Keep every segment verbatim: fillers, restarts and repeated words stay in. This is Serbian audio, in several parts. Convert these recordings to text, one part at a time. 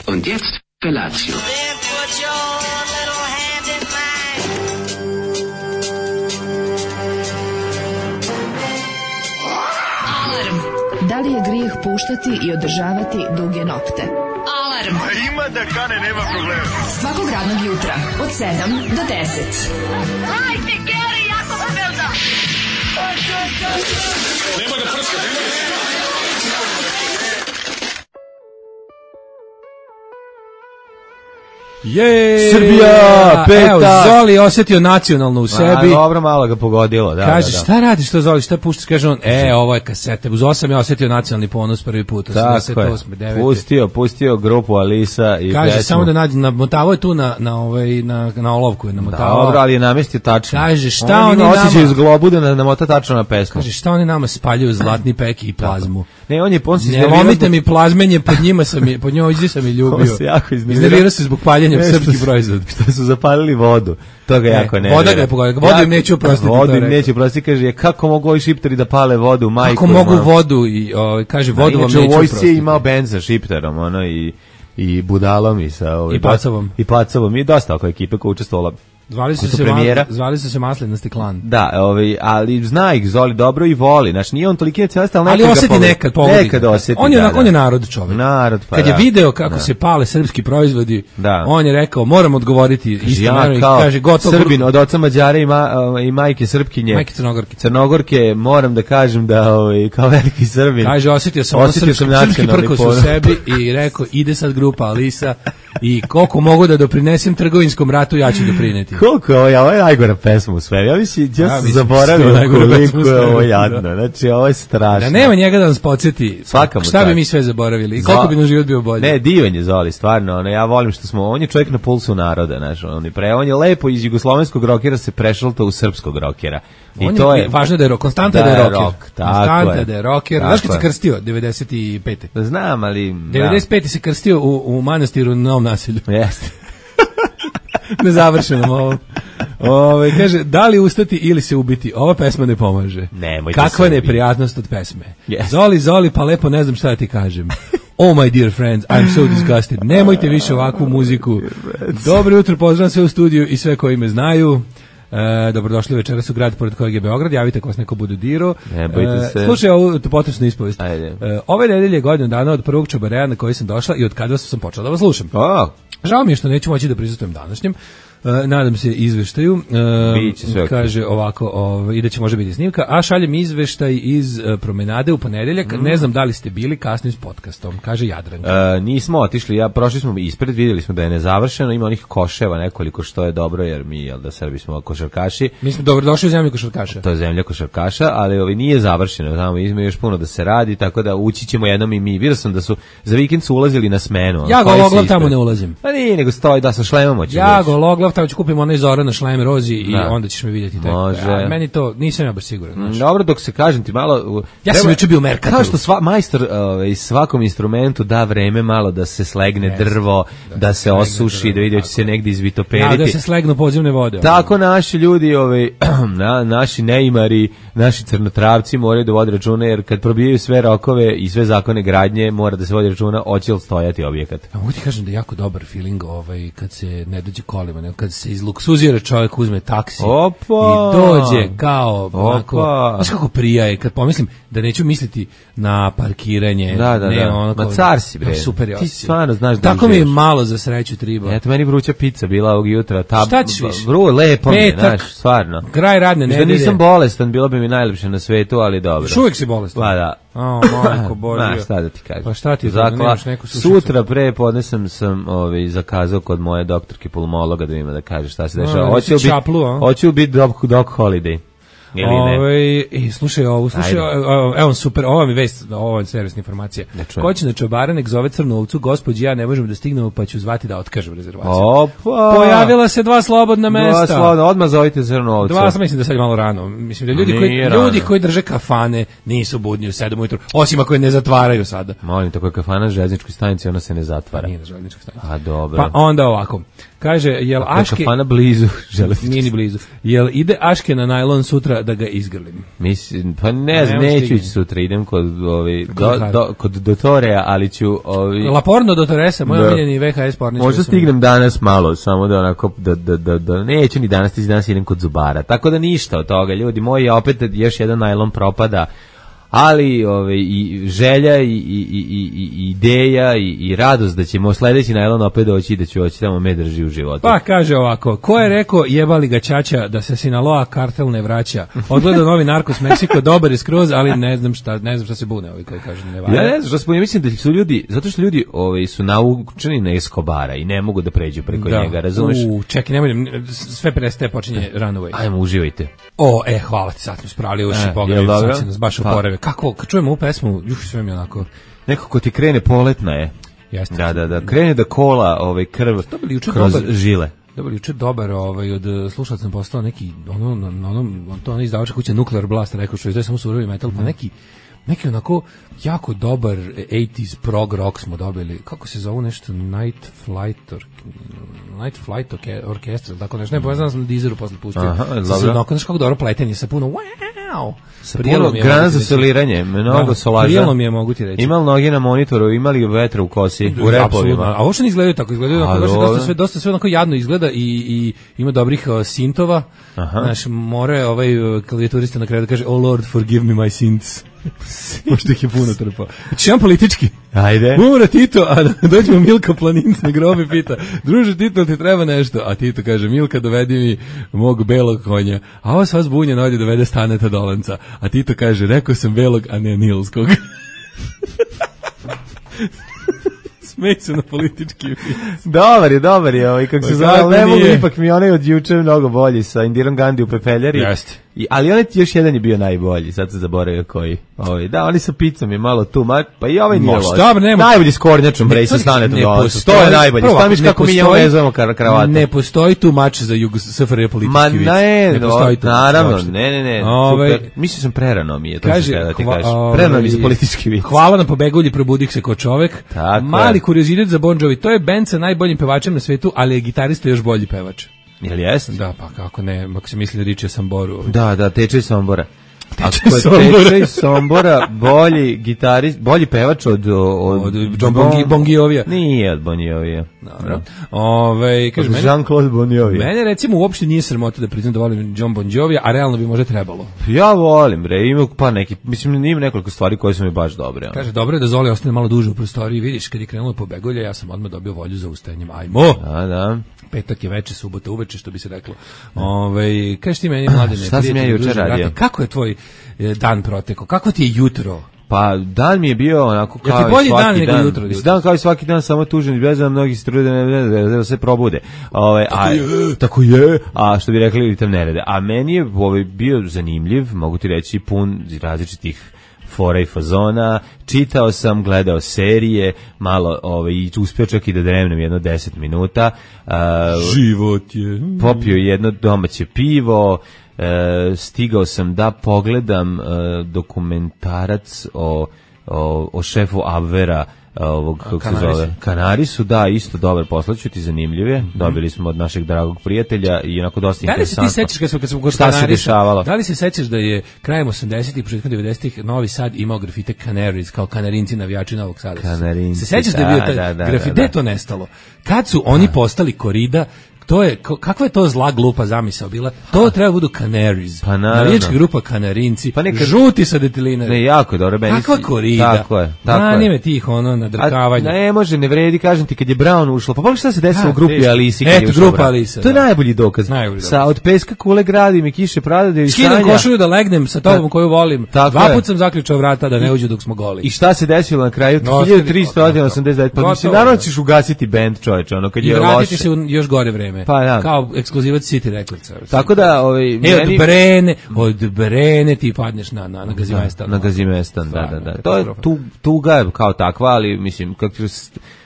Und jetzt Felatio. Da li je grijeh puštati i održavati duge nokte? Alarm! A ima da kane, nema problema. Svakog radnog jutra, od sedam do deset. Hajde, Geri, jako se velda! Nema da prska, nema da prska. Jej! Srbija, peta. Evo, Zoli osjetio nacionalno u sebi. A, dobro, malo ga pogodilo. Da, kaže, da, da. šta radiš to, Zoli, šta puštaš? Kaže on, e, ovo je kasete. Uz osam je osjetio nacionalni ponos prvi put. Tako je, pustio, pustio grupu Alisa i kaže, pesmu. samo da nađe, namotavao je tu na, na, ovaj, na, na olovku je namotavao. Dobro, ali je namestio tačno. Kaže, šta on oni nama... nama... osjećaj iz globu da namota tačno na pesmu. Kaže, šta oni nama spaljuju zlatni pek i plazmu. Ne, on je on se ne lomite mi plazmenje, pod njima sam je, pod njoj sam je ljubio. On se jako iznervirao. Iznervirao se zbog paljenja srpskih proizvoda. Što su zapalili vodu. To ga ne, jako nervira. Voda ga je pogodila. Vodu im neću oprostiti. Vodu im neću oprostiti. Kaže, kako mogu ovi šipteri da pale vodu? Majku, kako mogu ima. Vodu? I, o, kaže, vodu vam neću oprostiti. Inače, u vojsci je imao bend sa šipterom, ono, i, i budalom, i sa... Ovaj, I pacovom. I pacovom. I dosta oko ekipe koja učestvovala. Zvali su, se ma, zvali su se Maslinasti klan. Da, ovaj, ali zna ih Zoli dobro i voli. Znači nije on toliki nacionalista, ali, ali osjeti pove... nekad, pogodi. Nekad osjeti. On je, da, on je narod čovjek. Narod, pa kad da. je video kako da. se pale srpski proizvodi, da. On je rekao, moram odgovoriti isto ja, naravno, kao kaže, gotovo. Srbin, od oca Mađara i, ma, i majke Srpkinje. Majke Crnogorke. Crnogorke, moram da kažem da ovaj, kao veliki Srbin. Kaže, osjetio sam ono srpski, srpski prkos u sebi i rekao, ide sad grupa Alisa i koliko mogu da doprinesem trgovinskom ratu, ja ću doprineti. Koliko je ovo, ovo je najgora pesma u svemu. Ja mislim, ja, ja sam zaboravio koliko je ovo jadno. Znači, ovo je strašno. Da nema njega da nas podsjeti. Svaka šta bi mi sve zaboravili i koliko bi nam život bio bolji. Ne, divan je Zoli, stvarno. Ono, ja volim što smo, on je čovjek na pulsu naroda. Znaš, on, je pre, on je lepo iz jugoslovenskog rokera se prešalta u srpskog rokera. I on to je, je važno da je konstanta da je roker. Rock, konstanta je. da je roker. Znaš kad se krstio? devedeset pete Znam, ali... devedeset pete se krstio u, u manastiru na Novom Naselju. Jeste. Nezavršeno ovo. Ove, kaže, da li ustati ili se ubiti? Ova pesma ne pomaže. Nemojte. Kakva neprijatnost od pesme. Yes. Zoli, Zoli, pa lepo ne znam šta da ti kažem. Oh my dear friends, I'm so disgusted. Nemojte više ovakvu muziku. Dobro jutro, pozdravam sve u studiju i sve koji me znaju. E, dobrodošli večeras u grad pored kojeg je Beograd, javite ako vas neko bude dirao. Ne bojte se. E, slušaj ovu potresnu ispovest. Ajde. E, ove nedelje je godinu dana od prvog čobareja na koji sam došla i od kada sam počela da vas slušam. Oh. Žao mi je što neću moći da prisustvujem današnjem. Uh, nadam se izveštaju. Uh, kaže ovako, ovaj, i da će može biti snimka, a šaljem izveštaj iz uh, promenade u ponedeljak. Mm. Ne znam da li ste bili kasnim s podcastom, kaže Jadranka. Uh, nismo otišli, ja prošli smo ispred, vidjeli smo da je nezavršeno, ima onih koševa nekoliko što je dobro, jer mi, jel da Srbi smo košarkaši. Mi smo dobro došli u zemlju košarkaša. To je zemlja košarkaša, ali ovaj nije završeno, znamo, ima još puno da se radi, tako da ući ćemo jednom i mi. Vidio sam da su za vikend su ulazili na smenu. Ja gologlav tamo ne ulazim. Pa nije, nego stoji da sa šlemom hoće. Ja gologlav tamo ću kupim onaj Zorana šlem rozi i da. onda ćeš me vidjeti tako. Može. A meni to nisam ja baš siguran. Znači. Dobro, dok se kažem ti malo. Ja sam juče bio u Merkatoru. Kao što sva majstor ovaj svakom instrumentu da vreme malo da se slegne yes. drvo, da, da se osuši, drvo, da vidi hoće se negdje izvitoperiti. Ja, da se slegnu podzemne vode. Tako ovaj. Naši ljudi, ovaj na, naši neimari, naši crnotravci moraju da vode računa, jer kad probijaju sve rokove i sve zakone gradnje, mora da se vodi računa hoće li stojati objekat. A mogu ti kažem da je jako dobar feeling ovaj kad se ne dođe kolima, nego kad se izluksuzira čovjek, uzme taksi Opa. i dođe kao onako, znaš kako prijaje, kad pomislim da neću misliti na parkiranje, da, da, ne, da. ono kao, ma car si bre, super je ti stvarno znaš da tako mi je malo za sreću triba. Eto, meni vruća pizza bila ovog jutra, ta šta ćeš više? Vru, lepo mi je, znaš, stvarno. Kraj radne nedelje. Da nisam bolestan, bilo bi mi najlepše na svetu, ali dobro. Uvijek si bolestan. Pa da. O, majko Božja. Ma, šta da ti kažem. Pa šta ti Zakla, sutra pre podne sam, sam ovaj, zakazao kod moje doktorke pulmologa da ima da kaže šta se dešava. Hoće li biti, hoće biti dog, dog holiday. Ove, i slušaj ovo, slušaj, evo super, ovo mi vest, ovo je servisna informacija. Ko će na čobara, nek zove crnu ovcu, gospođi, ja ne možemo da stignemo, pa ću zvati da otkažem rezervaciju. Opa! Pojavila se dva slobodna mesta. Dva slobodna, odmah zovite crnu ovcu. Dva, sam mislim da sad je malo rano. Mislim da ljudi koji, ljudi koji drže kafane nisu budni u sedam ujutru, osim ako je ne zatvaraju sada. Molim, tako je kafana na željezničkoj stanici, ona se ne zatvara. Nije na željezničkoj stanici. A dobro. Pa onda ovako. Kaže, jel Aške... Kafana blizu železničke. Nije ni blizu. Jel ide Aške na najlon sutra sutra da ga izgrlim. Mislim, pa ne znam, neću ići sutra, idem kod, ovi, do, do, kod Dotoreja, ali ću... Ovi, La Porno Dotoresa, moj omiljeni V H S pornić. Možda stignem danas malo, samo da onako, da, da, da, da neću ni danas, ti danas idem kod Zubara. Tako da ništa od toga, ljudi moji, opet još jedan najlon propada, ali ove, i želja i, i, i, i ideja i, i radost da ćemo sledeći najlon opet doći i da ću oći tamo me drži u životu. Pa kaže ovako, ko je rekao jebali ga ćaća da se Sinaloa kartel ne vraća? Odgledao novi Narcos Meksiko, dobar je skroz, ali ne znam šta, ne znam šta se bune ovi koji kažu ne valja. Ja ne znam šta se bune, mislim da su ljudi, zato što ljudi ovi, su naučeni na Escobara i ne mogu da pređu preko da. njega, razumeš? U, čekaj, nemoj, sve prestaje, počinje Runaway. Ajmo, uživajte. O, e, hvala ti, sad smo spravili uši, e, pogledaj, sad si nas baš uporeve. Kako, kad čujemo ovu pesmu, juš, sve mi onako... Neko ko ti krene poletna je. Jeste. Da, da, da, krene da kola ovaj, krv kroz dobar, žile. Dobar, juče dobar, ovaj, od slušalaca sam postao neki, ono, na onom, to ono izdavača kuće Nuclear Blast, rekao što izdaje samo surovi metal, pa neki, neki onako jako dobar osamdesetih prog rock smo dobili. Kako se zove nešto? Night Flight or, Night Flight Orchestra, tako nešto. Ne, povezano sam na Deezeru posle pustio. Aha, dobro. Znaš kako dobro pletenje sa puno wow. Sa puno grana za soliranje, mnogo solaža. Prijelo mi je, mogu ti reći. Imali noge na monitoru, imali vetra u kosi, u repovima. A ovo što ne izgledaju tako, izgledaju onako, dosta sve, dosta sve onako jadno izgleda i, i ima dobrih uh, sintova. Znaš, more ovaj uh, klavijaturista na kraju da kaže, oh Lord, forgive me my sins. Možda ih je puno trpao. Znači, jedan politički. Ajde. Umre Tito, a dođemo Milka Planinc na grobi pita, druže Tito, ti treba nešto? A Tito kaže, Milka, dovedi mi mog belog konja. A ovo sva zbunjena ovdje dovede Staneta Dolanca. A Tito kaže, rekao sam belog, a ne nilskog. Smej se na politički vic. Dobar je, dobar je. Ovaj, kako se zove, ali ne mogu, ipak mi onaj od juče mnogo bolji sa Indirom Gandhi u Pepeljari. Jeste. I, ali onaj još jedan je bio najbolji, sad se zaboravio koji. Ovaj, da, oni sa pizzom je malo tu, ma, pa i ovaj nije loš. Najbolji s kornjačom, bre, sa Stanetom Dolanca. To je najbolji. Stamiš kako mi njemu vezujemo kravatu. Ne postoji tu mač za Jug S F R J politički ma, vic. Ne, ne postoji tu. Naravno, ne, ne, ne. Ove, super. Mislim sam prerano mi je, to kaže, da ti kažeš. Prerano mi za politički vic. Hvala na pobegulji, probudih se ko čovek. Tako mali kuriozitet za Bon Jovi, to je bend sa najboljim pevačem na svetu, ali je gitarista još bolji pevač. Jel jest? Da, pa kako ne, ako se misli da riče Samboru. Da, da, teče Sombora. Teče Sombora. Teče Sombora, bolji gitarist, bolji pevač od od, od John Bon, Bon Giovija. Nije od Bon Giovija. Dobro. Ovaj, kaže meni Jean-Claude Bon Jovi. Mene recimo uopšte nije sramota da priznam da volim John Bon Jovija, a realno bi možda trebalo. Ja volim, bre, ima pa neki, mislim ima nekoliko stvari koje su mi baš dobre. Ono. Kaže dobro je da Zoli ostane malo duže u prostoriji, vidiš kad je krenulo pobegolje, ja sam odmah dobio volju za ustajanjem. Ajmo. Da, da. Petak je veče, subota uveče, što bi se reklo. Ovaj, kažeš ti meni, Mladene, šta sam ja juče radio? Kako je tvoj dan protekao? Kako ti je jutro? Pa dan mi je bio onako kao ja i svaki dan. dan. Jutro, dan kao i svaki dan, samo tužan i bezan, mnogi se trude da se probude. Ove, tako, a, je. tako je. A što bi rekli, tam ne rade. A meni je ovaj, bio zanimljiv, mogu ti reći, pun različitih fora i fazona, čitao sam, gledao serije, malo ovaj, uspio čak i da dremnem jedno deset minuta. Uh, Život je. Popio jedno domaće pivo, E, stigao sam da pogledam e, dokumentarac o, o, o šefu Abvera, ovog, kako se zove, Kanarisu, da, isto dobar, poslaću ti, zanimljive. Mm-hmm. Dobili smo od našeg dragog prijatelja i onako dosta da interesantno. Da li se ti sećaš kad smo, kad smo kod Kanarisa, da li se sećaš da je krajem osamdesetih i početkom devedesetih Novi Sad imao grafite Canaries, kao Kanarinci navijači Novog Sada? Kanarinci, se sećaš da, da je bio taj da, da, grafite, da, da. to nestalo? Kad su oni postali korida, to je, kakva je to zla glupa zamisao bila? To treba budu Canaries. Pa navijačka grupa Kanarinci, pa neka žuti sa detilinari. Ne, jako dobro. Kakva korida? Tako je. Tako Brani je. Me tih ono nadrkavanje. Ne, može, ne vredi, kažem ti, kad je Brown ušlo. Pa pogledaj šta se desilo u grupi Alisi. Eto, grupa Alisa. To je najbolji dokaz. Najbolji sa od peska kule gradim i kiše pradade i skidam košulju da legnem sa tobom koju volim. Dva put sam zaključao vrata da ne uđu dok smo goli. I šta se desilo na kraju? hiljadu tristo osamdeset devet. Pa mislim, naravno ćeš ugasiti bend, čoveče, ono kad je loše. I vratiti se u još gore vreme. Kao ekskluzivac City Records. Tako da, ovaj e, meni od Brene, od Brene ti padneš na na na Gazimestan. Na Gazimestan, da, da, da. To je tu tuga kao takva, ali mislim kako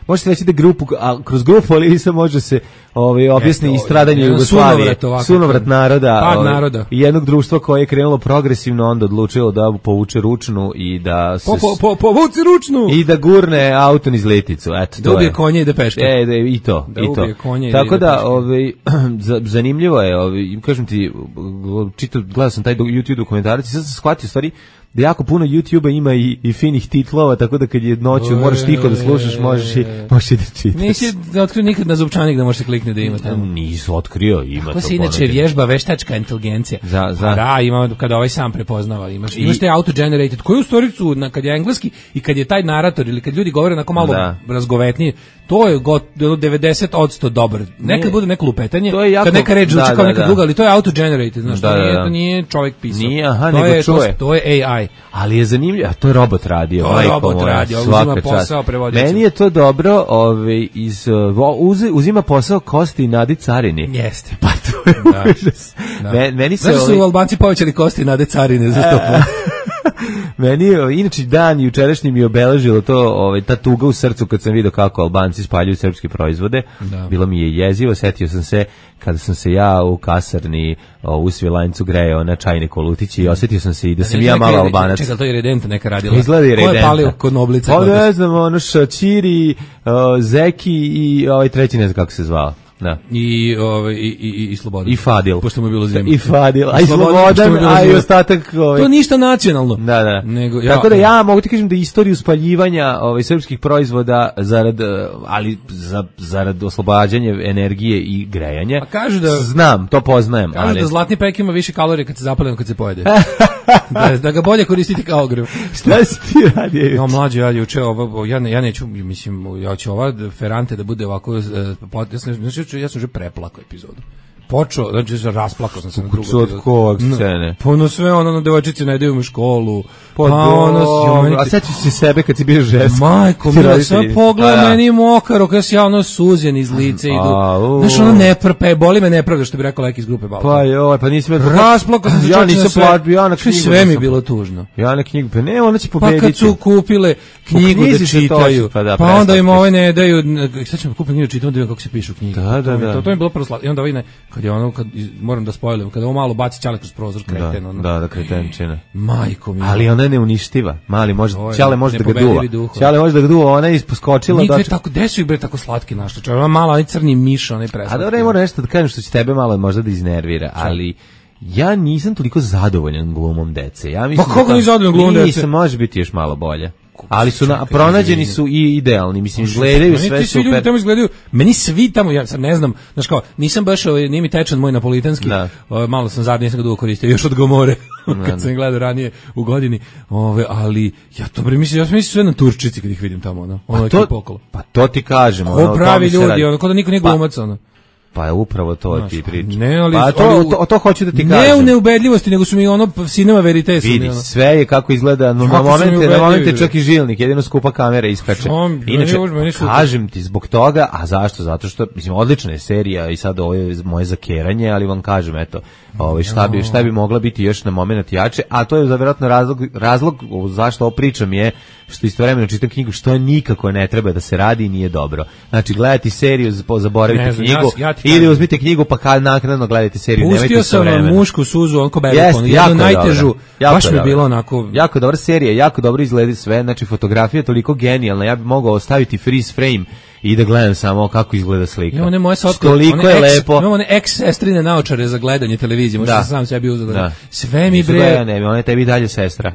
možete reći da grupu, a kroz grupu Alisa može se ovaj, objasni i stradanje Jugoslavije, sunovrat, sunovrat naroda, pad ovaj, naroda. I jednog društva koje je krenulo progresivno, onda odlučilo da povuče ručnu i da se... Po, po, po, povuci ručnu! I da gurne auto niz leticu, eto, to da ubije je. konje i da peške. E, da, i to, da i to. Konje tako i da, da, ovaj, zanimljivo je, ovaj, kažem ti, čitao, gledao sam taj YouTube dokumentarac i sad sam shvatio stvari da jako puno YouTube-a ima i, i finih titlova, tako da kad je noću moraš tiho da slušaš, možeš i, možeš i da čitaš. Nisi otkrio nikad na zupčanik da možeš kliknuti da ima tamo. Nisu otkrio, ima kako to. Kako se inače vježba veštačka inteligencija? Za, za. Pa da, ima, kada ovaj sam prepoznava. Imaš, imaš te auto-generated, koji u storicu, na, kad je engleski i kad je taj narator ili kad ljudi govore onako malo da. razgovetnije, to je got, devedeset posto dobar. Nekad nije, bude neko lupetanje, to je jako, kad neka reč zvuči da, kao neka da, druga, ali to je auto-generated, znaš, da, to, nije, to nije čovjek pisao. Nije, aha, to, nego je, čuje. To, to je A I. Ali je zanimljivo, a to je robot radio. To je robot radio, uzima posao prevoditelja. Meni je to dobro, ovaj, iz, uz, uzima posao Kosti i Nadi Carini. Jeste. Pa to je da. užas. Da. Men, meni se Znaš da su ovaj... Albanci povećali Kosti i Nade Carine za sto posto. Meni je, inače dan jučerašnji mi je obeležilo to, ovaj, ta tuga u srcu kad sam vidio kako Albanci spaljuju srpske proizvode. Da. Bilo mi je jezivo, setio sam se kada sam se ja u kasarni u Svilajncu grejao na čajne kolutići i osjetio sam se i da sam ja malo Albanac. Čekaj, to je Redenta neka radila. Izgleda i Redenta. Ko je palio kod Noblica? Pa ne znam, ono Šačiri, uh, Zeki i ovaj treći ne znam kako se zvao. Da. I ovaj i i i Slobodan. I Fadil. Pošto mu je bilo zima. I Fadil, a i Slobodan, a i ostatak ovaj. To ništa nacionalno. Da, da. Nego, ja, tako da ja mogu ti kažem da istoriju spaljivanja ovaj srpskih proizvoda zarad ali za zarad oslobađanja energije i grejanja. Pa kažu da znam, to poznajem, kažu ali da zlatni pek ima više kalorija kad se zapali nego kad se pojede. da, da ga bolje koristiti kao ogrev. Šta si ti radio? No, mlađi, ja juče ovo ja ne, ja neću, mislim, ja ću ova Ferrante da bude ovako znači ja sam že preplakao epizodu. Počeo, znači rasplakao sam se na drugu epizodu. Od kog scene? Pa ono sve, ono na devojčici ne idemo u školu. Pa, pa ono, a sećaš se sebe kad si bio žensko? Majko, mi sve pogleda meni mokaro, kada si ja ono suzen iz lice idu. Znaš, ono ne prpe, boli me nepravda što bi rekao lek iz grupe Balkan. Pa joj, pa nisi me... Rasplakao sam se ja nisam platio, ja na knjigu. Sve mi je bilo tužno. Ja na knjigu, pa ne, ona će pobediti. Pa kad su kupile knjigu da čitaju, pa onda im ove ne daju, sad ćemo kupiti knjigu da čitamo da vidim kako se pišu knjige. Da, da, da. To mi je bilo prvo slatko. I onda ovaj ne, kad je ono, kad moram da spojlujem, kada ovo malo baci ćale kroz prozor, kreten, ono. Da, da, kretenčina. Majko mi. Ali ona je neuništiva. Mali može, ćale može da ga duva. Ćale može da ga duva, ona je isposkočila. Nigde tako, gde su ih bre tako slatki našli? Čovjek, ona mala, onaj crni miš, onaj preslatki. A dobro, ne moram nešto da kažem što će tebe malo možda da iznervira, ali ja nisam toliko zadovoljan glumom dece. Ja mislim pa kako nisi zadovoljan glumom dece? Nisam, može biti još malo bolje. Ali su na, pronađeni su i idealni, mislim, izgledaju sve meni super. Ljudi tamo izgledaju, meni svi tamo, ja sad ne znam, znaš kao, nisam baš, nije mi tečan moj napolitanski, o, malo sam zadnje, nisam ga dugo koristio, još od Gomore, kad sam gledao ranije u godini, ove, ali ja to bre mislim, ja sam mislim sve na Turčici kad ih vidim tamo, ono, ono pa, to, pa to ti kažem. Ko ono, pravi ljudi, ono, kao da niko nije glumac, ono. Pa je upravo to znaš, ti priča. Ne, ali, pa to, ali, to, to hoću da ti ne kažem. Ne u neubedljivosti, nego su mi ono cinema verite. Vidi, ono. Sve je kako izgleda, no, na momente, na momente čak i žilnik, jedino skupa kamera iskače. Inače, kažem ti zbog toga, a zašto? Zato što, mislim, odlična je serija i sad ovo je moje zakeranje, ali vam kažem, eto, ovaj, šta, bi, šta bi mogla biti još na moment jače, a to je za vjerojatno razlog, razlog zašto ovo pričam je što istovremeno čitam knjigu, što je nikako ne treba da se radi i nije dobro. Znači, gledati seriju, zaboravite ne, knjigu, ja, ja ili uzmite knjigu pa kad naknadno gledate seriju. Pustio sam mušku suzu, onko Berikon, jednu najtežu, baš mi je bilo onako... Jako dobra serija, jako dobro izgleda sve, znači fotografija je toliko genijalna, ja bih mogao ostaviti freeze frame i da gledam samo kako izgleda slika. Imamo ne moje sotko, toliko je ex, lepo. Imamo one ex-sestrine naočare za gledanje televizije, možda da. Sam sebi uzeo da. Sve mi bre... Ja ne, ona je tebi dalje sestra.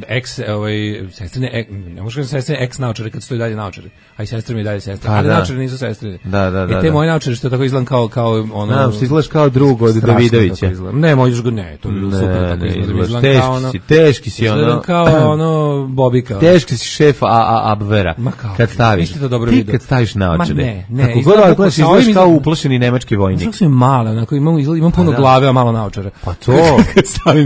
Ex, ovaj, sestrine, ek, ne možeš sestrine ex-naočare kad stoji dalje naočare, a i sestre mi dalje sestra. Pa, ali da. naočare nisu sestrine. Da, da, da. I te da. moje naočare što tako izgledam kao, kao ono... Da, što izgledaš kao drugo od Davidovića. Ne, možeš ga, ne, to je bilo super tako izgledam. Teški si, teški si ono... Izgledam kao ono Bobika. Teški si šef Abvera. Kad staviš. Ti kad staviš naočare. Ne, kako god ovaj gledaš, izgledaš kao uplašeni nemački vojnik. Kako su mi male, onako, imam, imam puno glave, a malo naočara. Pa to,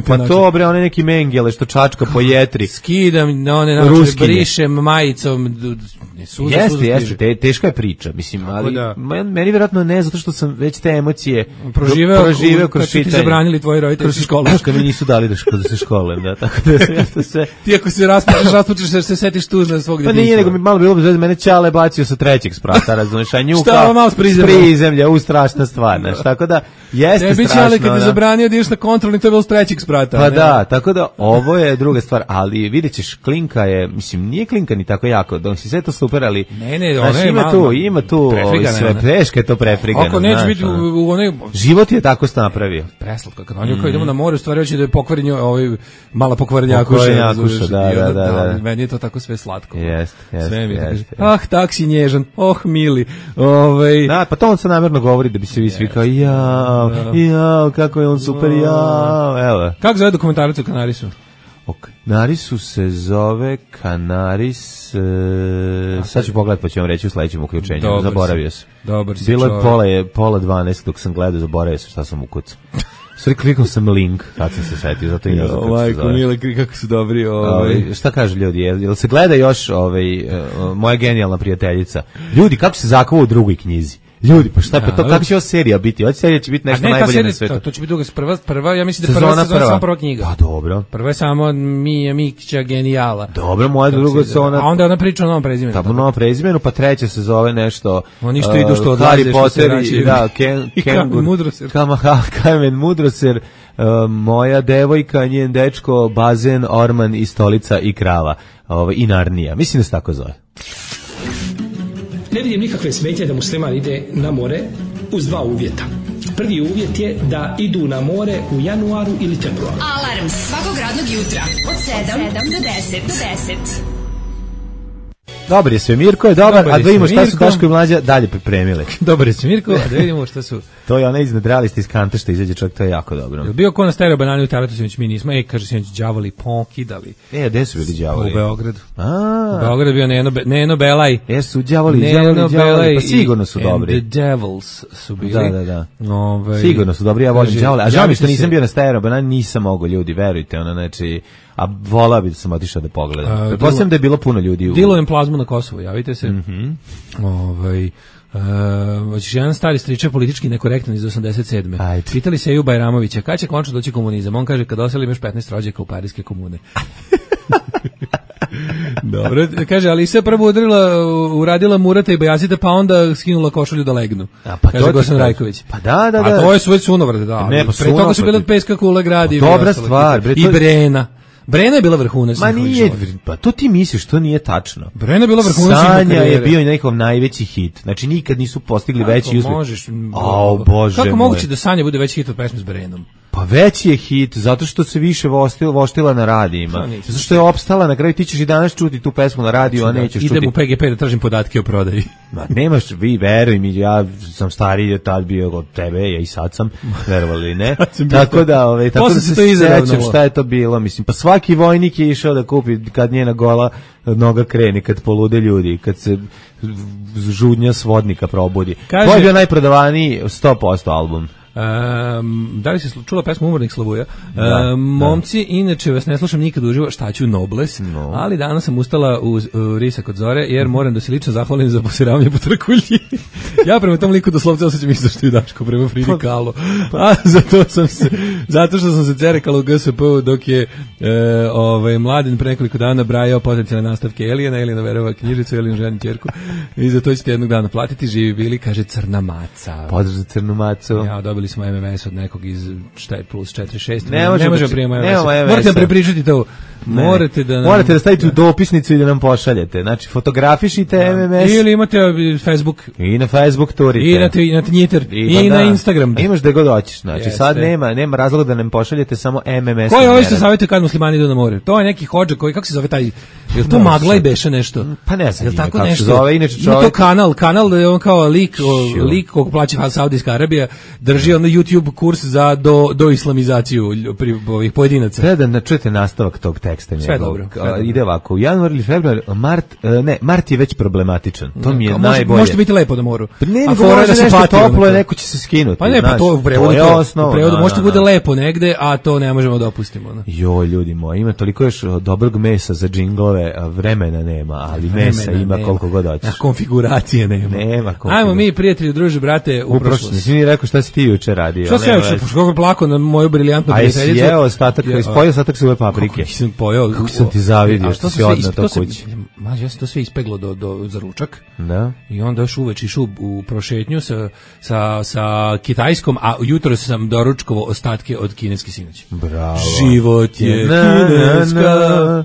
pa to bre, one neki mengele što čačka po jetri. Skidam, one naočare, brišem majicom, Suza, jeste, suza jeste, te, teška je priča, mislim, tako ali da, meni vjerojatno ne, zato što sam već te emocije proživeo, proživeo kroz čitanje. Kad su ti zabranili tvoji roditelji kroz školu. Kad mi nisu dali da, da se školujem, da, tako da ja to sve... Ti ako se raspučeš, raspučeš, se, se setiš tužna svog djetinjstva. Pa nije, nego mi malo bilo bez mene Ćale bacio sa trećeg sprata, razumiješ, a njuka... Šta, malo s prizemlja? S prizemlja, u strašna stvar, znaš, tako da jeste Tebi strašno. Ćale kad je zabranio da ideš na kontrolni, to je bilo s trećeg sprata. Pa ne? Da, tako da ovo je druga stvar, ali vidjet ćeš, klinka je, mislim, nije klinka ni tako jako, dok si sve to super, ali... Ne, ne, ona znaš, je ima malo, tu, ima tu ovaj, sve teške, to prefrigano. Ako neće biti u onoj... Život je tako napravio. Preslatko, kad on kao idemo na more, u stvari hoće da je pokvarenje ovaj mala pokvarenjakuša. Pokvarenjakuša, da, da, da, da. Meni je to tako sve slatko. Jest, jest, sve mi je jest, tako, ah, tak si nježan, oh, mili. Ovaj... Da, pa to on se namjerno govori da bi se vi svi kao, jao, jao, kako je on super, jao, evo. Kako zove dokumentarac o Kanarisu? O Kanarisu se zove Kanaris, e, sad ću pogledati pa ću vam reći u sledećem uključenju, dobar zaboravio sam. Dobar si bilo je pola, je pola dvanaest dok sam gledao, zaboravio sam šta sam ukucao. Sve kliknuo sam link, sad sam se setio, zato i ne znam kako se zove. Mile, kako su dobri. Ovaj. Ovaj, šta kažu ljudi, jel, jel se gleda još ovaj, uh, moja genijalna prijateljica? Ljudi, kako se zakuvao u drugoj knjizi? Ljudi, pa šta, pa to, kako će ova serija biti? Ova serija će biti nešto najbolje na svetu. To, to će biti druga, prva, prva, ja mislim da je prva sezona samo prva knjiga. Pa dobro. Prva je samo Mija Mikića genijala. Dobro, moja druga sezona. A onda ona priča o novom prezimenu. Tamo novom prezimenu, pa treća se zove nešto... Oni što idu što odlaze, Harry Potter i, da, Ken, i Kamen Mudroser. Kamen Mudroser, uh, moja devojka, njen dečko, bazen, orman i stolica i krava. Ovo, i Narnija. Mislim da se tako zove. Ne vidim nikakve smetnje da musliman ide na more uz dva uvjeta. Prvi uvjet je da idu na more u januaru ili februaru. Alarm svakog radnog jutra od sedam do deset. Dobar je sve, Mirko je dobar, dobar a da vidimo šta su Daško i Mlađa dalje pripremili. Dobar je sve, Mirko, a da vidimo šta su... To je ona iznad realista iz kante što izađe čovjek, to je jako dobro. Je bio ko na stereo banani u Taletu, sinoć mi nismo, e, kaže sinoć đavoli pokidali. E, gde su bili đavoli? U Beogradu. A. U Beogradu bio Neno, Be, Neno Belaj. E, su đavoli, đavoli, đavoli, pa sigurno su dobri. And the Devils su bili. Da, da, da. Ove, sigurno su dobri, ja volim đavoli. A žao mi što nisam bio na stereo banani, nisam mogao, ljudi, verujte, ono, znači... A volao bi da sam otišao da pogledam. Pretpostavljam da je bilo puno ljudi u... Dilujem plazmu na Kosovu, javite se. Mm-hmm. Ovaj... Uh, hoćeš jedan stari stričar politički nekorektan iz osamdeset sedme. Ajde. Pitali se Eju Bajramovića, kada će končno doći komunizam? On kaže, kad oseli imaš petnaest rođaka u Parijske komune. Dobro, kaže, ali se prvo udarila, uradila Murata i Bajazita, pa onda skinula košulju da legnu. A, pa kaže Gosan Rajković. Pa da, da, da. A to je svoj sunovrde, da. Ne, pa pre toga su bile Peska kula gradi. Dobra stvar. Bre, to... I Brena. Brena je bila vrhunac. Ma nije, pa to ti misliš, to nije tačno. Brena je bila vrhunac. Sanja je bio i njegov najveći hit. Znači nikad nisu postigli kako veći uspjeh. Možeš? Au, Bože kako moj. moguće da Sanja bude veći hit od pesme s Brenom? Pa veći je hit, zato što se više voštila, voštila na radijima. Zato što je opstala, na kraju ti ćeš i danas čuti tu pesmu na radiju, znači, a nećeš idem čuti. Idem u P G P da tražim podatke o prodaji. Ma, nemaš, vi, veruj mi, ja sam stariji tad bio od tebe, ja i sad sam, verovali ili ne. tako da, ove, tako da se sećam šta je to bilo, mislim, pa svaki vojnik je išao da kupi kad njena gola noga krene, kad polude ljudi, kad se žudnja svodnika probudi. Kaže, to je bio najprodavaniji sto posto album. Um, da li se čula pesmu Umornik Slavuja? Da, um, momci, da. Inače vas ne slušam nikad uživo, šta ću Nobles, no. Ali danas sam ustala u, u Risak od zore, jer moram da se lično zahvalim za posiravanje po trkulji. Ja prema tom liku doslovce osjećam isto što i Daško prema Fridi Kahlo. A zato sam se, zato što sam se cerekala u G S P-u dok je e, ovaj, Mladen pre nekoliko dana brajao potencijalne nastavke Elijana, Elijana verova knjižicu, Elijan ženi ćerku, i za to ćete jednog dana platiti, živi bili, kaže Crna maca. Pozdrav za Crnu macu. Ja, dobili smo M M S od nekog iz šta je plus četiri šest. Ne, ne možemo prijema M M S. Morate da prepričati to. Morate da nam, morate da stavite u dopisnicu i da nam pošaljete. Znači fotografišite da. M M S ili imate Facebook i na Facebook turite. I na i na Twitter i, i na Instagram. A imaš da god hoćeš. Znači Jeste. Sad nema nema razloga da nam pošaljete samo M M S. Koji ovo što savjetuje kad muslimani idu na more? To je neki hodža koji kako se zove taj jel to Magla i beše nešto? Pa ne znam. Jel tako kako nešto? Zove inače čovjek. To kanal, kanal da je on kao lik, o, lik kog plaća Saudijska Arabija, drži ono YouTube kurs za do, do islamizaciju pri, ovih pojedinaca. Treba da čujete nastavak tog teksta. Sve dobro. Sve dobro. Ide ovako, u januar ili februar, mart, ne, mart je već problematičan. To mi je može, najbolje. Možete biti lepo na moru. Pa ne, nego može da nešto toplo, neko će se skinuti. Pa ne, pa to u prevodu, to je osnovno, u prevodu možete bude lepo negde, a to ne možemo da opustimo. Ne? Joj, ljudi moji, ima toliko još dobrog mesa za džinglove, a vremena nema, ali vremena mesa ima nema. Koliko god hoćeš. A konfiguracije nema. Nema konfiguracije. Ajmo mi, prijatelji, druže, brate, u prošlost. Nisi mi rekao šta si ti juče radio. Šta si ja juče, kako je plako na moju briljantnu prijateljicu. A jesi jeo ostatak, ispojio ostatak svoje paprike. Kako sam pojeo. Kako sam ti zavidio što si odnao to kući. Mađo, ja sam to sve ispeglo do, do, za ručak. Da. I onda još uveč išao u prošetnju sa, sa, sa kitajskom, a jutro sam doručkovo ostatke od kineske sinoći. Bravo. Život je na, kineska. Na, na.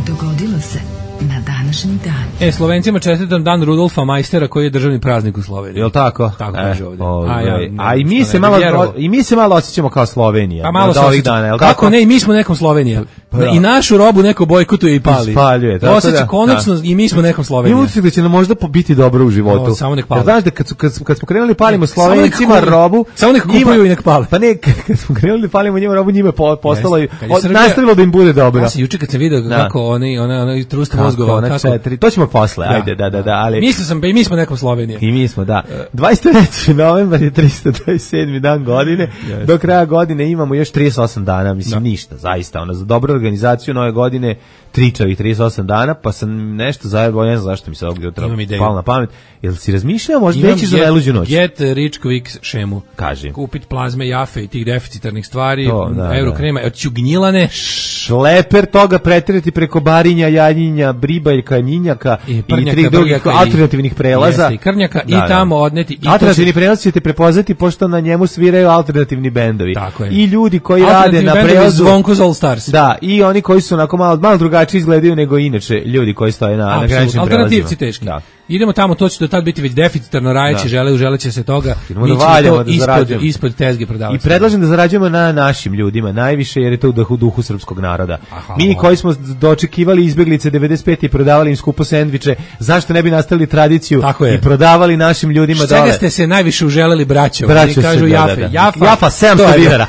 Dogodilo se na današnji dan. E, Slovencima čestitam dan Rudolfa Majstera koji je državni praznik u Sloveniji. Jel tako? Tako kaže ovdje. Ove, a, ja, ne, a i mi se malo vjerovo. i mi se malo osjećamo kao Slovenija. Pa malo se ovih dana, jel tako? Kako ne, i mi smo nekom Slovenija. Pa, pa, I našu robu neko bojkotuje i pali. Ispaljuje, tako Osjeća da. konačno da. I mi smo nekom Slovenija. I utisak da će nam možda biti dobro u životu. O, samo nek pali. Ja, znaš da kad, su, kad, kad smo krenuli palimo Slovencima robu, samo nek kupuju i nek pali. Pa ne, kad smo krenuli palimo njima robu, njima postalo i nastavilo da im bude dobro. Ja se juče kad sam video kako oni ona ona trust mozgova kako to ćemo posle. Ajde, da, da, da, ali mislio sam, pa i mi smo nekom Slovenija. I mi smo, da. dvadeset treći novembar je tristo dvadeset sedmi dan godine. Yes. Do kraja godine imamo još trideset osam dana, mislim da. Ništa, zaista. Ona za dobru organizaciju nove godine tričavih trideset osam dana, pa sam nešto zajebao, ne znam zašto mi se ovdje jutro palo na pamet. Jel si razmišljao, možda nećeš za najluđu noć? Get rich quick šemu. Kaži. Kupit plazme, jafe i tih deficitarnih stvari, to, da, eurokrema, od ćugnjilane. Šleper toga pretirati preko barinja, janjinja, bribaljka, njinjaka i, i tri drugih alternativnih prelaza. Jeste, i krnjaka da, i tamo odneti. I alternativni prelaz ćete prepoznati pošto na njemu sviraju alternativni bendovi. I ljudi koji rade na prelazu. Zvonko All Stars. Da, i oni koji su onako malo, malo drugačije izgledaju nego inače ljudi koji stoje na, na graničnim prelazima. Alternativci teški. Da. Idemo tamo, to će do tad biti već deficitarno, rajeći žele, želeće se toga. Mi ćemo to da ispod, ispod tezge prodavati. I predlažem da zarađujemo na našim ljudima najviše, jer je to u duhu, duhu srpskog naroda. Aha, mi koji smo dočekivali izbeglice devedeset pete i prodavali im skupo sendviče, zašto ne bi nastavili tradiciju i prodavali našim ljudima dole? Čega ste se najviše uželeli, braćo? Braćo kažu se, jafe. Da, da. Jafa, jafa sedamsto dinara.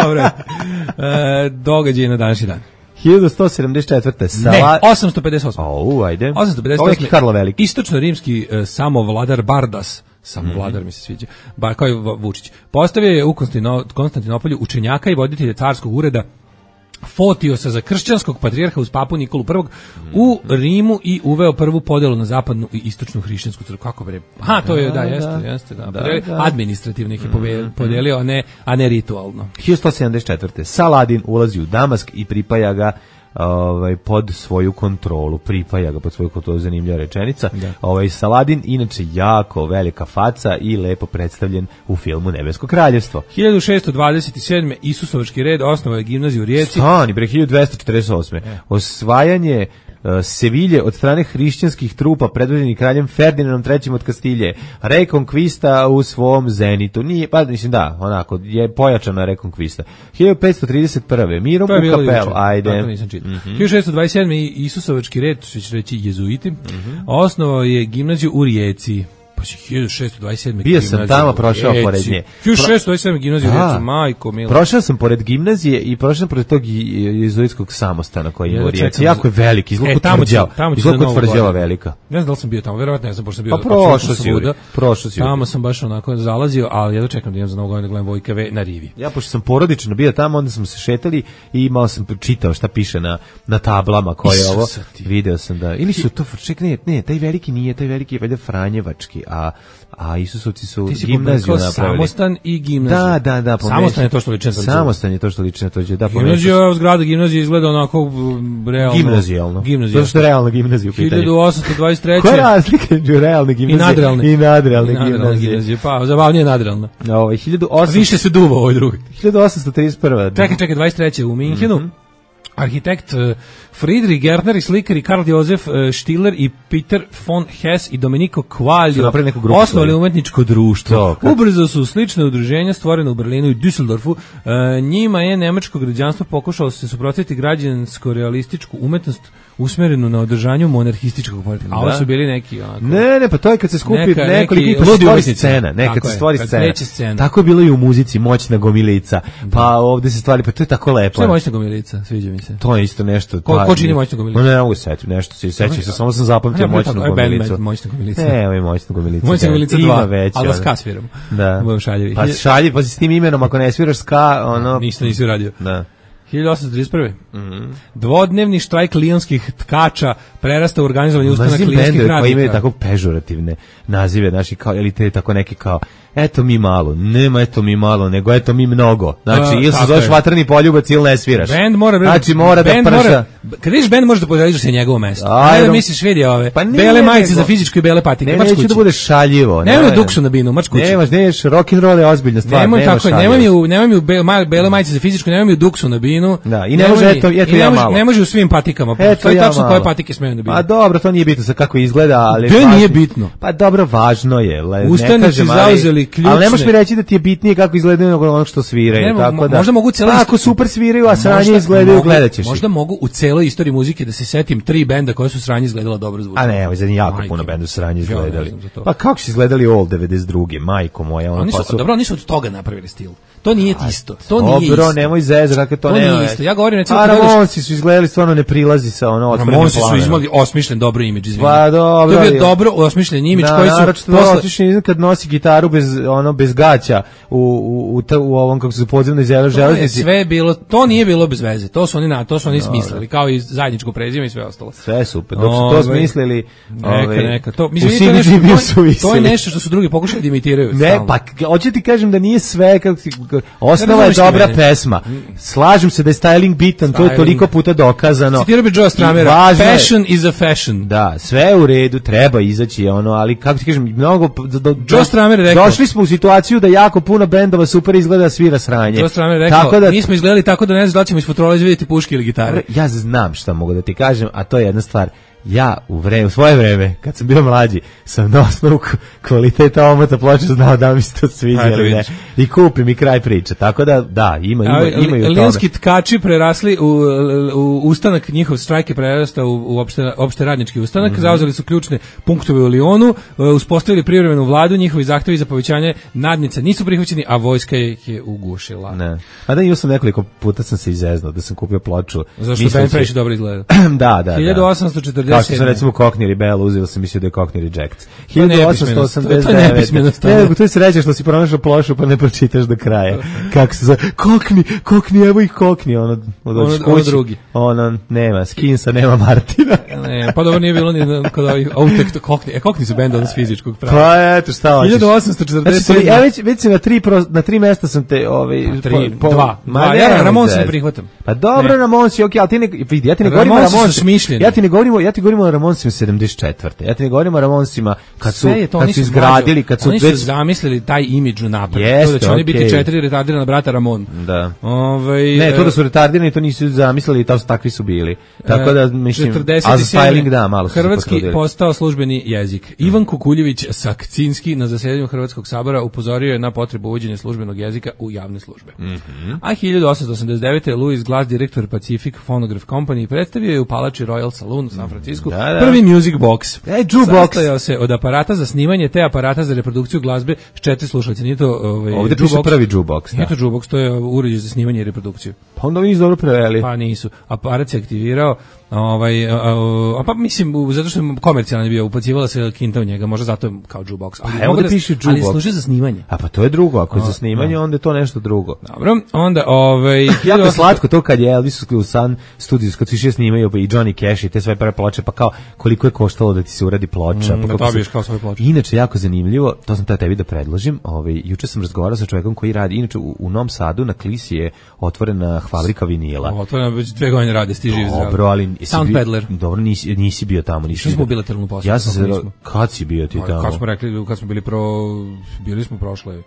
Dobro. E, događaj na današnji dan. hiljadu sto sedamdeset četvrte Sala... Ne, osamsto pedeset osme O, ajde. osamsto pedeset osme Ovo Karlo Veliki. Istočno-rimski uh, samovladar Bardas, samovladar mm-hmm. mi se sviđa, ba, kao je Vučić, postavio je u Konstantinopolju učenjaka i voditelja carskog ureda Fotiosa za kršćanskog patrijarha uz papu Nikolu prvog mm-hmm. u Rimu i uveo prvu podelu na zapadnu i istočnu hrišćansku crkvu. Kako bre? Aha, to je, da, jeste, da, jeste, da. da, da. Administrativno ih je mm-hmm. podelio, a ne, a ne ritualno. hiljadu sto sedamdeset četvrte Saladin ulazi u Damask i pripaja ga ovaj pod svoju kontrolu, pripaja ga pod svoju kontrolu, zanimljiva rečenica. Da. Ovaj Saladin inače jako velika faca i lepo predstavljen u filmu Nebesko kraljevstvo. hiljadu šessto dvadeset sedme Isusovački red osnovao je gimnaziju u Rijeci. Stani, bre, hiljadu dvesta četrdeset osme E. Osvajanje uh, Sevilje od strane hrišćanskih trupa predvođenih kraljem Ferdinandom trećim od Kastilje. Rekonkvista u svom zenitu. Nije, pa mislim da, onako, je pojačana rekonkvista. hiljadu petsto trideset prve Mirom u kapelu. Ajde. Tako nisam čitao. Mm-hmm. hiljadu šessto dvadeset sedme Isusovački red, što će reći jezuiti, mm-hmm. osnovao je gimnaziju u Rijeci. Pa si hiljadu šessto dvadeset sedme Bio sam tamo, prošao pored nje. hiljadu šessto dvadeset sedme gimnaziju u Rijeci, majko mila. Prošao sam pored gimnazije i prošao sam pored tog jezuitskog samostana koji je u Rijeci. Jako je veliki, izgleda kod tvrđava. Izgleda kod tvrđava velika. Ne znam da li sam bio tamo, verovatno ne znam, pošto sam bio. Pa prošao si, prošao si. Tamo sam baš onako zalazio, ali ja dočekam da idem za novu godinu da gledam Vojka V na rivi. Ja, pošto sam porodično bio tamo, onda smo se šetali i imao sam čitao šta piše na, na tablama koje je ovo. Video sam da, ili su to, ček, ne, ne, taj veliki nije, taj veliki je valjda Franjevački, a a Isusovci su gimnaziju napravili. Samostan i gimnaziju. Da, da, da. Samostan je to što liči na tvrđavu. Samostan je to što liči na tvrđavu. Da, gimnazija, zgrada gimnazije izgleda onako realno. Gimnazijalno. Gimnazijalno. To što je realna gimnazija u pitanju. hiljadu osamsto dvadeset treće Koja je razlika među realne gimnazije? I nadrealne. I nadrealne gimnazije. gimnazije. Pa, zabavnije nadrealna. Ovo, hiljadu osamsto Više se duva ovoj drugi. hiljadu osamsto trideset prve Čekaj, čekaj, dvadeset treće u Minhenu. Mm-hmm. arhitekt uh, Friedrich Gärtner i slikari Karl Josef uh, Stiller i Peter von Hess i Domenico Quaglio osnovali umetničko društvo. To, ubrzo su slične udruženja stvorene u Berlinu i Düsseldorfu. Uh, njima je nemačko građanstvo pokušalo se suprotstaviti građansko-realističku umetnost usmerenu na održanju monarhističkog poretka. A ovo su bili neki onako... Ne, ne, pa to je kad se skupi neka, nekoliko i pa stvori scena. Ne, kad se stvori scena. scena. Tako je bilo i u muzici, moćna gomilica. Pa ovde se stvari, pa to je tako lepo. Što je moćna gomilica? Sviđa mi se. To je isto nešto. Ko, ko čini moćna gomilica? No, ne mogu se setiti, nešto se sećam se, samo sam zapamtio moćnu gomilicu. Moćna gomilica. Ne, ovo je moćna gomilica. Moćna gomilica dva, već, ali da ska sviram. Da. Budem šaljivi. Pa šalji, pa si s tim imenom, ako ne sviraš ska, ono... Ništa nisi uradio. Da. hiljadu osamsto trideset prve. Mm-hmm. Dvodnevni štrajk lijonskih tkača prerasta u organizovani ustanak lijonskih radnika. Koji imaju tako pežorativne nazive, znači, kao, ili te tako neki kao, eto mi malo, nema eto mi malo, nego eto mi mnogo. Znači, ili se zoveš vatreni poljubac ili ne sviraš. Band mora, znači, mora da prša. Kad vidiš band, možeš da podeliš se njegovo mesto. Ajde, ne da misliš, vidi ove, pa bele majice za fizičku i bele patike. Ne, neću da budeš šaljivo. Nemoj duksu na binu, mač kući. Nemaš, nemaš, rock and roll je ozbiljna stvar. Nemoj tako, nemoj mi u, nemoj mi u bele majice za fizičku, nemoj mi u duksu na binu. Da, i ne može, eto, eto ja malo. Ne može u svim patikama. To je tačno koje patike smeju na binu. A dobro, to nije bitno sa kako izgleda, ali... To nije bitno. Pa dobro, važno je. Ustanici zauzeli ključne... Ali ne možeš mi reći da ti je bitnije kako izgledaju nego ono što sviraju. Tako da, možda mogu celo... Ako super sviraju, a sranje izgledaju, gledat ćeš. Možda mogu u celoj istoriji muzike da se setim tri benda koje su sranje izgledala dobro zvuče. A ne, ovo je zadnji jako puno benda su sranje izgledali. Pa kako su izgledali All devedeset druge, majko moja. Oni su, dobro, oni su od toga napravili stil. To nije isto. To nije isto. Dobro, nemoj zezati, to ne. To nije isto. Ja govorim recimo a Ramonsi su izgledali stvarno ne prilazi sa ono otvorenim planom. Ramonsi su imali osmišljen dobro imidž, izvinite. Pa dobro. To je bio dobro osmišljen imidž koji su posle osmišljen kad nosi gitaru bez ono bez gaća u u u, u ovom kako se podzemnoj železnici. Sve bilo, to nije bilo bez veze. To su oni na, to su oni smislili, kao i zajedničko prezime i sve ostalo. Sve super. Dok su to smislili, neka neka. To mislim da je nešto, to je nešto što su drugi pokušali da imitiraju. Ne, pa hoću ti kažem da nije sve kako osnova je dobra pesma. Slažem se da je styling bitan, to je toliko puta dokazano. Citirao bi Joe Stramera, passion is a fashion. Da, sve je u redu, treba izaći ono, ali kako ti kažem, mnogo... Joe Stramer rekao... Došli smo u situaciju da jako puno bendova super izgleda svira sranje. Joe Stramer rekao, tako da, mi smo izgledali tako da ne znam da ćemo iz futrola izvidjeti puške ili gitare. Ja znam šta mogu da ti kažem, a to je jedna stvar. Ja u vreme, u svoje vreme, kad sam bio mlađi, sam na osnovu kvaliteta omota ploče znao da mi se to sviđa ili ne. I kupim i kraj priče. Tako da, da, ima, ima, imaju toga. Lijonski tkači prerasli u, u ustanak, njihov štrajk je prerastao u, u opšte, opšte radnički ustanak, mm-hmm. zauzeli su ključne punktove u Lijonu, uspostavili privremenu vladu, njihovi zahtevi za povećanje nadnice nisu prihvaćeni, a vojska ih je ugušila. Ne. A da, imao sam nekoliko puta sam se izeznuo da sam kupio ploču. Zašto band previše dobro izgleda? Da, da, hiljadu osamsto četrdeset Kao što sam recimo Cockney Rebel uzeo sam mislio da je Cockney Rejects. hiljadu osamsto osamdeset devet Ne, to je sreća što si pronašao plošu pa ne pročitaš do kraja. Kako se zove? Cockney, Cockney, evo ih Cockney. Ono, ono, ono drugi. Ono, nema Skinsa, nema Martina. Ne, pa dobro nije bilo ni kod ovih Outek to Cockney. E, Cockney su bend od fizičkog prava. Pa eto, šta hoćeš? hiljadu osamsto četrdeset Znači, ja već, već si na tri, na tri mesta sam te... Ovaj, tri, po, dva. Ma, ja Ramonsi ne prihvatam. Pa dobro, Ramonsi, okej, ali ti ne... Vidi, ja ti ne govorim o Ramonsi. Ja ti ne govorim, ja ti govorim o Ramonsima sedamdeset četvrte Ja ti ne govorim o Ramonsima kad su, to, kad su izgradili, kad su... Oni su zamislili taj imidž napred. To da će oni biti četiri retardirana brata Ramon. Da. Ove, ne, to da su retardirani, to nisu zamislili i to takvi su bili. Tako da, mislim, a za styling da, malo su se Hrvatski potrudili. postao službeni jezik. Ivan Kukuljević Sakcinski na zasedanju Hrvatskog sabora upozorio je na potrebu uvođenja službenog jezika u javne službe. Mm-hmm. A hiljadu osamsto osamdeset devete Louis Glass, direktor Pacific Phonograph Company, predstavio je u palači Royal Saloon u San Francisku da, da. prvi music box. E, jukebox. Sastojao se od aparata za snimanje te aparata za reprodukciju glazbe s četiri slušalice. Nije to ovaj, ovdje piše prvi jukebox. Nije to jukebox, to je uređaj za snimanje i reprodukciju. Pa onda nisu dobro preveli. Pa nisu. Aparat se aktivirao, ovaj, a, a, a pa mislim, zato što je komercijalno bio, upacivala se kinta u njega, možda zato je kao jukebox. Ali, evo da piše jukebox. Ali služi za snimanje. A pa to je drugo, ako je za snimanje, onda je to nešto drugo. Dobro, onda ovaj... jako je slatko to kad je Elvis u Sun Studios, kad su išli snimaju i Johnny Cash i te sve prve ploče, pa kao koliko je koštalo da ti se uradi ploča. Mm, pa da dobiješ kao svoju ploču. Inače, jako zanimljivo, to sam tada tebi da predložim, ovaj, juče sam razgovarao sa čovjekom koji radi, inače u, u Novom Sadu na Klisi je otvorena fabrika vinila. Otvorena već dve godine radi, stiži živ zdrav. Dobro, ali... Sound Peddler. Dobro, nisi, nisi bio tamo. Nisi smo bilateralnu poslu. Ja sam se... Kad si bio ti tamo? Kad smo rekli, kad smo bili pro... Bili smo prošle...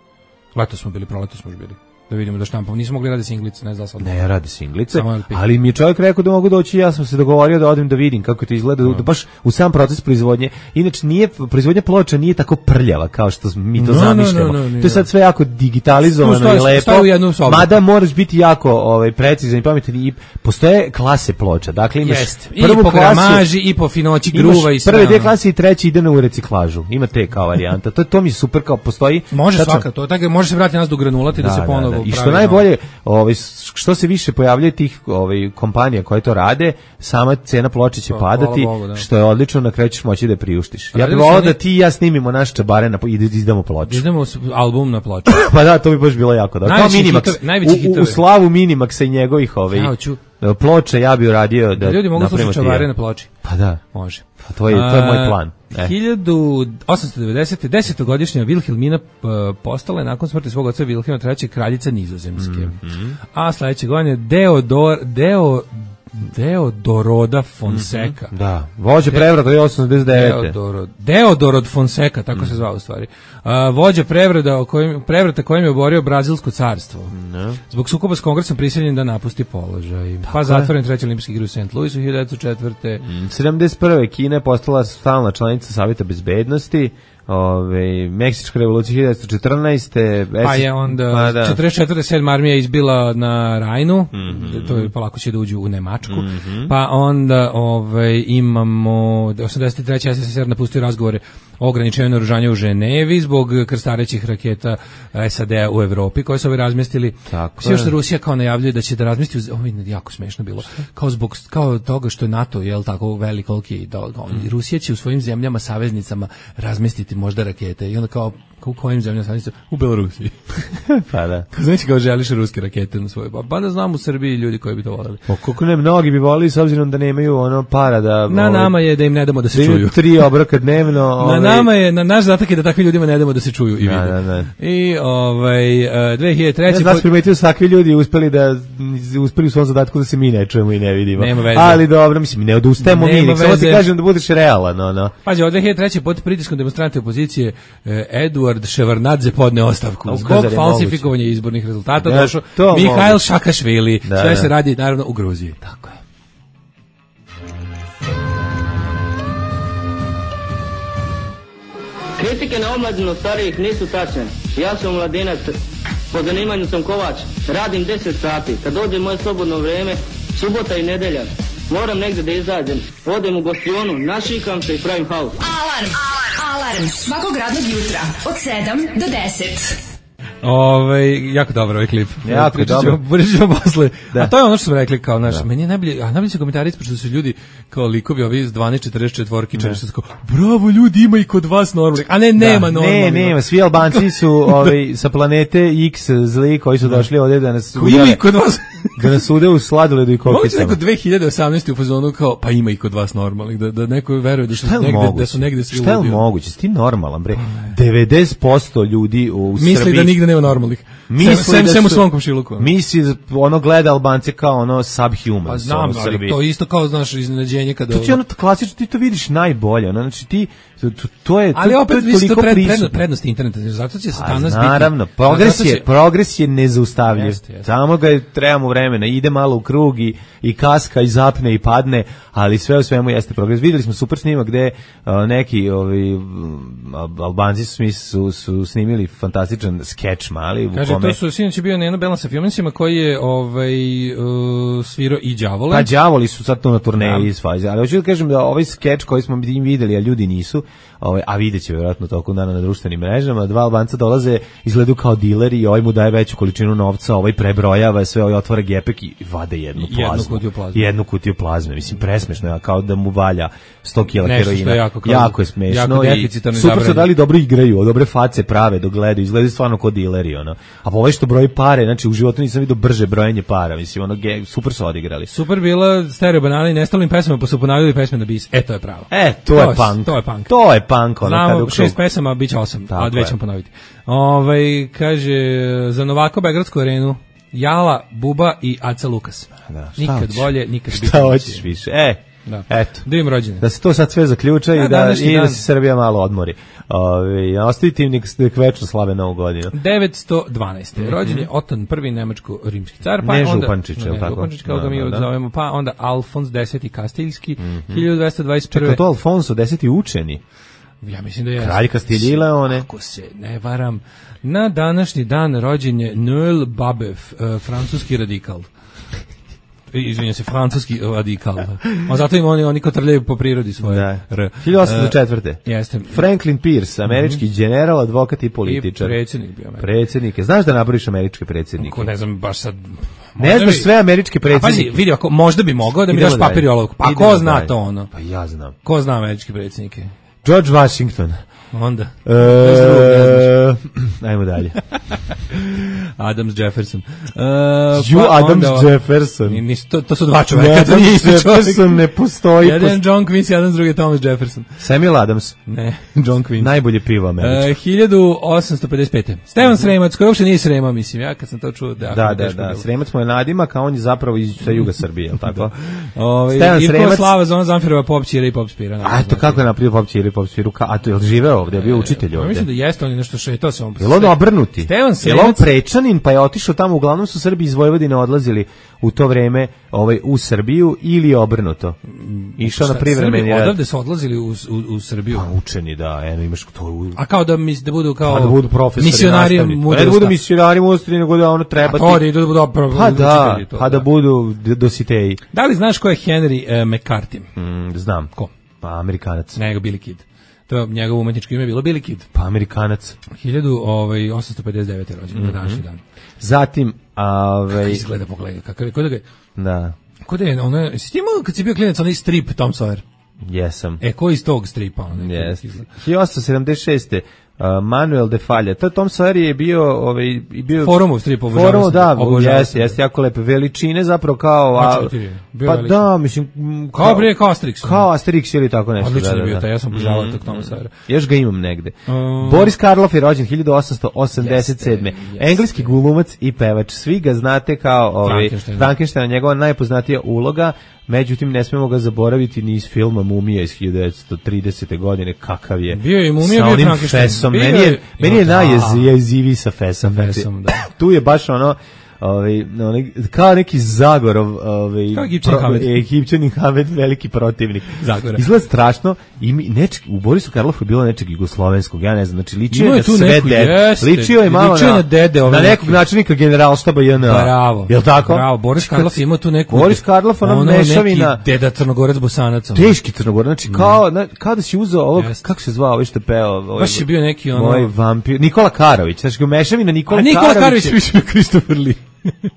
Leto smo bili, proleto smo još bili. da vidimo da štampamo. Nismo mogli raditi singlice, ne znam sad. Ne, radi singlice, ali mi je čovjek rekao da mogu doći, ja sam se dogovorio da odem da vidim kako to izgleda, no. da baš u sam proces proizvodnje. Inače, nije, proizvodnja ploča nije tako prljava kao što mi to no, zamišljamo. No, no, no, to je sad sve jako digitalizovano stoji, i lepo, mada moraš biti jako ovaj, precizan i pametan i postoje klase ploča. Dakle, imaš Jest. prvu I po klasu, gramaži, i po finoći gruva i sve. Prve dve klase i treći ide na u reciklažu. Ima te kao varijanta. To, to mi je super kao postoji. Može tačno, svaka, to tako može se vratiti nas do granulati da, da se ponovo da, da. I što najbolje, ovaj što se više pojavljuje tih ovaj kompanija koje to rade, sama cena ploče će pa, padati, Bogu, da. Što je odlično, na kraju ćeš moći da priuštiš. Ja bih voleo da ti i ja snimimo naš čabare na i izdamo ploču. Izdamo album na ploču. Pa da, to bi baš bilo jako dobro. Kao Minimax, u, u slavu Minimaxa i njegovih ovaj ja, ploče ja bih uradio da, da ljudi mogu slušati čabare na ploči. Pa da. Može. Pa to je, to je moj plan. E. hiljadu osamsto devedesete. desetogodišnja Vilhelmina postala je nakon smrti svog oca Vilhelma trećeg kraljica Nizozemske. Mm -hmm. A sledeće godine Deodor, Deo, Deodoroda Fonseca. Mm -hmm. Da, vođa prevrata je osamsto devedeset devete. Deodoro, Deodorod Fonseca, tako mm. se zvao u stvari. A, vođa prevrata, o kojim, prevrata kojim je oborio Brazilsko carstvo. No. Zbog sukoba s kongresom prisiljen da napusti položaj. Tako pa zatvoren treći olimpijski igre u Saint Louisu hiljadu devetsto četvrte. Mm. sedamdeset prve. Kina je postala stalna članica Saveta bezbednosti. Ove, Meksička revolucija hiljadu devetsto četrnaeste. Pa je onda pa da. četrdeset četvrte. sedma armija izbila na Rajnu, mm -hmm. to je polako će da uđu u Nemačku, mm -hmm. pa onda ove, imamo osamdeset treće. es es es er napustio razgovore o ograničenju naoružanja u Ženevi zbog krstarećih raketa es a de u Evropi koje su ove razmestili. Sve što Rusija kao najavljuje da će da razmesti, ovo je jako smešno bilo, kao zbog kao toga što je NATO, jel tako velik koliki, da, mm. Rusija će u svojim zemljama saveznicama razmestiti možda rakete i onda kao u kojim zemljama saveznicama? U Belorusiji. Pa da. Znači kao želiš ruske rakete na svoj. Pa da znam u Srbiji ljudi koji bi to voljeli. Pa koliko ne mnogi bi volili s obzirom da nemaju ono para da na ovaj, nama je da im ne damo da se čuju. Tri obroka dnevno. Ovaj, na nama je, na naš zadatak je da takvim ljudima ne damo da se čuju i vide. Da, da, da. I ovaj uh, dve hiljade treće. Ja sam primetio takvi ljudi uspeli da uspeli u svom zadatku da se mi ne čujemo i ne vidimo. Ali dobro, mislim ne odustajemo mi, samo ti kažem da budeš realan, no, no. Pađe, od dve hiljade treće pod pritiskom demonstranata opozicije eh, Eduard Ševarnadze podne ostavku zbog falsifikovanja izbornih rezultata. Da, došao Mihail Šakašvili. Da, sve da. se radi naravno u Gruziji. Tako je. Kritike na omladinu starijih nisu tačne. Ja sam mladinac, po zanimanju sam kovač, radim deset sati. Kad dođe moje slobodno vreme, subota i nedelja, moram negde da izađem. Odem u gostionu, našikam se i pravim haos. Alarm! Alarm! Svakog radnog jutra od sedam do deset. Ove, jako dobar ovaj klip. Jako je dobro. Pričamo posle. Da. A to je ono što smo rekli kao naš. Da. Meni je najbolje, a najbolje su komentari ispred što su ljudi kao likovi ovi iz dvanaest četrdeset četiri četrdeset kao bravo ljudi, ima i kod vas normalnih. A ne, nema da, normalnih. Ne, nema, svi Albanci su ovi sa planete X zli koji su došli ovdje da nas ima i kod vas da nas ude u sladoledu i kokicama. Mogu neko dve hiljade osamnaeste u fazonu kao pa ima i kod vas normalnih, da da neko veruje da su negde moguće? Da su negde svi. Šta je moguće? Ti normalan bre. devedeset posto ljudi u Srbiji misli da nigde nema normalnih. Misli sem, sem u svom komšiluku. Misli ono gleda Albance kao ono subhuman. Pa znam, ali to isto kao znaš iznenađenje kada. To ti ono klasično ti to vidiš najbolje, ono znači ti to, to je ali to, opet to je to pred, prednost, prednost interneta, zato će se danas biti. Naravno, progres je, će... progres je nezaustavljiv. Jeste, jeste. Samo ga trebamo vremena, ide malo u krug i, i kaska i zapne i padne, ali sve u svemu jeste progres. Videli smo super snimak gde uh, neki ovi Albanci su, su, su snimili fantastičan skeč mali. Kaže, to su sinoć bio na jednom Belansa filmicima koji je ovaj, uh, svirao i Đavole. Pa Đavoli su sad to na turneji iz faze, ali hoću da kažem da ovaj skeč koji smo im videli, a ljudi nisu, ovaj, a vidjet će vjerojatno tokom dana na društvenim mrežama, dva Albanca dolaze, izgledaju kao dileri i ovaj mu daje veću količinu novca, ovaj prebrojava sve, ovaj otvara gepek i vade jednu plazmu. Jednu kutiju plazme. Jednu kutiju plazme, mislim, presmešno je, kao da mu valja sto kila heroina. Je jako, jako je smešno jako i super su dali dobro igraju, dobre face prave dok gledaju, izgledaju stvarno kao dileri, ono. A ovaj što broji pare, znači u životu nisam vidio brže brojenje para, mislim, ono, ge, super su odigrali. Super bila stereo banana i nestalim pesama, pa su ponavljali pesme na bis. E, to je pravo. E, to, to je punk. To je punk. To je punk, ono. Znamo, šest pesama, bit će osam, a dve ćemo ponoviti. Ove, kaže, za Novako Begradsku arenu, Jala, Buba i Aca Lukas. Da, nikad hoćeš? Bolje, nikad šta hoćeš više? E, Da. Eto. Da im rođene. Da se to sad sve zaključa ja, i da, i dan. da se Srbija malo odmori. Ove, ostavite im nek, nek večno slave novu godinu. devetsto dvanaeste. Mm -hmm. Rođen je Oton prvi nemačko-rimski car. Pa ne onda, Župančić, je li ne, tako? Župančić, kao da, ga mi da, da. zovemo. Pa onda Alfons deseti Kastiljski, mm -hmm. hiljadu dvesta dvadeset prve. Čekaj, to Alfonso deseti učeni? Ja mislim da je. Kralj Kastilje i Leone. Ako se ne varam, na današnji dan rođen je Noël Babev, uh, francuski radikal. Izvinjam se, francuski radikal. A zato im oni, oni kotrljaju po prirodi svoje. Da. R. hiljadu osamsto četvrte. Uh, jeste. Franklin Pierce, američki mm -hmm. general, advokat i političar. I predsjednik bio američki. Predsjednike. Znaš da naboriš američke predsjednike? Ko ne znam, baš sad... Ne znaš sve američke predsjednike. Pazi, vidi, ako, možda bi mogao da mi Idemo daš papir i olovku. Pa Idemo ko zna dalje. to ono? Pa ja znam. Ko zna američke predsjednike? George Washington. Onda. E, ajmo dalje. Adams Jefferson. Uh, You pa Adams onda, Jefferson. Nis, to, to su dva čoveka. Ne, to nije isti Jefferson čovjek. ne postoji. Jedan John Quincy Adams, drugi Thomas Jefferson. Samuel Adams. Ne, John Quincy. Najbolje pivo američko. Uh, hiljadu osamsto pedeset pete. Stevan Sremac, koji uopšte nije Srema, mislim, ja kad sam to čuo. Da, Da, da, da. Sremac mu je nadimak, a on je zapravo iz sa juga Srbije, je li tako? Ove, Stevan Ivko Sremac. Slava Zona Zamfirova Pop Čira i Pop Spira. A eto kako je napravio Pop Čira i Pop Spiru? A to je li živeo ovdje, je bio učitelj Ja ovdje? mislim da jeste, on je nešto šetao se on. Je li on obrnuti? Stevan Je li on Sremac. prečanin pa je otišao tamo, uglavnom su Srbi iz Vojvodine odlazili u to vreme ovaj, u Srbiju ili je obrnuto? Išao na privremeni Srbi rad. odavde su odlazili u, u, u Srbiju. Pa učeni, da, eno imaš to u... A kao da mis, da budu kao Pa da budu profesori, misionari nastavnici. Pa mudrosti. ne da budu misionari mudrosti, nego da ono treba A to da idu da budu opravo Pa da, učitelji, to, pa da budu d- dositeji. Da li znaš ko je Henry uh, McCarthy? Mm, znam. Ko? Pa Amerikanac. Nego Billy Kid. To je njegovo umetničko ime bilo Billy Kid. Pa Amerikanac. hiljadu osamsto pedeset devete rođen, mm -hmm. na današnji dan. Zatim, ovaj... Kako izgleda pogledaj, kakav je, kod da ga je, Da, kod da je, ono, jesi ti imao kad si bio klinac onaj strip Tom Sawyer? jesam. E, ko iz tog stripa? Ono, Yes. hiljadu osamsto sedamdeset šeste. Uh, Manuel de Falla. To Tom Sawyer je bio ovaj i bio Forumov strip, obožavao Forum, sam da, ga, obožavao jeste, sam ga. jeste jako lepe veličine zapravo kao a, Znači, ti, bio pa veliki. da, mislim m, Kao bre, kao Asterix. kao Asterix ili tako nešto. Odličan da, je da, bio da. taj, ja sam obožavao Mm, tog Toma Sawyera. Još ga imam negde. Um, Boris Karloff je rođen hiljadu osamsto osamdeset sedme. Jeste, jeste. Engleski glumac i pevač. Svi ga znate kao ovaj Frankenstein. Frankenstein, njegova najpoznatija uloga. Međutim, ne smemo ga zaboraviti ni iz filma Mumija iz hiljadu devetsto tridesete godine, kakav je. Bio je i Mumija, sa bio je onim Frankenstein. fesom. Bio Meni je, je- meni je da. najjeziviji sa fesom. Sa fesom, da. Tu je baš ono, ovaj, onaj, kao neki Zagorov, ovaj, Kao Egipćanin Hamed. Egipćanin Hamed, veliki protivnik. Zagora. Izgleda strašno i mi, nečeg, u Borisu Karlofu je bilo nečeg jugoslovenskog, ja ne znam, znači ličio Imao je je na tu sve neku, dede. jeste. Ličio je malo Ličio je na, na dede, ove na nekog neke. načelnika generalštaba J N A. Bravo. Jel tako? Bravo, Boris Karloff ima tu neku... Boris Karloff, ona ono mešavina. neki deda Crnogorac Bosanac. ono. Teški Crnogor, znači kao, na, kao da si uzeo ovog, Jeste. kako se zvao, ovaj što je peo? Ovaj, Baš je bio neki ono... Moj vampir, Nikola Karović, znači ga mešavina Nikola, A Nikola Karović je- više bio Christopher Lee.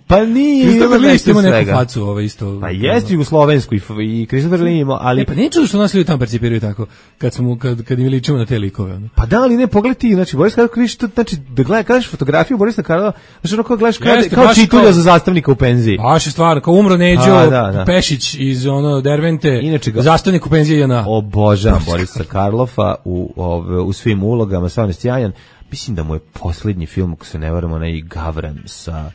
Pa nije, Christopher bilo Lee isto nešto ima neku svega. facu, ovo isto. Pa jeste jugoslovensku i, f- i Christopher Lee imao, ali... E, pa nije čudo što nas ljudi tamo percipiraju tako, kad, smo, kad, kad im ličimo na te likove. Ono. Pa da, ali ne, pogledaj ti, znači, Boris Karloff, kriš, to, znači, da gledaj, gledaš fotografiju Borisa Karlofa, znači, ono kao gledaš kao, Jeste, kao baš čitulja kao- za zastavnika u penziji. Baš je stvarno, kao umro Neđo A, da, da. Pešić iz ono Dervente, Inače ga- zastavnik u penziji J N A. Obožavam Borisa Karlofa u, ove, u svim ulogama, stvarno je sjajan. Mislim da mu je posljednji film, ako se ne varam, onaj Gavran sa...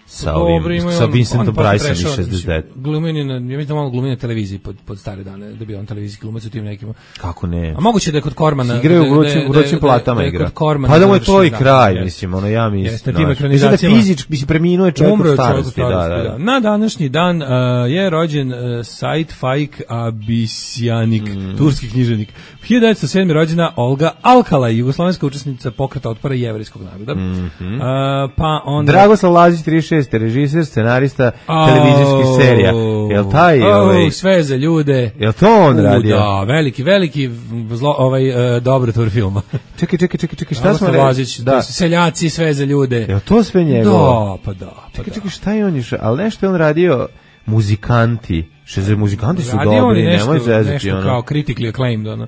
sa ovim, Dobro, ima i sa on- Vincentom on posle Priceom prešao, iz šezdeset devet. mislim, Glumen je na, ja mislim da malo glumi na televiziji pod, pod stare dane, da bi on televizijski glumac u tim nekim. Kako ne? A moguće da je kod Kormana. Igraju da- u vrućim, da- u vrućim da- platama da je igra. kod Kormana Pa da mu je to završio, i da, kraj, jeste. mislim, ono ja mislim. Jeste, tim znaš. Mislim da ekranizacijama. fizički, mislim, preminuo je čovjek Umro u je čovjek u starosti, da, starosti, da. da. Na današnji dan uh, je rođen uh, Said Faik Abisjanik, Mm. turski književnik. hiljadu devetsto sedme rođena Olga Alkalaj, jugoslovenska učesnica pokreta otpora jevrejskog naroda. Mhm. Uh, pa onda... Dragoslav Lazić, trideset šeste, režiser, scenarista Au, televizijskih serija. Jel taj, au, ovaj, sve za ljude. jel to on U, radio? Da, veliki, veliki zlo, ovaj, uh, dobrotvor filma. Čekaj, čekaj, čekaj, čekaj, šta smo Dragoslav rekli? Lazić, to Da. su seljaci, sve za ljude. Jel to sve njegovo? Da, pa da. Pa Čekaj, da. čekaj, šta je on još? Ali nešto je on radio, muzikanti. Šeze, muzikanti su Radio on dobri, je nešto, nemoj zezati, nešto ono. kao critically acclaimed, ono.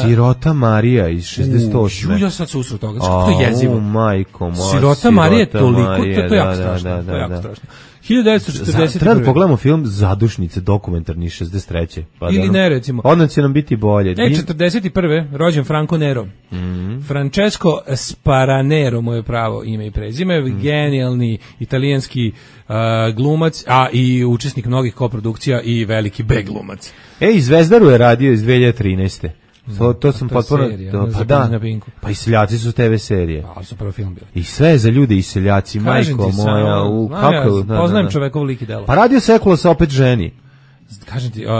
Sirota Marija iz šezdeset osme. U, ja sad se usro toga, kako to je jezivo. U, majko moja, Sirota Marija je toliko, Marija, to, to je jako da, strašno. da, da, to je jako da. strašno. hiljadu devetsto četrdeset prve. Treba da pogledamo film Zadušnice, dokumentarni šezdeset treće. Pa ili ne, recimo. Odmah će nam biti bolje. E, četrdeset prve rođen Franco Nero. Mm. Francesco Sparanero, moje pravo ime i prezime, mm. genijalni italijanski uh, glumac, a i učesnik mnogih koprodukcija i veliki B glumac. E, i Zvezdaru je radio iz dve hiljade trinaeste. To, to sam to je potpuno... serija, to, pa pa da, da, pa i Seljaci su te ve serije. Ali su prvo film bili. I sve za ljude i Seljaci, Kažem majko ti, moja. samo, U, znam kako, ja, da, poznajem da, da. čovekov lik i delo. Pa radio Sekulo se opet ženi. Kažem ti, uh,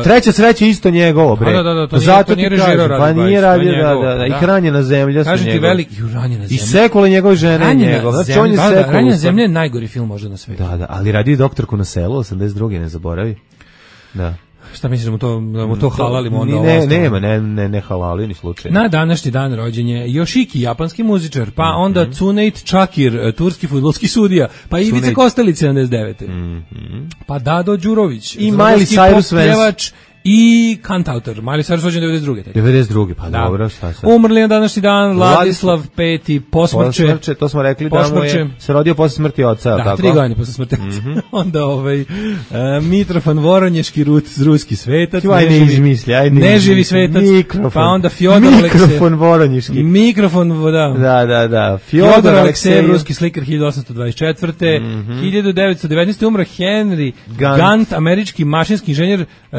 Treća sreća isto njegovo, bre. Da, da, da, to nije- Zato to nije ti režirao kažem, pa Radi nije Bajić, to je radio, da, njegovo, da, da, i da. Hranjena zemlja su kažem ti njegove. veliki, ranjena I zemlja. Sekula njegove žene Ranjena njegov. Znači, zemlja, on je da, da, Sekula. Ranjena zemlja je najgori film možda na svetu. Da, da, ali radio i Doktorku na selu, osamdeset druge ne zaboravi. Da. Šta misliš da mu to, da mu to halalimo onda Ni- ovo ne, ostalo? nema, ne, ne, ne halali ni slučajno. Na današnji dan rođen je Yoshiki, japanski muzičar, pa Mhm. onda Cuneit Čakir, turski fudbalski sudija, pa Ivica Cuneit. Kostelić sedamdeset devete Mhm. Pa Dado Đurović, I Miley zagorski Cyrus pop pjevač i kantautor. Miley Cyrus rođen devedeset druge tek. devedeset druge, pa Da. dobro, šta sad? Umrli na današnji dan Vladislav peti, posmrće. Posmrće, to smo rekli da mu Posmrće. je se rodio posle smrti oca, Da, tako? Mhm. tri godine posle smrti. Onda ovaj uh, Mitrofan Voronješki, rut, ruski svetac. Ti, aj ne izmisli, aj ne Neživi izmisli. svetac. Mikrofon. Pa onda Fjodor Aleksejev. Mikrofon Voronjiški. Mikrofon, da. Da, da, da. Fjodor Fjodor Aleksejev, Aleksejev. ruski slikar hiljadu osamsto dvadeset četvrte hiljadu devetsto devetnaeste umro Henry Gant. Gant, američki mašinski inženjer, uh,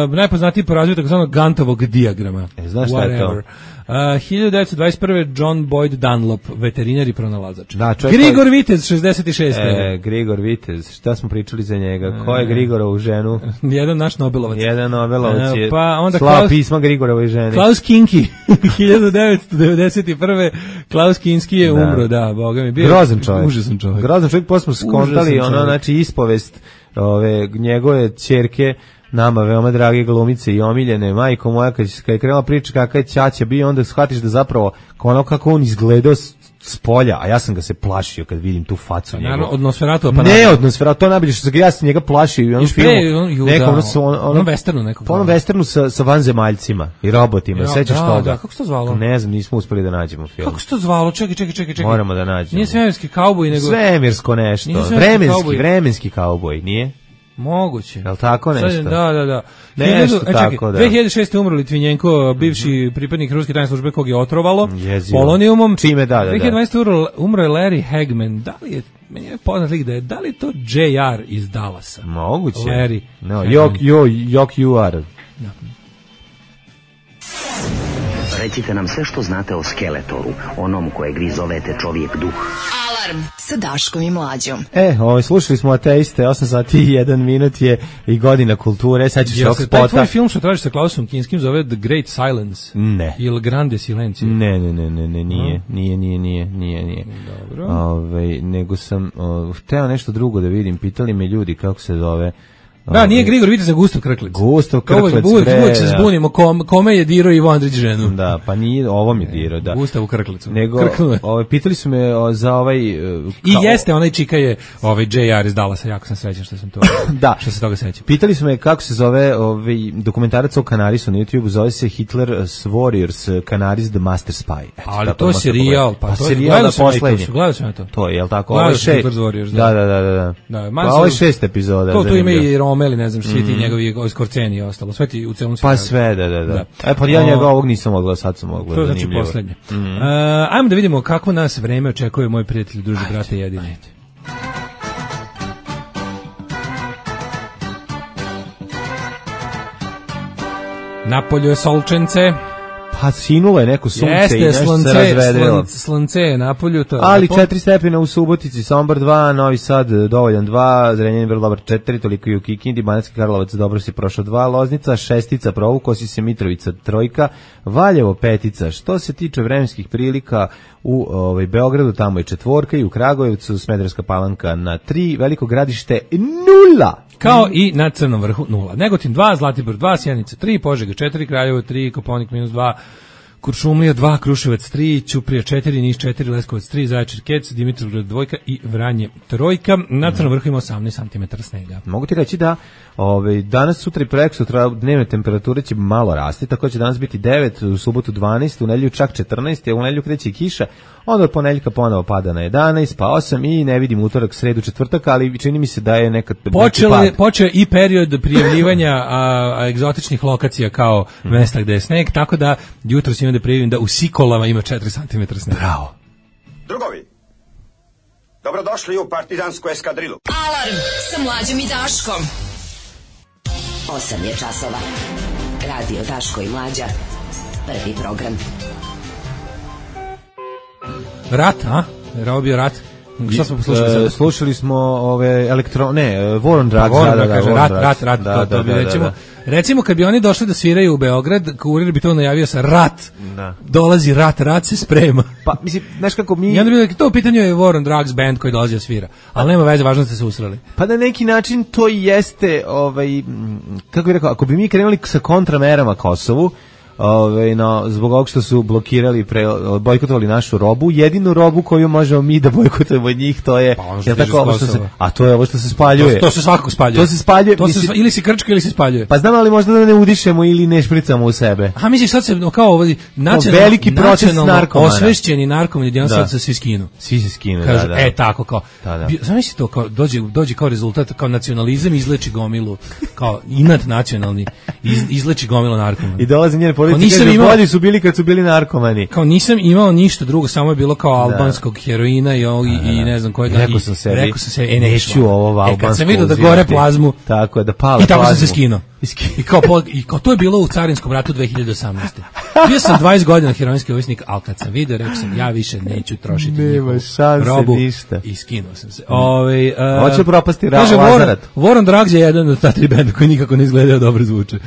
najpoznatiji po razvoju takozvanog Gantovog dijagrama. E, znaš šta je to? Whatever. Uh, hiljadu devetsto dvadeset prve John Boyd Dunlop, veterinar i pronalazač. Da, čovjek Grigor koji- Vitez, šezdeset šeste E, Grigor Vitez, šta smo pričali za njega? Ko je Grigorovu ženu? Jedan naš Nobelovac. Jedan Nobelovac je E, pa onda slao Klaus- pisma Grigorovoj ženi. Klaus Kinski, hiljadu devetsto devedeset prve Klaus Kinski je Da. umro, da, boga mi. Bio Grozan čovjek. Užasan čovjek. Grozan čovjek, posle smo skontali, Užasan ono, čovjek. znači, ispovest ove, njegove ćerke, nama veoma drage glumice i omiljene, majko moja, kad, kad je krenula priča kakav je ćaća bio, onda shvatiš da zapravo, ono kako on izgledao s, s polja, a ja sam ga se plašio kad vidim tu facu njegovu. Naravno, od Nosferatu, pa Ne od Nosferatu, to najbolje što sam ga, ja sam njega plašio i u onom Još pre, filmu, on- ju, nekom, da, ono, su- ono, onom westernu nekog. po onom westernu sa, sa vanzemaljcima i robotima, Ja, sećaš da, toga? da, kako se to zvalo? Ne znam, nismo uspeli da nađemo film. Kako se to zvalo? Čekaj, čekaj, čekaj, čekaj. Moramo da nađemo. Nije svemirski kauboj, nego... Svemirsko nešto. Nije svemirski Vremenski, kauboj. vremenski kauboj, nije? Moguće. Jel tako nešto? Sad, da, da, da. Nešto Hiljadu- e, čekaj, tako, da. dve hiljade šeste umro Litvinjenko, bivši pripadnik ruske tajne službe kog je otrovalo Jezivo. polonijumom. Čime, da, da, da. dve hiljade dvanaeste umro, umro je Larry Hagman. Da li je, meni je poznat lik da je, da li je to J R iz Dallasa? Moguće. Larry No, Hagman. jok, jo, jok you are. Recite nam sve što znate o Skeletoru, onom kojeg vi zovete čovjek duh. Alarm sa Daškom i Mlađom. E, ovaj, slušali smo Ateiste, osam sati i jedan minut je i godina kulture, sad ćeš se Jel ovog se taj tvoj spota. film što tražiš sa Klausom Kinskim zove The Great Silence? Ne. Il Grande Silencio? Ne, ne, ne, ne, ne, nije, nije, nije, nije, nije, nije. Dobro. Ovaj, nego sam o, hteo nešto drugo da vidim, pitali me ljudi kako se zove. Da, nije Grigor Vitez, za Gustav Krklec. Gustav To uvek- Krklec, uvek- bre, uvek se da. zbunimo kom, kome je dirao Ivo Andrić ženu. Da, pa nije, ovo mi je dirao, da. Gustavu Krklecu. Nego, Krknuo je. ovaj, pitali su me o, za ovaj... uh, I kao- jeste, onaj čika je ovaj J R iz Dallasa, jako sam srećan što sam to, Da. što se toga sećam. Pitali su me kako se zove ovaj dokumentarac o Kanarisu na YouTubeu, zove se Hitler's Warriors, Canaris the Master Spy. Eto, Ali tako to je možete serijal, pogledati. pa pa to je- serijal gledao da sam ja i to, poslednji. gledao sam ja to. To je, jel tako? Gledao Ovo je sam šest. Hitler's Warriors, Da, da. da, da, da. da. Da, Pa manje ovo je su- šest epizoda. To tu ima zanimljivo. i Romeli, ne znam, svi ti njegovi Skorceni i ostalo, sve ti u celom Pa serijalu. sve, da, da, da. Da. E, pa ja O, njega ovog nisam mogla, sad sam mogla. To je znači zanimljivo. poslednje. Uh, ajmo da vidimo kako nas vreme očekuje, moj prijatelj, druži, brate, jedini. Napolju je solčence. Pa sinulo je neko sunce i Jeste, nešto se slonce, razvedrilo. slon- slonce je napolju. To je Ali lepo. četiri stepena u Subotici, Sombor dva, Novi Sad dovoljan dva, Zrenjanin vrlo dobar četiri, toliko i u Kikindi, Banatski Karlovac dobro si prošao dva, Loznica šestica, provukao si se, Mitrovica trojka, Valjevo petica. Što se tiče vremenskih prilika u ovaj, Beogradu, tamo je četvorka i u Kragujevcu, Smederevska Palanka na tri, Veliko Gradište nula. Kao i na Crnom vrhu nula. Negotin dva, Zlatibor dva, Sjenica tri, Požega četiri, Kraljevo tri, Koponik minus dva, Kuršumlija dva, Kruševac tri, Ćuprija četiri, Niš četiri, Leskovac tri, Zaječar Kec, Dimitrovgrad dvojka i Vranje trojka. Na Crnom vrhu ima osamnaest santimetara snega. Mogu ti reći da ovaj, danas, sutra i preksutra dnevne temperature će malo rasti, tako će danas biti devet, u subotu dvanaest, u nedelju čak četrnaest, a u nedelju kreće i kiša, onda od ponedeljka ponovo pada na jedanaest, pa osam i ne vidim utorak, sredu, četvrtak, ali čini mi se da je nekad Počelo je, počeo i period prijavljivanja a, a egzotičnih lokacija kao mm. mesta gde je sneg, tako da jutro si imam da prijavim da u Sikolama ima četiri santimetra snega. Bravo. Drugovi, dobrodošli u partizansku eskadrilu. Alarm sa Mlađom i Daškom. osam je časova. Radio Daško i Mlađa. Prvi program. Rat, a? Rao bio rat. Šta smo poslušali sad? Slušali smo ove elektro... Ne, War on Drugs. Da, da, kaže, rat, rat, rat, to, to bi recimo... Recimo, kad bi oni došli da sviraju u Beograd, kurir bi to najavio sa rat. Da. Dolazi rat, rat se sprema. Pa, mislim, znaš kako mi... I onda bi rekli, to u pitanju je War on Drugs band koji dolazi da svira. Ali nema veze, važno ste se usrali. Pa na neki način to jeste, ovaj, kako bih rekao, ako bi mi krenuli sa kontramerama Kosovu, Ove, no, zbog ovog što su blokirali, pre, bojkotovali našu robu, jedinu robu koju možemo mi da bojkotujemo od njih, to je, pa je tako, ovo što se, a to je ovo što se spaljuje. To, to se svakako spaljuje. To se spaljuje. To se, ili se krčka ili se spaljuje. Pa znam, ali možda da ne udišemo ili ne špricamo u sebe. A misliš sad se, no, kao ovo, nacionalno, veliki proces narkomana. Osvešćeni narkomani, gdje on sad se svi skinu. Svi se skinu, kažu, da, da. E, tako, kao, da, da. Zamisli to, kao, dođe, dođe kao rezultat, kao nacionalizam izleči gomilu, kao inat nacionalni, iz, izleči gomilu narkomana. I dolaze njene politike, bolji su bili kad su bili narkomani. Kao nisam imao ništa drugo, samo je bilo kao albanskog heroina i, i, i ne znam kojega. Rekao sam sebi, rekao sam sebi, e, neću ovo albansku. E, kad sam vidio da gore plazmu, tako je, da pale i tako plazmu. sam se skinuo. I kao, I kao to je bilo u carinskom ratu dve hiljade osamnaeste. Bio sam dvadeset godina heroinski ovisnik, ali kad sam vidio, rekao sam, ja više neću trošiti njihovu robu. Ništa. I skinuo sam se. Ove, uh, Hoće propasti kaže, Lazarat. War on Drugs je jedan od ta tri benda koji nikako ne izgledaju dobro zvuče.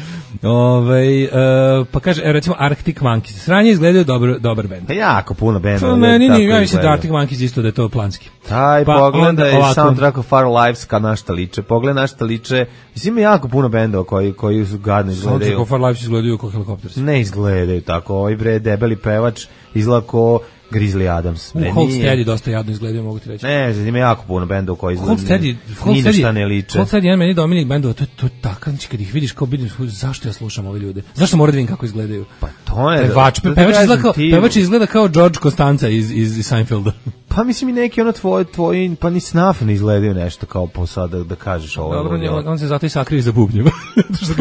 Ove, uh, pa kaže, recimo Arctic Monkeys. Sranje izgledaju dobro, dobar bend. Pa jako puno benda. Pa meni nije, ja mislim da Arctic Monkeys isto da je to planski. Taj pa pogledaj soundtrack of Our Lives ka na šta liče. Pogledaj na šta liče. Mislim, ima jako puno bendova koji, koji su gadno izgledaju. Soundtrack of Our Lives izgledaju kao Helicopters. Ne izgledaju tako. Ovaj bre, debeli pevač izgleda kao Grizzly Adams. U Cold Steady dosta jadno izgledaju, mogu ti reći. Ne, ima jako puno bendova koji izgledaju. Cold Steady, ni na šta ne liče. Cold Steady, jedan meni Dominik bendova, to je to takav, kad ih vidiš kao vidim, zašto ja slušam ove ljude? Zašto moram da vidim kako izgledaju? Pa to je. Pevač, pe, pevač, izgleda kao, pevač izgleda kao George Costanza iz, iz, iz Seinfelda. Pa mislim i neki ono tvoj, tvoj, pa ni snaf ne izgledaju nešto kao po sada da kažeš ovo. Dobro, on, on se zato i sakrije za bubnjeva.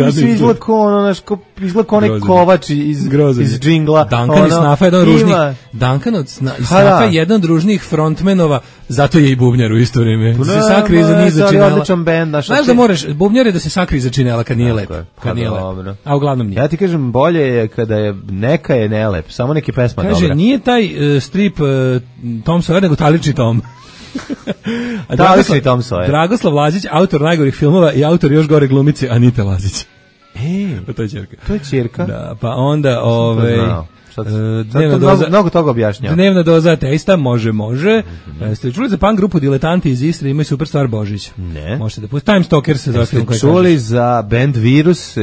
Mislim izgleda kao ono, naš, izgleda kao onaj kovač iz, iz džingla. Duncan iz snafa je jedan ružnih. Duncan od sna, iz snafa je jedan družnih frontmenova, zato je i bubnjar u isto vrijeme. Da se sakrije za niza činela. Odličan bend, naš. Znaš da možeš, bubnjar je da se sakrije za činela kad nije lep. Kad nije lep. A uglavnom nije. Ja ti kažem, bolje je kada je neka je nelep, samo neki pesma dobra. Kaže, nije taj uh, strip uh, Tom Sawyer, nego Talični Tom. Talični Tom Sawyer. Dragoslav Lazić, autor najgorih filmova i autor još gore glumice Anite Lazić. E, to je ćerka. To je ćerka. Da, pa onda ovaj Uh, dnevna doza, mnogo, mnogo toga objašnjava. Dnevna doza ateista, može, može. Mm-hmm. Ste čuli za punk grupu Diletanti iz Istre, imaju super stvar Božić. Ne. Možete da pustite. Time Stalker se zove film koji kažeš. Ste čuli za band Virus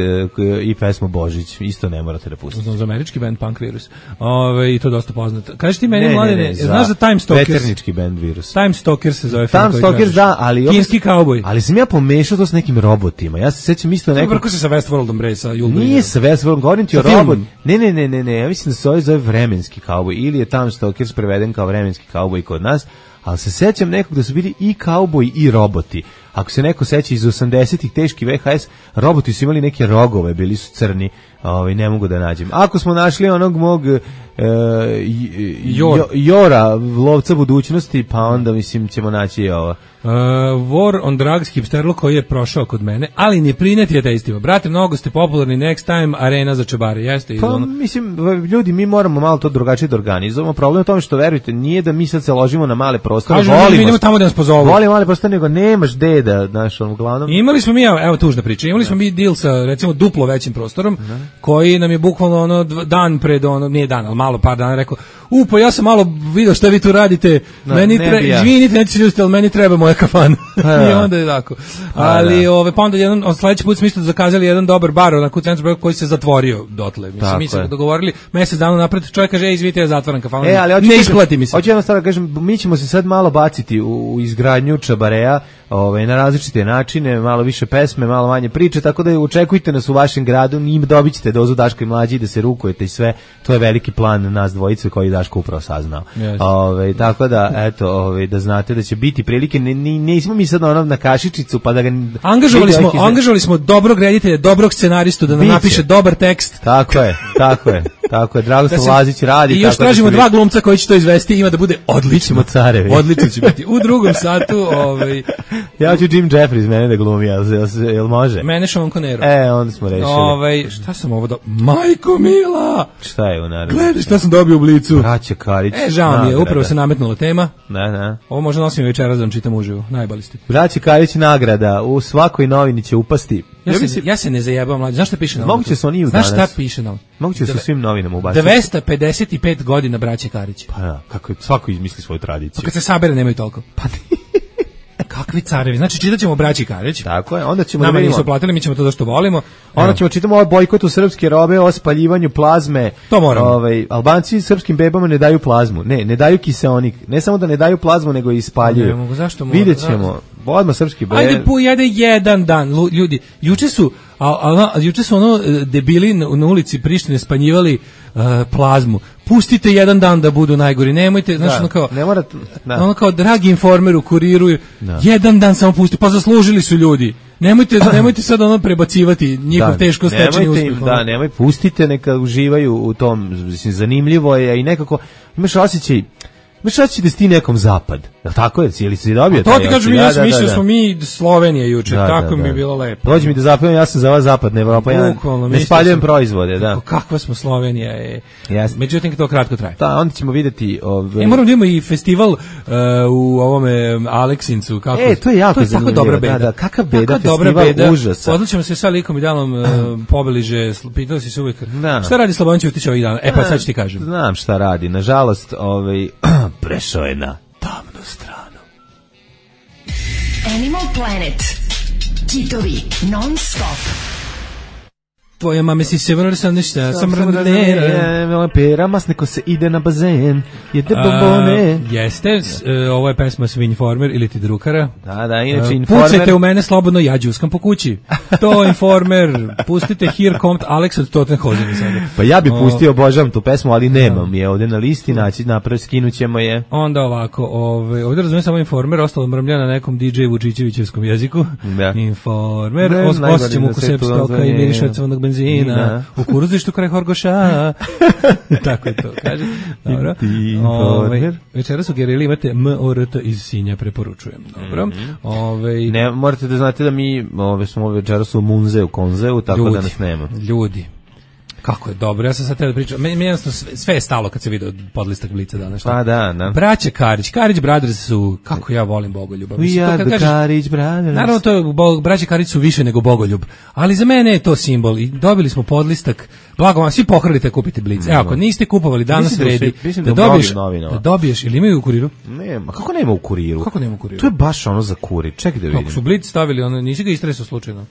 i pesmu Božić, isto ne morate da pustite. Za američki band Punk Virus. Ove, i to dosta poznato. Kažeš ti meni, mladine, znaš za Time Stalker? Veternički band Virus. Time Stalker se zove film Time koji Stalker, da, ali... Kinski kauboj. Ali sam ja pomešao to s nekim robotima. Ja se sećam isto nekog... Vrko se sa Westworldom, bre, sa Julberom. Nije sa Westworldom, govorim ti o robot. Ne, ne, ne, ne, ne, ja mislim da se zove vremenski kauboj, ili je Time Stalker preveden kao vremenski kauboj kod nas, ali se sećam nekog da su bili i kauboji i roboti. Ako se neko seća iz osamdesetih teški V H S, roboti su imali neke rogove, bili su crni, ovaj, ne mogu da nađem. Ako smo našli onog mog e, Jor. Jora, lovca budućnosti, pa onda mislim ćemo naći i ovo. Uh, War on Drugs, hipsterlo koji je prošao kod mene, ali ne prineti ateistima. Brate, mnogo ste popularni, next time, arena za čebare, jeste? Pa, ono... mislim, ljudi, mi moramo malo to drugačije da organizujemo. Problem je u tome što, verujte, nije da mi sad se ložimo na male prostore. Kažu, volimo, mi idemo tamo da nas pozovu. Volimo male prostore, nego nemaš deda, znaš, on uglavnom. Imali smo mi, evo tužna priča, imali smo mi deal sa, recimo, duplo većim prostorom, koji nam je bukvalno ono dan pred, ono, nije dan, ali malo par dana rekao, u, pa ja sam malo video šta vi tu radite, no, meni treba, ja. izvinite, neću se ljutiti, ali meni treba moja kafana. I onda je tako. Ali, ove, pa onda jedan, on sledeći put smo isto zakazali jedan dobar bar, onako u centru koji se zatvorio dotle. Mislim, mi smo dogovorili mesec dana napred, čovjek kaže, ej, izvinite, ja zatvaram kafanu. E, ali ne isplati mi se. Hoću jednostavno da kažem, mi ćemo se sad malo baciti u, u izgradnju čabareja, ovaj, na različite načine, malo više pesme, malo manje priče, tako da očekujte nas u vašem gradu, njim dobit ćete dozu Daška i Mlađi, da se rukujete i sve, to je veliki plan nas dvojice koji Daško upravo saznao. Yes. Ove, tako da, eto, ove, da znate da će biti prilike, ne, ne, nismo mi sad ono na kašičicu, pa da ga... Angažovali smo, izre... angažovali smo dobrog reditelja, dobrog scenaristu, da nam Biće. napiše dobar tekst. Tako je, tako je, tako je, Dragoslav da Lazić radi. I još tako tražimo da dva glumca koji će to izvesti, ima da bude odlično. Carevi. Odlično će biti. U drugom satu, ovaj... Ja ću Jim Jeffries mene da glumi, jel, jel, jel može? Mene Sean Connery. E, onda smo rešili. Ovaj, šta sam ovo do... Majko Mila! Šta je u naravno? Gledaj šta sam dobio u Blicu. Braća Karić. E, žao mi je, upravo se nametnula tema. Ne, ne. Ovo možda nosim večeras da vam čitam uživo. Najbali ste. Braća Karić nagrada, u svakoj novini će upasti. Ja, ja, se, mislim, ja se ne zajebam, mlađe. Znaš šta piše na Moguće su oni u Znaš danas. šta piše na Moguće su svim novinama ubaciti. dvesta pedeset pet godina braće Karić. Pa da, kako je, svako izmisli svoju tradiciju. Pa kad se sabere nemaju toliko. Pa kakvi carevi, znači čitat ćemo braći Karić. Tako je, onda ćemo... Nama da nisu platili, mi ćemo to da što volimo. Onda ćemo čitamo o bojkotu srpske robe, o spaljivanju plazme. To moramo. Ovaj, Albanci srpskim bebama ne daju plazmu. Ne, ne daju kiseonik. Ne samo da ne daju plazmu, nego i spaljuju. Ne mogu, zašto mogu? Vidjet ćemo. Odmah srpski bebe. Ajde, pojede jedan dan, ljudi. Juče su, a, a, a, juče su ono debili na, na ulici Prištine spanjivali uh, plazmu. Pustite jedan dan da budu najgori. Nemojte, znači ono kao, ne mora, ono kao dragi informer u Kuriru, da. jedan dan samo pusti, pa zaslužili su ljudi. Nemojte, nemojte sad ono prebacivati njihov da, teško stečeni uspjeh. Im, da, nemoj, pustite, neka uživaju u tom, mislim, zanimljivo je i nekako, imaš osjećaj, imaš osjećaj da si ti nekom zapad. Je li tako je? Cijeli si dobio? To ti kažem, ja sam mislio da smo mi Slovenija juče, da, tako da, mi da. je bilo lepo. Dođi mi da zapevam, ja sam za vas zapadna Evropa, ja ne spaljujem proizvode. Da. Kakva smo Slovenija je. Yes. Međutim, to kratko traje. Da, onda ćemo vidjeti... Ove... E, moram da imamo i festival uh, u ovome Aleksincu. Kako? E, to je jako to je tako dobra beda. Da, da, kakav beda, kakav festival beda. Užasa. Odličimo se sa likom i dalom uh, pobliže, pitali si se uvijek. Da. Šta radi Slobodan Ćutić ovih dana? E, pa sad ću ti kažem. Znam šta radi. Nažalost, ovaj, prešao je na tamnu stranu. Animal Planet. Kitovi non stop. Tvoja mame si se vrlo sam ništa, sam randera. Pera masneko se ide na bazen, jede bombone. Jeste, ovo je pesma Svi Informer ili ti Drukara. Da, da, inače Informer. Pucajte u mene slobodno, ja džuskam po kući. To Informer, pustite Here Komt Alex od Tottenhausen sada. Pa ja bi pustio, obožavam tu pesmu, ali nemam je ovdje na listi, naći napravi, skinućemo je. Onda ovako, ovaj, ovdje razumijem samo Informer, ostalo mrmlja na nekom D J Vučićevićevskom jeziku. Da. Informer, osjećam uku sep stoka i miriše od crvenog benzina u kuruzištu kraj Horgoša. Tako je to, kaže. Dobro. Ove, večera su gerili, imate M O R T iz Sinja, preporučujem. Dobro. Mm-hmm. Ove, ne, morate da znate da mi ove, smo večera su u Munzeu, Konzeu, tako ljudi, da nas nema. Ljudi. Kako je dobro, ja sam sad teo da pričam, meni jednostavno sve, sve je stalo kad se vidio podlistak Blica danas. Pa da, da. Braća Karić, Karić Brothers su, kako ja volim Bogoljuba. We are the Karić Brothers. Naravno, to je, bo, braća Karić su više nego Bogoljub, ali za mene je to simbol i dobili smo podlistak, blago vam, svi pohrlite kupiti Blic. Evo, ako niste kupovali danas vredi, da, da, dobiješ, da dobiješ, ili imaju u Kuriru? Nema, kako nema u Kuriru? Kako nema u Kuriru? To je baš ono za Kurir, čekaj da vidim. Kako su Blic stavili, ono, nisi ga istresao slučajno?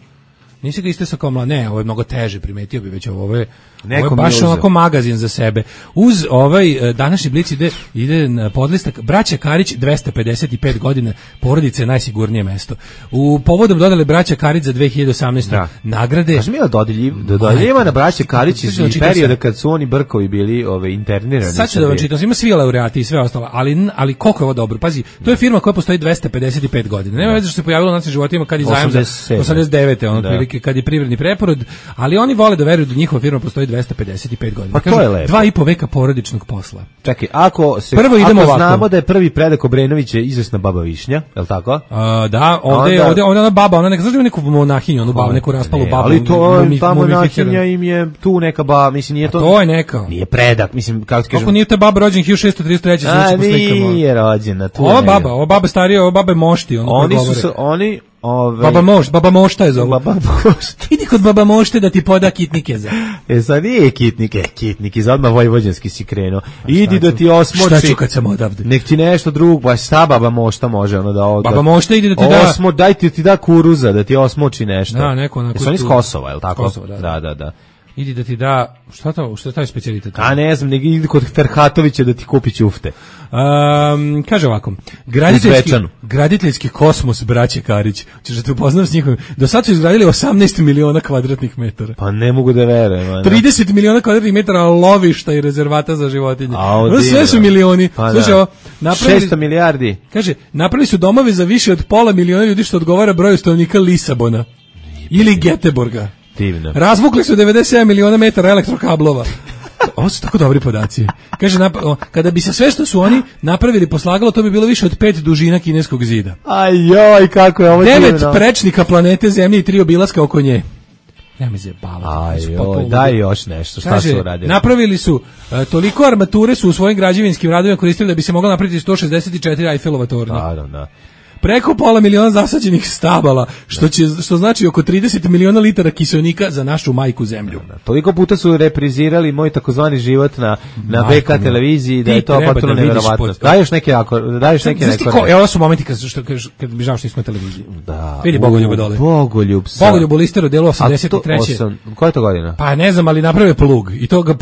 Nisi ga istresao kao mla, ne, ovo je mnogo teže, primetio bi već ovo, ovo je, ovo je baš onako magazin za sebe. Uz ovaj današnji Blic ide, ide na podlistak braća Karić dvesta pedeset pet godina, porodice je najsigurnije mesto. U povodom dodali braća Karić za dve hiljade osamnaeste. Da. Nagrade. Kaži mi da dodeljiv, da dodeljima na braća Karić iz perioda kad su oni brkovi bili ove internirani. Sad ću da vam čitam, ima svi laureati i sve ostalo, ali ali koliko je ovo dobro. Pazi, to je firma koja postoji dvesta pedeset pet godina. Nema veze što se pojavilo na našim životima kad je zajam za osamdeset devete, ono otprilike kad je privredni preporod, ali oni vole da veruju da njihova firma postoji dvesta pedeset pet godina. Pa to je lepo. Dva i po veka porodičnog posla. Čekaj, ako se prvo idemo ako ovako. Znamo da je prvi predak Obrenović je izvesna baba Višnja, je l' tako? A, da, ovde onda, ovde, ovde ona baba, ona neka zašto neku monahinju, onu babu, neku raspalu babu. Ali to ta monahinja im je tu neka baba, mislim nije to. A to je neka. Nije predak, mislim kako ti kažem. Kako nije ta baba rođena hiljadu šessto trideset treće. A nije rođena tu. Ova baba, ova baba starija, ova baba je mošti, ono. Oni su oni Ove... Baba Moš, Baba Mošta je zovu. Baba Mošta. Idi kod Baba Mošte da ti poda kitnike za. E sad nije kitnike, kitnike, za odmah vojvođanski si krenuo. Idi da ti osmoči. Šta ću kad sam odavde? Nek ti nešto drugo, pa šta Baba Mošta može ono da od. Baba Mošta ide da ti da osmo, daj ti, ti da kuruza da ti osmoči nešto. Da, neko onako. Jesu oni iz Kosova, je li tako? Kosova, da, da, da. da. Idi da ti da, šta to, šta je taj specijalitet? A ne znam, nego idi kod Ferhatovića da ti kupi ćufte. Um, kaže ovako, graditeljski, graditeljski kosmos braće Karić, ćeš da te upoznam s njihovim, do sad su izgradili osamnaest miliona kvadratnih metara. Pa ne mogu da verujem. trideset miliona kvadratnih metara lovišta i rezervata za životinje. A, sve su milioni. Pa Slušaj, ovo, napravili, šesto milijardi. Kaže, napravili su domove za više od pola miliona ljudi što odgovara broju stanovnika Lisabona ili Geteborga. Divno. Razvukli su devedeset sedam miliona metara elektrokablova. Ovo su tako dobri podaci. Kaže, kada bi se sve što su oni napravili poslagalo, to bi bilo više od pet dužina kineskog zida. Ajoj, kako je ovo divno. Devet prečnika planete Zemlje i tri obilaska oko nje. Ja mi zebala. Ajoj, daj još nešto. Šta kaže, su uradili? Napravili su, uh, toliko armature su u svojim građevinskim radovima koristili da bi se mogla napraviti sto šezdeset četiri Eiffelova tornja. Da, da. Preko pola miliona zasađenih stabala, što će što znači oko trideset miliona litara kiseonika za našu majku zemlju. Da, da. Toliko puta su reprizirali moj takozvani život na na B K televiziji da je to potpuno neverovatno. Daješ neke ako daješ neke neke. Evo su momenti kad što kad bi žao što nismo na televiziji. Da. Vidi Bogoljub dole. Bogoljub. Bogoljub u listeru delu osamdeset treće. Koja je to godina? Pa ne znam, ali napravio plug i to ga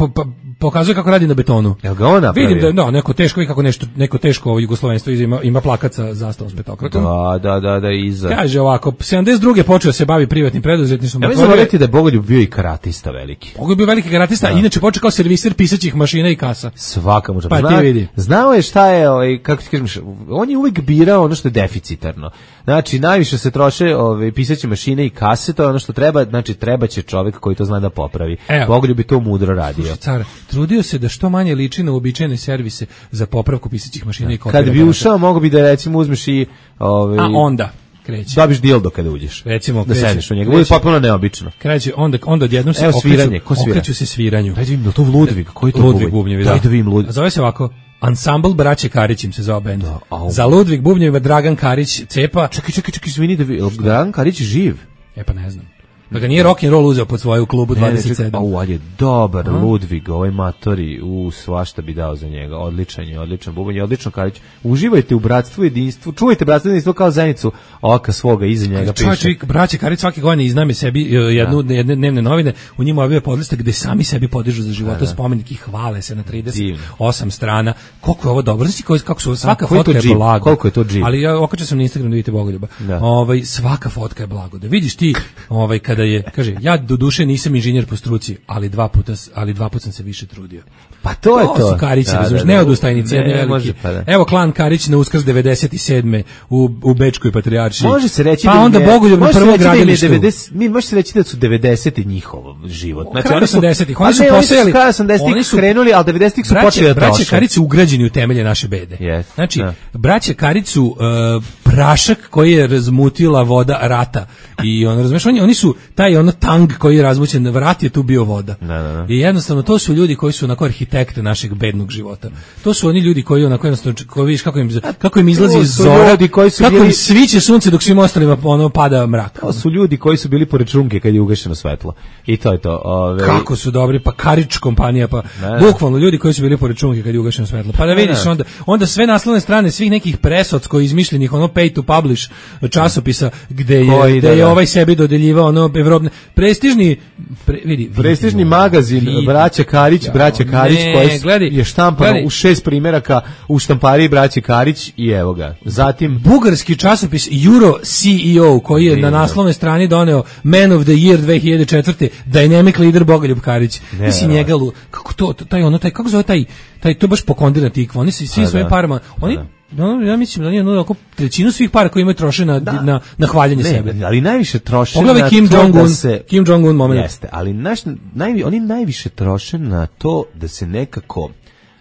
pokazuje kako radi na betonu. Jel ga on napravio? Vidim da no, neko teško i kako nešto neko teško jugoslovenstvo ima ima plakat sa zastavom s petokrakom. Da, da, da, da iza. Kaže ovako, sedamdeset druge počeo se bavi privatnim preduzetništvom. Ja mislim da da je Bogoljub bio i karatista veliki. Bogoljub bio veliki karatista, da. Inače počeo kao serviser pisaćih mašina i kasa. Svaka mu. Pa zna, ti vidi. Znao je šta je, ovaj kako ti kažeš, on je uvijek birao ono što je deficitarno. Znači najviše se troše ove pisaće mašine i kase, to je ono što treba, znači trebaće čovjek koji to zna da popravi. Bogoljub bi to mudro radio. Slušaj, car, trudio se da što manje liči na uobičajene servise za popravku pisaćih mašina i kopija. Kad bi ušao, mogo bi da recimo uzmeš i ovaj a onda kreće. Dobiš dildo kada uđeš. Recimo, da sediš u njega. Bude potpuno neobično. Kreće, onda onda odjednom se sviranje, ko svira? Okreću se sviranju. Daj da vidim, to Ludvig, koji to Ludvig bubnjevi, Daj da vidim Ludvig. Zove se ovako Ansambl braće Karić im se zove bend. Za Ludvig bubnjeva Dragan Karić cepa. Čekaj, čekaj, čekaj, izvini da Dragan Karić živ. E pa ne znam. Da ga nije rock and roll uzeo pod svoju klubu dvadeset sedam. Au, ali je dobar Aha. Ludvig, ovaj matori, u svašta bi dao za njega. Odličan je, odličan bubanj, odlično Karić. Uživajte u bratstvu i jedinstvu. Čuvajte bratstvo i jedinstvo kao zenicu oka svoga iza njega piše. Čovjek, braće Karić svake godine izname sebi jednu da. jedne dnevne novine, u njima objave podlistak gde sami sebi podižu za života spomenik i hvale se na trideset osam strana. Koliko je ovo dobro, znači kako su svaka fotka je blago. Koliko je to džip? Ali ja okačio sam na Instagram da vidite Bogoljuba. Ovaj svaka fotka je blago. Da vidiš ti, ovaj kada je, kaže, ja do duše nisam inženjer po struci, ali dva puta, ali dva puta sam se više trudio. Pa to je to. To su Karići, da, da, da, neodustajnici, ne, veliki. Može, pa da. Evo klan Karić na Uskrs devedeset sedme u u Bečkoj patrijaršiji. Može se reći pa da onda Bogoljub na prvom gradilištu. Mi može se reći da su devedeseti njihov život. Znači oni su osamdesetih, oni su posejali, oni su krenuli, al devedesetih su počeli da troše. Braće Karić su ugrađeni u temelje naše bede. Yes, znači, da. braće Karić su uh, prašak koji je razmutila voda rata. I on razumeš, oni oni su taj ono tang koji je razmućen, vrat je tu bio voda. Da, da, da. I jednostavno to su ljudi koji su onako arhitekte našeg bednog života. To su oni ljudi koji onako jednostavno koji vidiš kako im kako im izlazi iz zora, koji su kako bili... im sviće sunce dok svim ostalima ono pada mrak. To su ljudi koji su bili pored šunke kad je ugašeno svetlo. I to je to. Ove... Kako su dobri, pa Karić kompanija, pa bukvalno ljudi koji su bili pored šunke kad je ugašeno svetlo. Pa da vidiš onda onda sve naslovne strane svih nekih presocko izmišljenih ono pay to publish časopisa gde je koji, gde da, je da. ovaj sebi dodeljivao ono evropne prestižni pre, vidi, prestižni vidi, magazin vidi, braća Karić, ja, braća Karić ne, koji gledaj, je štampano gledaj. u šest primjeraka u štampariji braće Karić i evo ga. Zatim bugarski časopis Euro C E O koji je ne, na naslovnoj strani doneo Man of the Year dve hiljade četvrte Dynamic leader Bogoljub Karić. Mislim njega kako to taj ono taj kako zove taj taj to baš pokondirana tikva. Oni se svi svojim parama, oni no, ja mislim da nije ono oko trećinu svih para koje imaju troše na da. na na hvaljenje ne, sebe. Ali najviše troše Pogledaj na Kim to Jong-un, da se Kim Jong-un moment. Jeste, ali naš naj, oni najviše troše na to da se nekako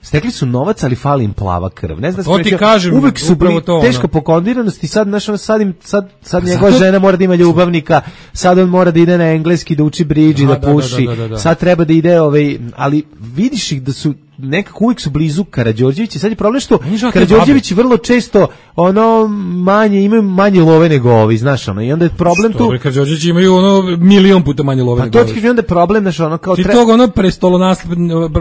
stekli su novac, ali fali im plava krv. Ne znam to ti kažem, uvek su bili to, teška pokondiranost i sad naš sad im sad sad njegova žena mora da ima ljubavnika, sad on mora da ide na engleski da uči bridge i da, da puši. Da, da, da, da. Sad treba da ide ovaj, ali vidiš ih da su nekako uvijek su blizu Karađorđevića. Sad je problem što Karađorđević vrlo često ono manje imaju manje love nego ovi, znaš, ono, i onda je problem tu. Karađorđević imaju ono milion puta manje love nego ovi. Pa to ti onda je problem, znaš, ono kao ti tre... tog ono prestolonasled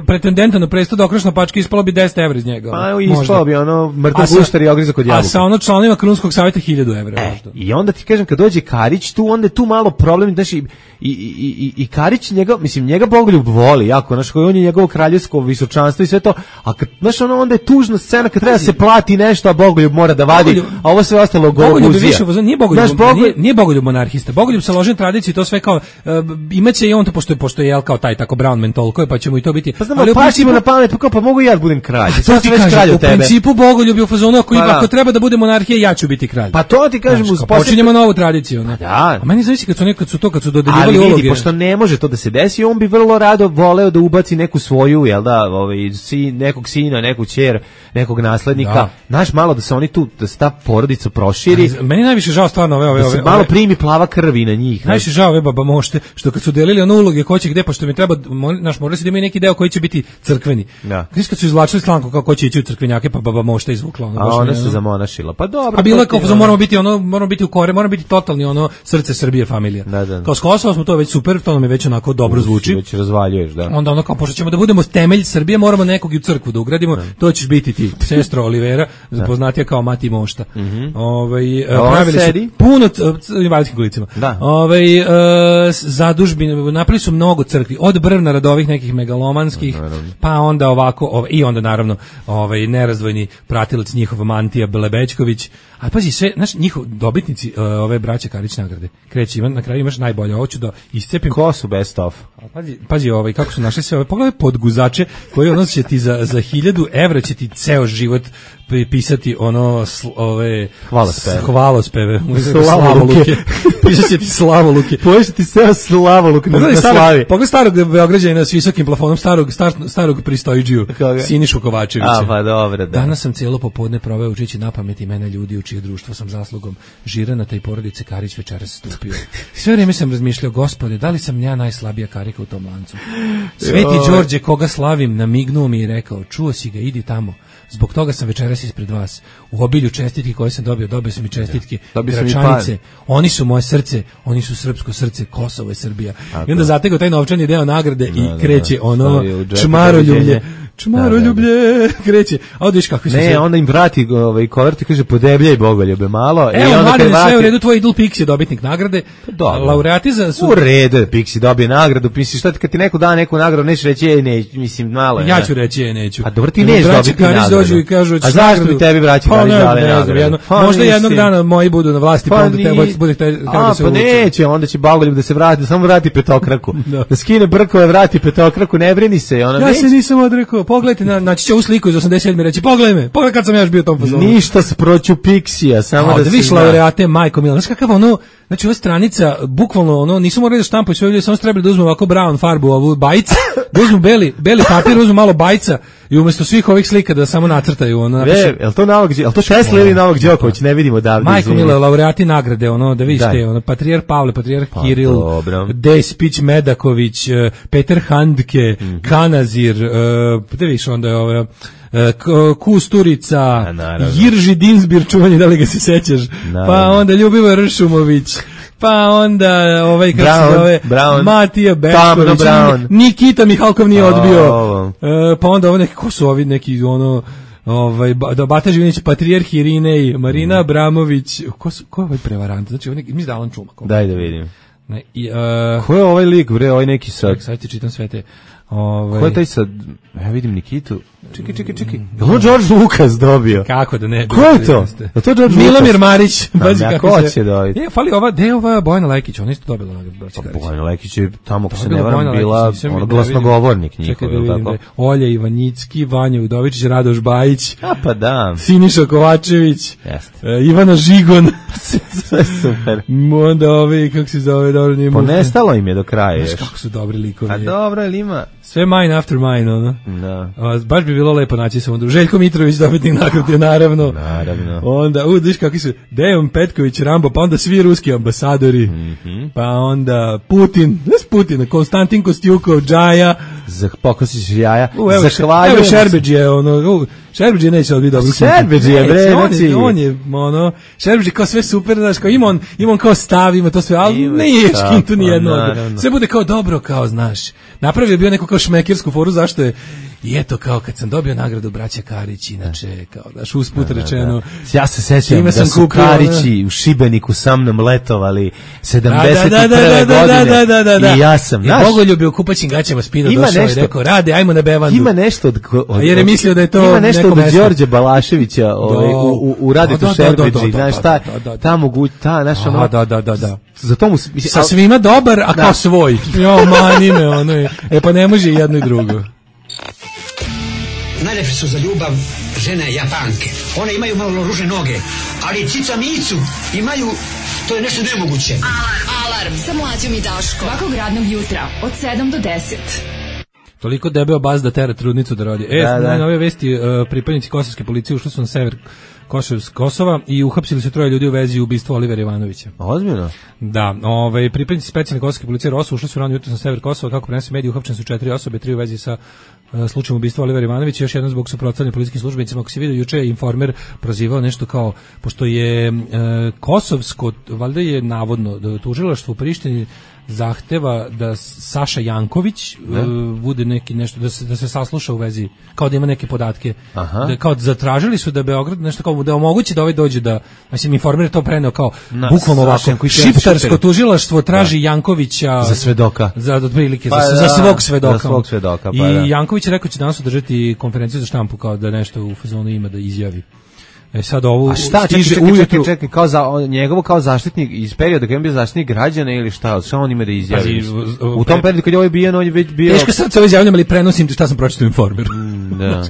pretendenta na presto da okrešna pačka ispalo bi deset evra iz njega. Pa ispalo bi ono mrtav guštar i ogrizak od jabuka. A sa ono članovima Krunskog savjeta hiljadu evra. E, i onda ti kažem kad dođe Karić tu, onda je tu malo problem, znaš, i, i, i, i Karić njega, mislim, njega Bogoljub voli jako, znaš, on je njegovo kraljevsko visočanstvo i sve to, a kad, znaš, ono, onda je tužna scena kad treba se plati nešto, a Bogoljub mora da vadi, Bogoljub, a ovo sve ostalo gologuzija. Više, nije Bogoljub, znaš, Bogoljub, nije, nije Bogoljub monarhista, Bogoljub sa ložen tradiciji, to sve kao, uh, imaće i on to, pošto je, pošto je jel, kao taj tako Brown mentolko, pa će mu i to biti. Pa znamo, pašimo na pamet, pa kao, pa mogu i ja da budem kralj. To ti kažem, u principu Bogoljub je u fazonu, ako, pa, ako treba da bude monarhija, ja ću biti kralj. Pa to ti kažem, uz počinjemo novu tradiciju, ne? Da. A meni zavisi kad su nekad su to kad su dodeljivali uloge. Ali vidi, pošto ne može to da se desi, on bi vrlo rado voleo da ubaci neku svoju, jel da, ovaj sin, nekog sina, neku ćer, nekog naslednika. Da. Znaš, malo da se oni tu, da se ta porodica proširi. A, meni najviše žao stvarno ove ove da se ove, malo ove, primi plava krvi na njih. Najviše žao ove baba mošte, što kad su delili ono uloge ko će gde, pošto mi treba, naš morali se da imaju neki deo koji će biti crkveni. Da. Kad su izvlačili slanku kako će ići u crkvenjake, pa baba mošta izvukla ono. A ona se zamonašila. Pa dobro. A bilo je kao da moramo biti ono, moramo biti u kore, moramo biti totalni ono srce Srbije familija. Da, da. Kao s Kosova smo to već super, to nam je već onako dobro zvuči. Već razvaljuješ, da. Onda ono kao pošto ćemo da budemo temelj Srbije, moramo nekog i u crkvu da ugradimo. Da. To ćeš biti ti, sestro Olivera, poznatija kao Mati Mošta. Mm -hmm. Ovaj pravili su puno invalidskih kolicima. Ovaj uh, zadužbine, napravili su mnogo crkvi, od Brvnara do ovih nekih megalomanskih, no, pa onda ovako ovaj, i onda naravno ovaj nerazdvojni pratilac njihov Mantija Belebečković. A pazi sve, znaš, njihov dobitnici uh, ove braće Karić nagrade. Kreći, ima, na kraju imaš najbolje, hoću da iscepim. Ko su best of? A pazi, pazi ovaj, kako su našli sve ove, pogledaj podguzače koji ono će ti za, za hiljadu evra će ti ceo život pisati ono sl, ove hvalospeve. Hvalospeve. Slavoluke. Piše ti Slavoluke. Piše ti sve Slavoluk na, na slavi. Pogledaj starog Beograđanina s visokim plafonom, starog, star, starog pristojđiju, Sinišu Kovačevića. A, pa dobro, da. Danas sam cijelo popodne proveo učeći na pamet imena ljudi u čije društvo sam zaslugom Žiranata i porodice Karić večeras stupio. Sve vrijeme sam razmišljao, gospode, da li sam ja najslabija karika u tom lancu? Sveti Đorđe, koga slavim, namignuo mi i rekao, čuo si ga, idi tamo. Zbog toga sam večeras ispred vas. U obilju čestitki koje sam dobio, dobio sam i čestitke Gračanice. Oni su moje srce, oni su srpsko srce, Kosovo je Srbija. Tako. I onda zategao taj novčani deo nagrade no, i kreće no, no. ono čmaroljublje. Čmaroljublje, kreće. A onda viš kako se ne, sve... onda im vrati ovaj kovertu i kaže podebljaj Bogoljube malo. Evo, i onda kad vrati... sve u redu, tvoj idol Pixi je dobitnik nagrade. Dobro. Laureati za su... U redu je Pixi dobije nagradu. Misliš, šta ti kad ti neko da neku nagradu, nećeš reći, ej, ne, mislim, malo je. Ja ću reći, ej, neću. A dobro, ti neš dobiti nagradu. Dođu i kažu, a zašto bi tebi braći dali dali nagradu? Možda jednog dana moji budu na vlasti, pa onda te bude te da se uče. Pa neće, onda će Bogoljub da se vrati, samo vrati petokraku. Da skine brkove, vrati petokraku, ne brini se. Ja se nisam odrekao, pogledajte, naći će ovu sliku iz osamdeset sedme reći, pogledaj me, pogledaj kad sam ja još bio u tom fazonu. Ništa s proću Pixija, samo da, da viš laureate, majko mila, znaš kakav ono, znači ova stranica, bukvalno ono, nisu morali da štampaju sve ljudi, samo su trebali da uzmu ovako brown farbu, ovu bajc, da uzmu beli, beli papir, uzmu malo bajca i umjesto svih ovih slika da samo nacrtaju, ono, napiše. Je, je to Novak, je to Tesla ili Novak Đoković, ne vidimo davde. Majko mila, laureati nagrade, ono, da vidiš te, ono, patrijarh Pavle, patrijarh pa, Kiril, Despić Medaković, Peter Handke, mm -hmm. Kanazir, uh, da vidiš onda je ovo, Kusturica, Jirži Dinsbir, čuvanje, da li ga se sećaš, naravno. Pa onda Ljubivo Ršumović, pa onda ovaj kako se zove Matija Bešković, Nikita Mihalkov nije odbio, oh. e, pa onda ovo neki, ko su ovi neki ono ovaj da Bata Živinić, patrijarh Irinej, Marina mm. Abramović, ko su, ko je ovaj prevarant, znači ovaj mi Alan Čumak. Daj da vidim. Ne, i, uh, ko je ovaj lik, bre, ovaj neki sad? Sad ti čitam sve te. Ovaj. Ko je taj sad? Ja vidim Nikitu. Čekaj, čekaj, čekaj. Je li George Lucas dobio? Kako da ne? Ko je to? Je to George Milomir Marić. Bazi kako ko će dobiti? Je, fali ova, de ova Bojana Lekić, ona isto dobila nagradu. Bojana Lekić je tamo, ako se ne varam, bila ono glasnogovornik njihov, je li tako? Olja Ivanicki, Vanja Udovičić, Radoš Bajić. A pa da. Siniša Kovačević. Jeste. Ivana Žigon. Sve super. Onda ovi, kako se zove, dobro nije moguće. Ponestalo im je do kraja. Znaš kako su dobri likovi. A dobro, ili ima? Sve mine after mine, ono. Da. A, baš bi bilo lepo naći se onda. Željko Mitrović dobitnik nagrade, naravno. Naravno. Onda, u, viš kakvi su, Dejan Petković, Rambo, pa onda svi ruski ambasadori, mm -hmm. pa onda Putin, znaš Putina, Konstantin Kostjukov, Džaja, Za pokosiš jaja. U, evo, Zahvaljujem. Evo Šerbedžije, ono, u, Šerbedžije neće odbiti dobro. Šerbedžije, bre, on, znači. je, on je, ono, Šerbedžije kao sve super, znaš, kao ima on, ima on kao stav, ima to sve, ali Ima nije stav, škintu ni pa, jedno. naravno. Sve bude kao dobro, kao, znaš. Napravio je bio neku kao šmekersku foru, zašto je, i eto, kao kad sam dobio nagradu braća Karić, inače, kao, daš, usput Da, da, rečeno. da. Ja se sećam da sam su kupio, Karići u Šibeniku sa mnom letovali sedamdeset Da, da, da, da, godine. da, da, da, da. I ja sam, I znaš, Bogoljub je u kupaćim gaćama spino Ima došao nešto- i rekao, rade, ajmo na bevandu. ima nešto od, od, Jer je mislio da je to ima nešto neko od mesto. Đorđe Balaševića ovaj, Da. u, u, u Radetu Da, da, da, Šerbedži, da, da, znaš, da, ta, da, da, da. ta mogu, ta, znaš, ono, A, da, da, da, da. za to mu, s- mislim, Sa al- svima dobar, a Da. kao svoj. Jo, mani me, ono je. E pa ne može i jedno i drugo. Najlepše su za ljubav žene Japanke. One imaju malo ružne noge, ali cica micu imaju, to je nešto nemoguće. Alarm sa mlađom i Daškom. Svakog radnog jutra od sedam do deset. Toliko debeo baz da tera trudnicu da rodi. E, Da, da. nove vesti, uh, pripadnici kosovske policije ušli su na sever Kosovs- Kosova i uhapsili su troje ljudi u vezi ubistva Olivera Ivanovića. Ozbiljno? Da, ovaj pripadnici specijalne kosovske policije ROSU ušli su rano jutros na sever Kosova, kako prenose mediji, uhapšene su četiri osobe, tri u vezi sa uh, slučajem ubistva Olivera Ivanovića, još jedno zbog suprotstavljanja policijskim službenicima. Ako se vidio juče je Informer prozivao nešto kao, pošto je uh, kosovsko, valjda je navodno da tužilaštvo u Prištini zahteva da Saša Janković uh, bude neki nešto da se da se sasluša u vezi kao da ima neke podatke. Aha. Da kao zatražili su da Beograd nešto kao da omogući da ovaj dođe da mislim Informer je to preneo kao Na, bukvalno Saša ovako Janković je šiptarsko šipter. tužilaštvo traži Jankovića Za svedoka. za otprilike Pa za, da, za svog svedoka. za svog svedoka, pa I da. Janković je rekao će danas održati konferenciju za štampu kao da nešto u fazonu ima da izjavi. E sad ovo A šta, čekaj, stiže čekaj, čekaj, ujutru. čekaj, kao za, on, njegovo kao zaštitnik iz perioda kad je bio zaštitnik građana ili šta, šta on ima da izjavi? Pazi, v- u tom periodu kad je ovaj bijan, on je već bio... Teško sad se ovo izjavljam, ali prenosim šta sam pročitao u Informeru. da,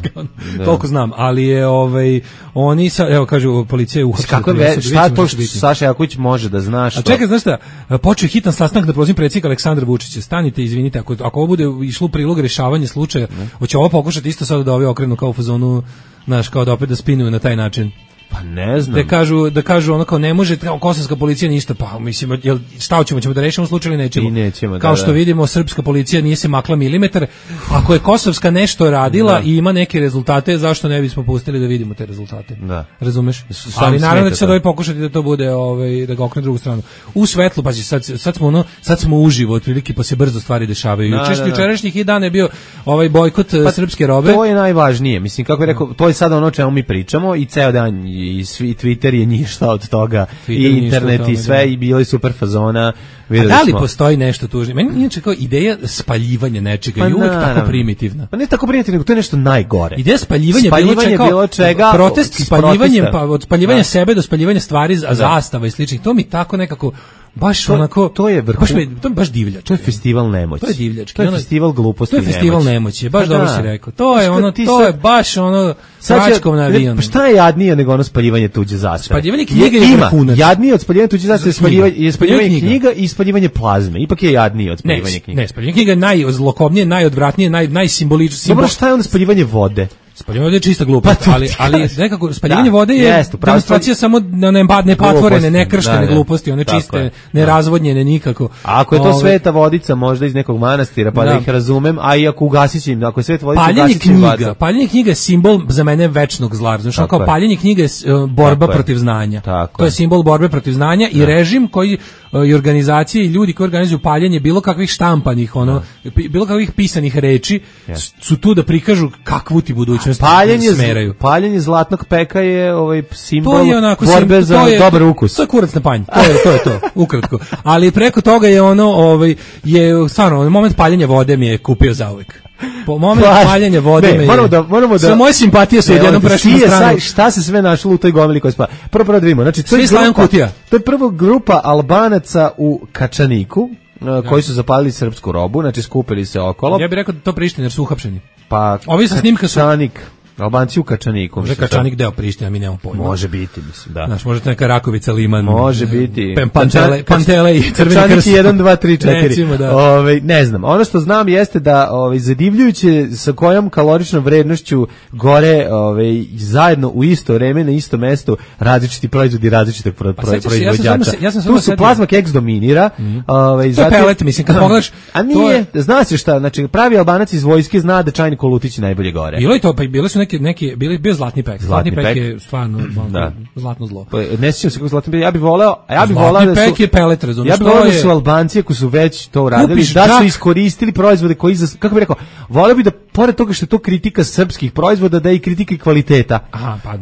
da. Toliko znam, ali je ovaj oni sa evo kažu policija je uhapsila. Kako tri je, osobe, šta vidjet ćemo to će što biti. Saša Janković može da zna što? A čekaj, znaš šta, počeo je hitan sastanak da prozim predsjednika Aleksandra Vučića. Stanite, izvinite, ako, ako ovo bude išlo u prilog rješavanje slučaja, hoće ovo pokušati isto sad da ovi okrenu kao u fazonu, znaš, kao da opet da spinuju na taj način. Pa ne znam. Da kažu, da kažu ono kao ne može kao kosovska policija ništa, pa mislim, jel, šta hoćemo, ćemo da rešimo slučaj ili nećemo? I nećemo, da, kao što da. vidimo, srpska policija nije se makla milimetar. Ako je kosovska nešto radila Da. i ima neke rezultate, zašto ne bismo pustili da vidimo te rezultate? Da. Razumeš? Šta Ali vam naravno da smeta će sad to? ovaj pokušati da to bude, ovaj, da ga okrene drugu stranu. U svetlu, pazi, sad, sad smo ono, sad smo uživo, otprilike, pa se brzo stvari dešavaju. Da, Jučerašnji, da, da. jučerašnjih i dan je bio ovaj bojkot Pa, srpske robe. To je najvažnije. Mislim, kako je rekao, to je sada ono o čemu mi pričamo i ceo dan i svi Twitter je ništa od toga Twitter i je ništa internet od toga, i sve da. i bilo je super fazona. A Videli da li smo. postoji nešto tužnije? Meni inače kao ideja spaljivanja nečega Pa je uvek naravno. tako primitivna. Pa ne tako primitivno, nego to je nešto najgore. Ideja spaljivanja, Spaljivanje bilo, bilo čega, čega, protest iz spaljivanjem, protesta. pa od spaljivanja Da. sebe do spaljivanja stvari, za- zastava i sličnih, to mi tako nekako baš To- onako to je vrhu- baš me- to je baš divljački. To je festival nemoći. To je divljački. To je Ono- festival gluposti. To je i festival nemoći. nemoći, baš Pa dobro da. si rekao. To je Znaš, ono, kad ti to sad- je baš ono Sad će- tračkom na avionu. Pa šta je jadnije nego ono spaljivanje tuđe zastave? Spaljivanje knjige je ima, vrhunac. jadnije od spaljivanja tuđe zastave je spaljivanje, je spaljivanje Spaljivanje knjiga i spaljivanje plazme. Ipak je jadnije od Ne, spaljivanja knjiga. ne, spaljivanje knjiga je najzlokobnije, najodvratnije, naj najsimboličnije. Dobro, šta je onda spaljivanje vode? Spaljivanje vode je čista glupost, Pa to ali, ti ali kažem. nekako spaljivanje Da, vode je jeste, upravo demonstracija si. samo na ne, ne patvorene, Gluposti, nekrštene da, da. gluposti, one Tako čiste, je. nerazvodnjene nikako. A ako je to Ove, sveta vodica možda iz nekog manastira, pa da, Da. ih razumem, a i ako ugasit će im, ako je sveta vodica, Paljenje ugasit će im knjiga, vatru. paljenje knjiga je simbol za mene večnog zla. Znači, Tako kao je. paljenje knjige je uh, borba Tako je. protiv znanja. Tako to je je. simbol borbe protiv znanja i režim koji uh, i organizacije i ljudi koji organizuju paljenje bilo kakvih štampanih, ono, pi- bilo kakvih pisanih reči s- su tu da prikažu kakvu ti budućnost Paljenje, smeraju. paljenje zlatnog peka je ovaj simbol To je onako borbe sim- za to je, dobar ukus. To je kurac na panj. To je to je to, ukratko. Ali preko toga je ono, ovaj je stvarno moment paljenja vode mi je kupio zauvek. Po moment Pa, paljenja vode ne, me je- moramo da moramo da Sve moje simpatije su Ne, odjednom ovdje, prešle na C S I, stranu. Šta se sve našlo u toj gomili koja spa? Prvo prvo da vidimo. Znači to Svi je Slaven grupa, Kutija. to je prvo grupa Albanaca u Kačaniku, uh, koji su zapalili srpsku robu, znači skupili se okolo. Ja bih rekao da to Priština jer su uhapšeni. Pa Ovi sa snimka su- Kačanik. Albanci u Kačaniku. Može Kačanik deo Prištine, mi nemamo pojma. Može biti, mislim, da. Znaš, možete neka Rakovica, Liman. Može biti. Pantele, Pantele i Crveni krst. Kačanik jedan, dva, tri, četiri. Recimo, da. Ove, ne znam, ono što znam jeste da ove, zadivljujuće sa kojom kaloričnom vrednošću gore ove, zajedno u isto vreme na isto mesto različiti proizvodi različitog pro, pro, proizvođača. Ja sam tu su plazma keks dominira. Mm-hmm. Ove, to je pelet, mislim, kad pogledaš. A nije, je... zna se šta, znači pravi Albanac iz vojske zna da Čajni Kolutić najbolje gore. Bilo je to, pa bile su neke, neke bili, bio zlatni pek. Zlatni, zlatni pek, pek je stvarno da. zlatno zlo. Pa, ne sjećam se kako zlatni pek, ja bih voleo, a ja bih voleo da su... Zlatni pek je pelet, razumiješ. Ja bih voleo da su Albanci, ako su već to uradili, da su iskoristili proizvode koji, za, kako bih rekao, voleo bih da, pored toga što je to kritika srpskih proizvoda, da je i kritika kvaliteta. Aha, pa...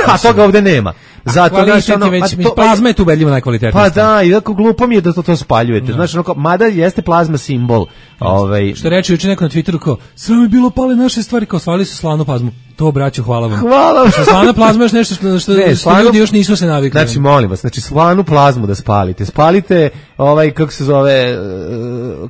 a toga ovde nema. Zato znači ono, već, to, plazma je tu ubedljivo najkvalitetnija. Pa da, i tako glupo mi je da to to spaljujete. No. Znači, ono, mada jeste plazma simbol. Ovaj što reče juče neko na Twitteru kao, sve mi bilo pale naše stvari, kao svali su slanu plazmu. To braćo, hvala vam. Hvala vam. Što slana plazma je nešto što, što, ne, što ljudi još nisu se navikli. Znači, molim vas, znači slanu plazmu da spalite. Spalite ovaj, kako se zove, uh,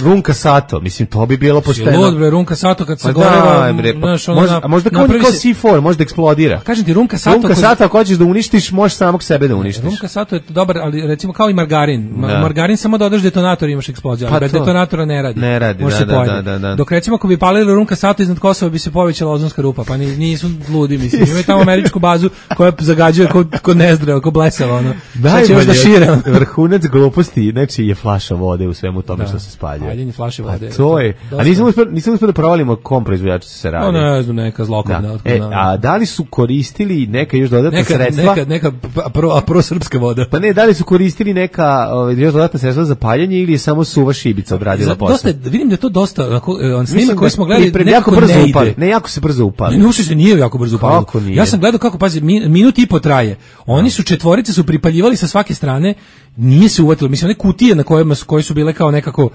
Runka Sato. Mislim, to bi bilo pošteno. Lud, bre, Runka Sato kad se pa gore... Da, bre, pa, znaš, možda, na, a možda kao, kao C četiri, možda eksplodira. Kažem ti, Runka Sato... Runka Sato, ako hoćeš da uništiš, možeš samog sebe da uništiš. Runka Sato je dobar, ali recimo kao i margarin. Ma, margarin samo dodaš detonator i imaš eksploziju, ali pa bez to. detonatora ne radi. Ne radi, može da, se da, da, da. Dok recimo ako bi palili Runka Sato iznad Kosova bi se povećala ozonska rupa, pa nisu ludi, mislim. Imaju tamo američku bazu koja zagađuje ko, ko nezdravo, ko blesava, ono. Šta će još da šire? Vrhunac gluposti, znači je flaša vode u svemu tome da. Što se spaljuje. Paljenje flaše vode. A to je. A nisam uspio, nisam uspio da provalimo kom proizvođaču se radi. No, ne znam, neka zlokodna. Da. E, a da li su koristili neka još dodatna neka, sredstva? Neka, neka pro, pro srpska voda. Pa ne, da li su koristili neka ovaj, još dodatna sredstva za paljenje ili je samo suva šibica odradila posao? Dosta, vidim da je to dosta, on snima koji smo gledali, nekako jako brzo ne upali. Ne, jako se brzo upali. Ne, uši se nije jako brzo upali. Ja sam gledao kako, pazi, minut i po traje. Oni su četvorice su pripaljivali sa svake strane, nije se uvatilo. Mislim, one kutije na kojima su, koje su bile kao nekako,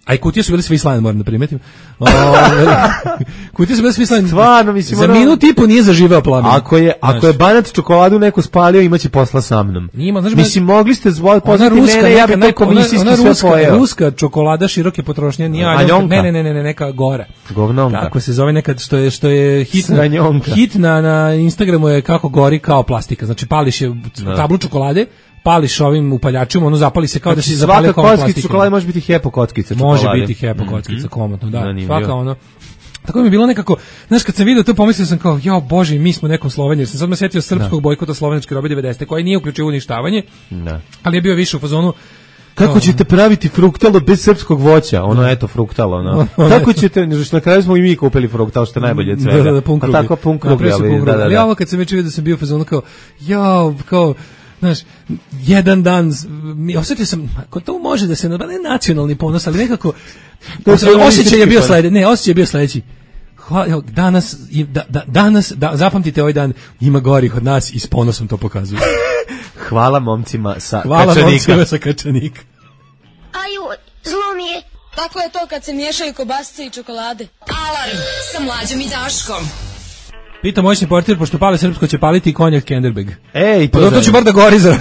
a i kutije su bile sve islane, moram da primetim. Kutije su bile sve islane. Stvarno, mislim, za ono, minut i po nije zaživeo plamen. Ako je, ako znaš, je Banat čokoladu neko spalio, imaće posla sa mnom. Nima, znaš, mislim, mogli ste zvoli poznati mene, ja bih to komisijski sve ruska, pojeo. Ruska čokolada široke potrošnje, nije aljonka. Ne, ne, ne, ne, ne, neka gora. Govnonka. Tako se zove nekad, što je, što je hit, na, hit na, na Instagramu je kako gori kao plastika. Znači, pališ je tablu čokolade, pališ ovim upaljačima, ono zapali se kao znači, da se zapali kao plastika. Svaka kockica čokolade može biti hepo kockica čokolade. Može biti hepo kockica, mm-hmm. komotno, da. Zanimljivo. Svaka ono. Tako mi je bilo nekako, znaš, kad sam vidio to, pomislio sam kao, jao Bože, mi smo nekom Sloveniji, jer sam sad me sjetio srpskog bojkota slovenačke robe devedesete koji nije uključio uništavanje, da. Ali je bio više u fazonu, kako no, ćete praviti fruktalo bez srpskog voća? Ono, no. Eto, fruktalo, no. Kako ćete, na kraju smo i mi kupili fruktalo, što je najbolje od svega. Da, da, pun pa tako pun krugi, ali, da, da, da. Ali ovo kad sam već vidio da sam bio u fazonu kao, jao, kao, znaš, jedan dan, osjetio sam, ako to može da se, ne nacionalni ponos, ali nekako, osjećaj je bio sledeći, ne, osjećaj je bio sledeći. Hvala, danas, da, da, danas, da, zapamtite ovaj dan, ima gorih od nas i s ponosom to pokazuju. Hvala momcima sa Hvala Kačanika. Hvala momcima sa Kačanika. Aju, zlo mi je. Tako je to kad se miješaju kobasice i čokolade. Alarm sa Mlađom i Daškom. Pita moćni portir, pošto pale srpsko će paliti i konjak Kenderberg. Ej, to, pa to će bar da gori za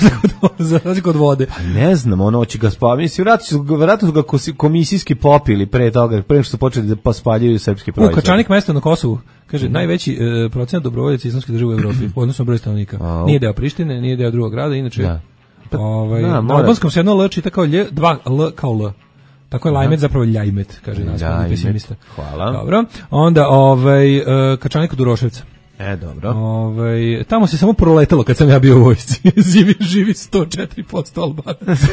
razliku od vode. Pa ne znam, ono će ga spaviti. Vjerojatno su ga komisijski popili pre toga, pre što su počeli da spaljuju srpski proizvod. U Kačanik mesto na Kosovu, kaže, mm. najveći e, procenat dobrovoljaca islamske države u Evropi, odnosno broj stanovnika. A, nije deo Prištine, nije deo drugog grada, inače, da. Pa, ovaj, da, na albanskom se jedno L čita kao Lj, dva L kao L. Tako je Lajmet zapravo Ljajmet, kaže naspredni pesimista. Hvala. Dobro. Onda ovaj, e, Kačanik od Uroševca. E, dobro. Ove, tamo se samo proletalo kad sam ja bio u vojsci. Živi, živi sto četiri posto Albanaca.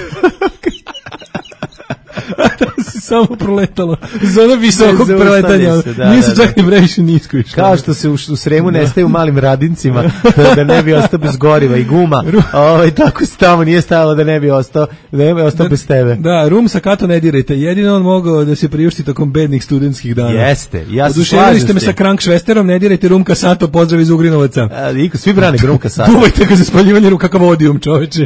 Tamo se samo proletalo. Zona visokog preletanja. Da, nije se da, čak da. Ni vreće nisko išlo. Kao što se u, u Sremu da. Nestaje u malim radincima da, da ne bi ostao bez goriva i guma. Ove, tako se tamo nije stajalo da ne bi ostao, da ne bi ostao da, bez tebe. Da, rum sa Kato ne dirajte. Jedino on mogao da se priušti tokom bednih studentskih dana. Jeste. Ja se oduševili ste me sa Krank Švesterom, ne dirajte rum Kasato, pozdrav iz Ugrinovaca. A, svi brane rum Kasato. Duvajte ga za spaljivanje rum kakav odijum, čoveče.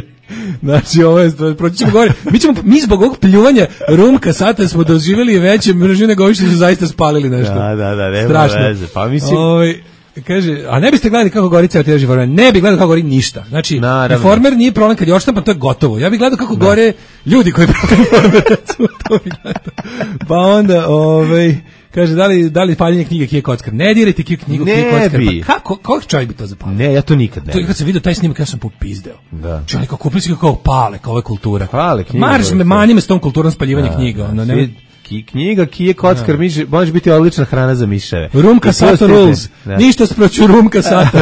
Znači, ovo je, proći ćemo gore. Mi ćemo, mi zbog ovog pljuvanja rum Kasata smo doživjeli veće mržine nego ovi što su zaista spalili nešto. Da, da, da, nema strašno. Veze. Pa mislim... Ove, kaže, a ne biste gledali kako gori ceo T V Informer? Ne bi gledao kako gori ništa. Znači, naravno. Informer nije problem kad je odštampan, to je gotovo. Ja bih gledao kako da. gore ljudi koji prate Informer, recimo, to bih gledao. Pa onda, ovaj, kaže, da li, da li paljenje knjige Kije Kockar? Ne dirajte knjigu Kije Kockar. Pa kako, kako čovjek bi to zapalio? Ne, ja to nikad ne. To, kad sam vidio taj snimak, ja sam popizdeo. Da. Čovjek, kako kupili si kao pale, kao ova kultura. Pale knjige. Marš me, manje me s tom kulturom spaljivanja da, knjiga. Ono, da, ne... Knjiga Kije Kockar da. može biti odlična hrana za miševe. Rumka Sato rules. Da. Ništa sproću Rumka Sato.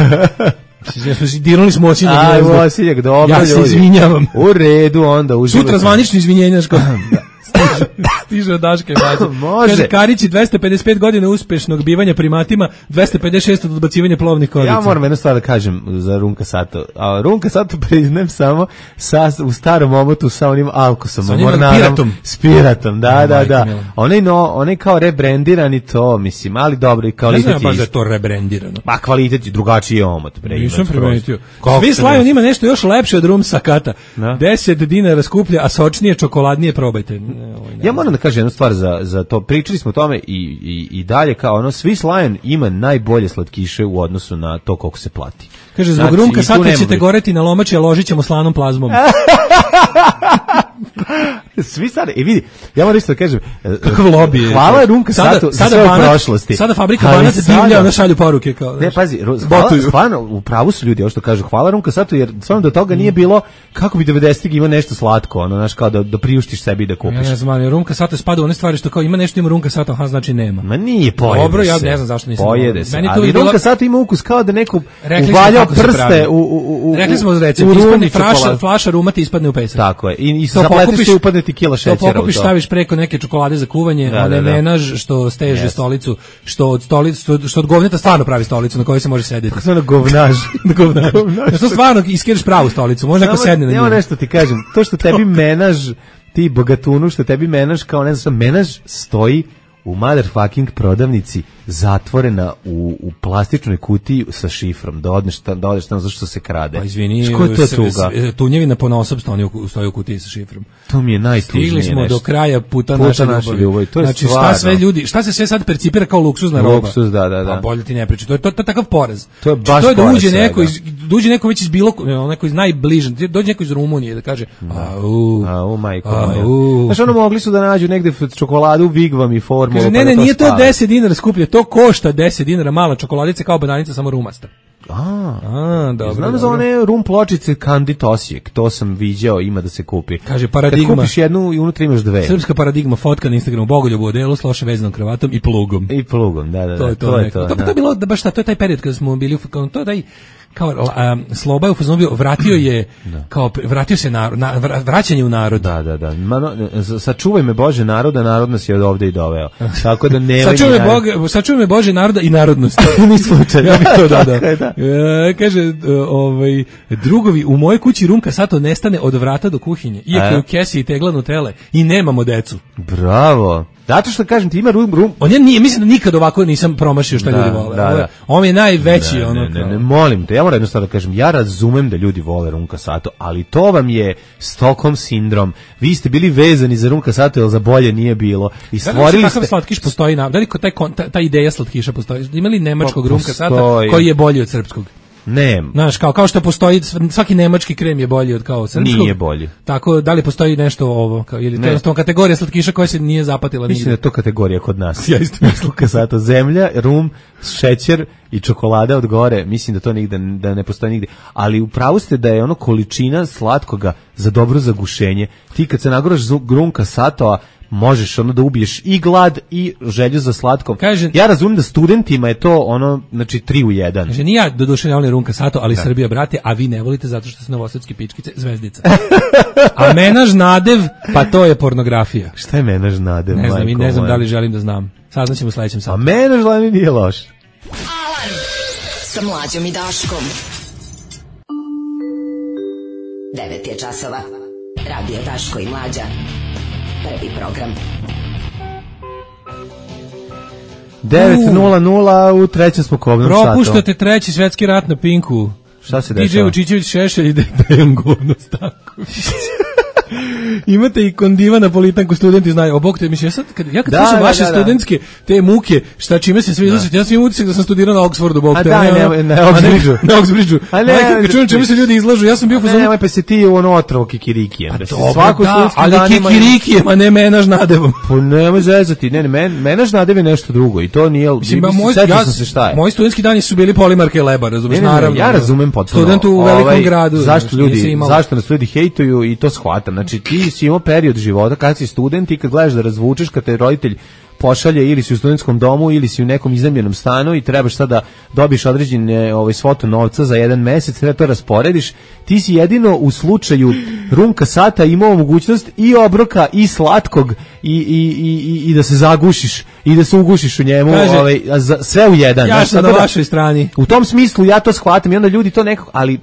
Dirali smo osinjak. Aj, osinjak, dobro ja ljudi. Ja se izvinjavam. U redu, onda uživajte. Sutra zvanično izvinjenja ško. Stiže, stiže od Daške Bađe. Može. Kaže, Karići dvesta pedeset pet godina uspešnog bivanja primatima, dvesta pedeset šest od odbacivanja plovnih korica. Ja moram jednu stvar da kažem za Rumka Sato. A Rumka Sato priznajem samo sa, u starom omotu sa onim alkosom. Sa onim piratom. S piratom, da, no, da, da. Onaj, no, onaj kao rebrendirani to, mislim, ali dobro i kvalitet je. Ne znam baš da je to rebrendirano. Pa kvalitet je drugačiji omot. Bre, nisam primetio. Svi Lion ima nešto još lepše od Rum Sakata. deset dinara skuplje, a sočnije, čokoladnije probajte. Ja moram da kažem jednu stvar za, za to. Pričali smo o tome i, i, i dalje kao ono, Swiss Lion ima najbolje slatkiše u odnosu na to koliko se plati. Kaže, zbog znači, Rumka Sato ćete goreti na lomači, a ložit ćemo slanom plazmom. Svi sad, i vidi, ja moram isto da kažem, kakav lobby je. Hvala Rumka Sato za svoje prošlosti. Sada fabrika Banac divlja, ona šalju poruke. Kao, ne, pazi, hvala, stvarno, u pravu su ljudi, ovo što kažu, hvala Rumka Sato, jer stvarno do toga nije bilo, kako bi devedesetih imao nešto slatko, ono, znaš, kao da, da priuštiš sebi da kupiš. Ja ne znam, Rumka Sato spada u one stvari što kao ima nešto, ima Rumka Sato, aha, znači nema. Ma nije, pojede dobro, se. Ja ne znam zašto nisam. Pojede se, ali Rumka Sato ima ukus kao da neko uvaljao prste u, u, u, rekli smo recimo, ispadne flaša, flaša ruma ti ispadne u pesak. Tako je, i, i zapleteš se upadne ti kila šećera. To pokupiš, staviš preko neke čokolade za kuvanje, da, one da, da. menaž što steže yes. stolicu, što od stolicu, što, što od govneta stvarno pravi stolicu na kojoj se može sedeti. Kako se ono govnaž? govnaž. govnaž. To stvarno iskiraš pravu stolicu, može neko sedne na nju. Evo nešto ti kažem, to što tebi menaž, ti bogatunu, što tebi menaž kao ne znam, menaž stoji u motherfucking prodavnici zatvorena u, u plastičnoj kutiji sa šifrom, da odneš tamo, da odeš tamo zašto se krade. Pa izvini, Ško je to tuga? Tunjevina ponaosob stoji u kutiji sa šifrom. To mi je najtužnije nešto. Stigli smo do kraja puta, puta naše ljubavi. ljubavi. To je znači stvarno. Šta sve ljudi, šta se sve sad percipira kao luksuzna roba? Luksuz, da, da, da. A bolje ti ne priči. To je to, to je takav poraz. To je baš to je da uđe svega. neko iz dođe neko već iz bilo neko iz najbliže, dođe neko iz Rumunije da kaže au, au majko moja. Znači ono mogli su da nađu negde čokoladu Vigvam i formulu. Kaže, ne, ne, nije to deset dinara skuplje, to košta deset dinara, mala čokoladica kao bananica, samo rumasta. A, a dobro. Znam dobro. za one rum pločice Kandit Osijek, to sam viđao, ima da se kupi. Kaže, paradigma. Kad kupiš jednu i unutra imaš dve. Srpska paradigma, fotka na Instagramu, Bogoljubu u odelu, s loše vezanom kravatom i plugom. I plugom, da, da, da. To je to. To je to, to, to, to je bilo, da baš ta, to je taj period kada smo bili, to je taj, kao um, Sloba je u fazonu bio, vratio je kao vratio se narod, na, vraćanje u narod. Da, da, da. Mano, sačuvaj me Bože naroda, narod nas je od ovde i doveo. Tako da ne sačuvaj me Bože, sačuvaj me Bože naroda i narodnost. Ni slučajno. Ja bih to dodao. Da. E, kaže ovaj drugovi u mojoj kući Rumka Sato nestane od vrata do kuhinje. Iako je u kesi i tegla Nutele i nemamo decu. Bravo. Zato što kažem ti ima rum, rum. On je nije, mislim da nikad ovako nisam promašio šta da, ljudi vole. Da, da. On je najveći ne, ono. Ne, ne, ne, molim te, ja moram jednostavno da kažem, ja razumem da ljudi vole Rumka Sato, ali to vam je Stockholm sindrom. Vi ste bili vezani za Rumka Sato, jer za bolje nije bilo. I stvorili da, ste... Kakav slatkiš postoji na... Da li taj, ta, ta ideja slatkiša postoji? Ima li nemačkog Rumka Sato koji je bolji od srpskog? Ne. Znaš, kao, kao što postoji, svaki nemački krem je bolji od kao srpskog. Nije bolji. Tako, da li postoji nešto ovo? Kao, ili to je jednostavno kategorija slatkiša koja se nije zapatila nigdje? Mislim da je to kategorija kod nas. Ja isto mislim. Sato, zemlja, rum, šećer i čokolada od gore. Mislim da to nigde, da ne postoji nigdje. Ali upravo ste da je ono količina slatkoga za dobro zagušenje. Ti kad se nagoraš Rumka Satoa, možeš ono da ubiješ i glad i želju za slatkom. Kaže, ja razumijem da studentima je to ono, znači tri u jedan. Kaže, nije ja doduše ne volim Rumka Sato, ali da. Srbija brate, a vi ne volite zato što su novosadski pičkice zvezdica. A menaž nadev, pa to je pornografija. Šta je menaž nadev? Ne znam, i ne znam moja. Da li želim da znam. Saznaćemo u sledećem satu. A menaž nadev nije loš. Alarm sa Mlađom i Daškom. devet je časova. Radio Daško i Mlađa. Prvi program. devet nula nula u trećem smo kobnom satu. Propuštate treći svetski rat na Pinku. Šta se dešava? D J Vučićević Šešelj ide Dejan Govno Stanković. Imate i kondiva napolitanku, studenti znaju. O bog te, mislim, ja sad, kad, ja kad Da, slušam da, vaše da, da. studentske te muke, šta čime se sve izlačite, ja sam imam utisak da sam studirao na Oxfordu, bog A te. da, ne, ne, na Oxbridgeu. Na Oxbridgeu. A ne, Majka, kad čujem čime se ljudi izlažu, ja sam bio Ne, fazonu. nemoj pa se ti u ono otrovo kikirikijem. A Da se dobro, svako da, studentski ali dan ima- kikirikijem, a ne menaž nadevom. Pa nemoj zezati, ne, ne, men, menaž nadev je nešto drugo i to nije, Mislim, mislim, moj, sećam ja, sam se šta je. moji studentski dani su bili Polimarka i Leba, razumiješ, Ne, ne, ne, naravno. ja razumem potpuno. Student u velikom Ovaj, gradu. Zašto znaš, nisi ljudi, imao- zašto nas ljudi hejtuju i to shvatam. Znači ti si imao period života kad si student i kad gledaš da razvučeš, kad te roditelj pošalje ili si u studentskom domu ili si u nekom iznajmljenom stanu i trebaš sad da dobiješ određene ovaj svotu novca za jedan mesec, treba to rasporediš. Ti si jedino u slučaju Rumka Sata imao mogućnost i obroka i slatkog i, i, i, i da se zagušiš i da se ugušiš u njemu, Kaže, ovaj, a za, sve u jedan. Ja Znaš, sam na tako da- vašoj strani. u tom smislu ja to shvatam i onda ljudi to nekako, ali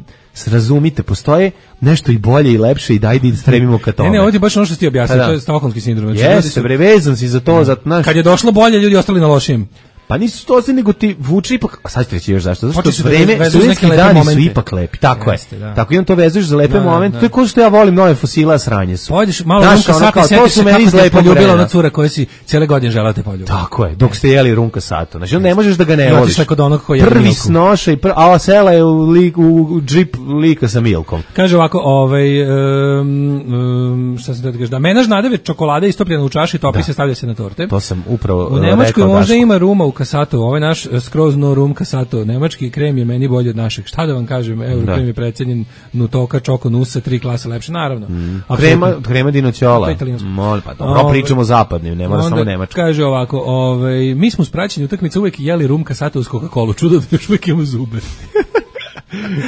razumite, postoje nešto i bolje i lepše i dajde da stremimo ka tome. Ne, ne, ovdje je baš ono što si ti objasnio, Pa da. to je stokholmski sindrom. Znači, ljudi Jeste, su- bre, vezan si za to, za, znaš, Kad je došlo bolje, ljudi ostali na lošijem. pa nisu to nego ti vuče ipak, a sad ću reći još zašto, zato Počeli što su da vreme, vezuju studentski neke lepe dani su momente. ipak lepi, tako Jeste, je, da. tako i on to vezuješ za lepe Da, momente, da. to je kao što ja volim nove fosila, sranje su. Pođeš malo Znaš, Rumka ono Sata kao, i to sjetiš su se meni kako iz te je lepog poljubila vremena. ona cura koja si cijele godine žela te poljubi. Tako je, dok ste jeli Rumka Sato. Znači, onda ne možeš da ga ne I voliš. otišla kod onog koji jede Prvi Milku. snoša i pr... a ova sela je u, lik, u džip lika sa Milkom. Kaže ovako, ovaj, um, um, šta sam da ti kažeš, da menaž nadeve čokolade istopljena u čaši, topi se, stavlja se na torte. To sam upravo U uh, Nemačkoj rekao možda Dašku. ima ruma u Kasatu, ovaj naš eh, skroz no rum Kasato. Nemački krem je meni bolji od našeg. Šta da vam kažem, evo Da. krem je precenjen Nutoka, Čoko, Nusa, tri klase lepše, naravno. Mm. Apsolutno. Krema, krema dinoćola. To je italijansko. Mol, pa dobro, Ovaj, pričamo o zapadnim, ne mora onda samo nemačko. Kaže ovako, ovaj, mi smo s praćenjem utakmice uvek jeli rum Kasato uz Coca-Colu. Čudo da još uvijek imamo zube.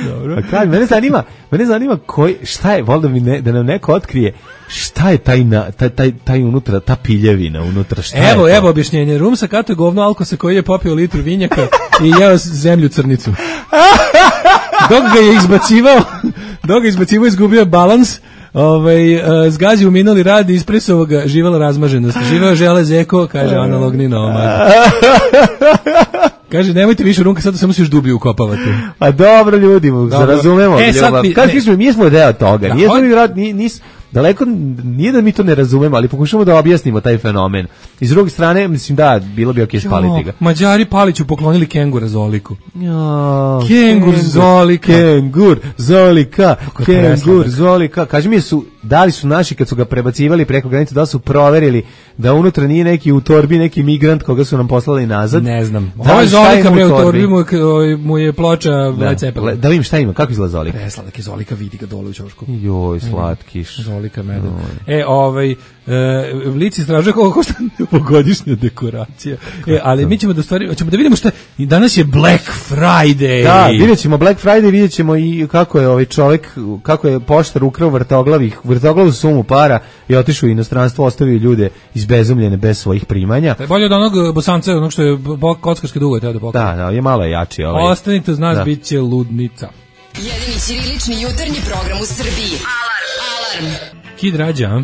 Dobro. A kaj, mene zanima, mene zanima koji, šta je, volim da mi ne, da nam neko otkrije šta je taj, na, taj, taj, taj unutra, ta piljevina unutra, šta je Evo, to? evo objašnjenje. Rum sa kato je govno alkosa koji je popio litru vinjaka i jeo zemlju crnicu. Dok ga je izbacivao, dok ga je izbacivao, izgubio je balans, ovaj, uh, zgazi u minuli rad i ispresao ga živela razmaženost. Živeo žele zeko, kaže analogni nomad. Kaže, nemojte više Rumka Sato, samo se još dublje ukopavate. A dobro ljudi, razumemo. E, sad ljubav. bi- Kako ne. kažemo, mi smo deo toga. Da, Nije on- mi rad, ni, nis, daleko, nije da mi to ne razumemo, ali pokušamo da objasnimo taj fenomen. I s druge strane, mislim da, bilo bi okej spaliti ga. Jo, Mađari Paliću poklonili kengura Zoliku. Jo, Kengur Zolika. Kengur Zolika, je Kengur presladak. Zolika. Kaži mi, su, da li su naši kad su ga prebacivali preko granice, da li su proverili da unutra nije neki u torbi neki migrant koga su nam poslali nazad? Ne znam. Da, Ovo je šta Zolika, ima u bre, u torbi? torbi mu, je- ovaj, mu je ploča Da, Led Zeppelin. da vidim šta ima, kako izgleda Zolika? Presladak je Zolika, vidi ga dole u ćošku. Joj, slatkiš. Zolika meden. E, ovaj, e, Blic istražuje koliko košta novogodišnja dekoracija. E, ali mi ćemo da stvari, ćemo da vidimo šta, i danas je Black Friday. Da, vidjet ćemo Black Friday, vidjet ćemo i kako je ovaj čovjek, kako je poštar ukrao vrtoglavih, vrtoglavu sumu para i otišao u inostranstvo, ostavio ljude izbezumljene bez svojih primanja. To je bolje od onog bosanca, onog što je bo- kockarske dugo je teo da pokaže. Da, da, je malo jači ovaj. Ostanite uz nas, Da. bit će ludnica. Jedini ćirilični jutarnji program u Srbiji. Alarm! Alarm! Kid Rađa, a?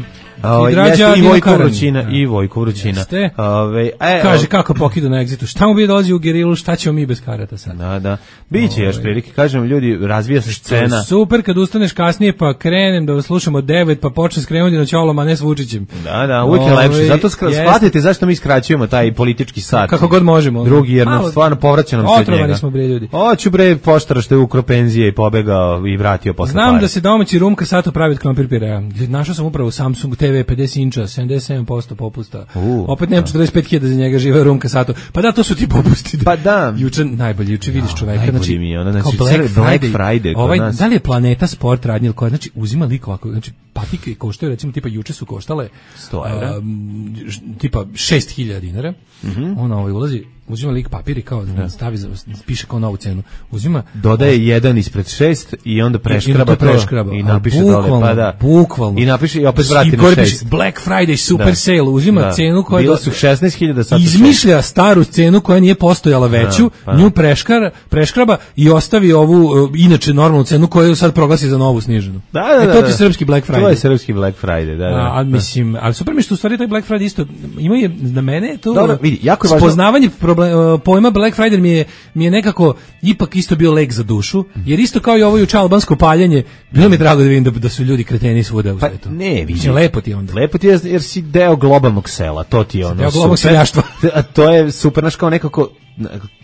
Ovaj, Kid Rađa, jeste i Dino Vojko Karan. Vrućina, i Vojko Vrućina. Jeste. Ovaj, e, Kaže o- kako pokidu na egzitu. Šta mu bi dolazi u gerilu, šta ćemo mi bez karata sad? Da, da. Biće još prilike, kažem ljudi, razvija se scena. Super kad ustaneš kasnije pa krenem da vas slušamo devet pa počne skrenuti na ćolom, a ne s Vučićem. Da, da, uvijek je Ovaj, lepše. Zato skra- jeste. shvatite zašto mi skraćujemo taj politički sat. Kako god možemo. Drugi, jer nam Malo- stvarno povraća nam se od Otrovani njega. smo, bre, ljudi. Hoću bre poštara što je ukro penzije i pobegao i vratio posle Znam pare. da se domaći Rumka Sato pravi od krompir pirea. Našao sam upravo Samsung te ve pedeset inča, sedamdeset sedam posto popusta. U, Opet nemam četrdeset pet hiljada za njega, žive Rumka Sato. Pa da, to su ti popusti. Pa da. Juče najbolje, juče vidiš čoveka, najbolji znači, mi je ono, znači, kao Black cer- Black Friday, Friday kod ovaj, nas. da li je Planeta Sport radnja ili koja, znači uzima lik ovako, znači patike koštaju, recimo tipa juče su koštale sto evra. um, ž- tipa šest hiljada dinara, Mhm. ona ovaj ulazi, uzima lik papir i kao stavi, za, piše kao novu cenu, uzima, Dodaje jedan ispred šest i onda preškraba I to to preškraba. i A napiše bukvalno, dole, pa da. bukvalno. I napiše i opet vrati I na gore piše šest. Black Friday super Da. sale, uzima Da. cenu koja Bilo do- su šesnaest hiljada, sad su šest. izmišlja staru cenu koja nije postojala veću, pa. nju preškara, preškraba i ostavi ovu uh, inače normalnu cenu koju sad proglasi za novu sniženu. Da, da, E, da. to ti da. je srpski Black Friday. To je srpski Black Friday, da, da. A, a mislim, ali super mi što u stvari taj Black Friday isto ima je na mene je to Dobro, vidi, jako je važno- spoznavanje problem, pojma Black Friday mi je, mi je nekako ipak isto bio lek za dušu, jer isto kao i ovo juče albansko paljenje, bilo mi je drago da vidim da, da su ljudi kreteni svuda u pa, svetu. Ne, vidi. Lepo ti je onda. Lepo ti je jer si deo globalnog sela, to ti je ono. Deo globalnog seljaštva. A to je super, znaš, kao nekako,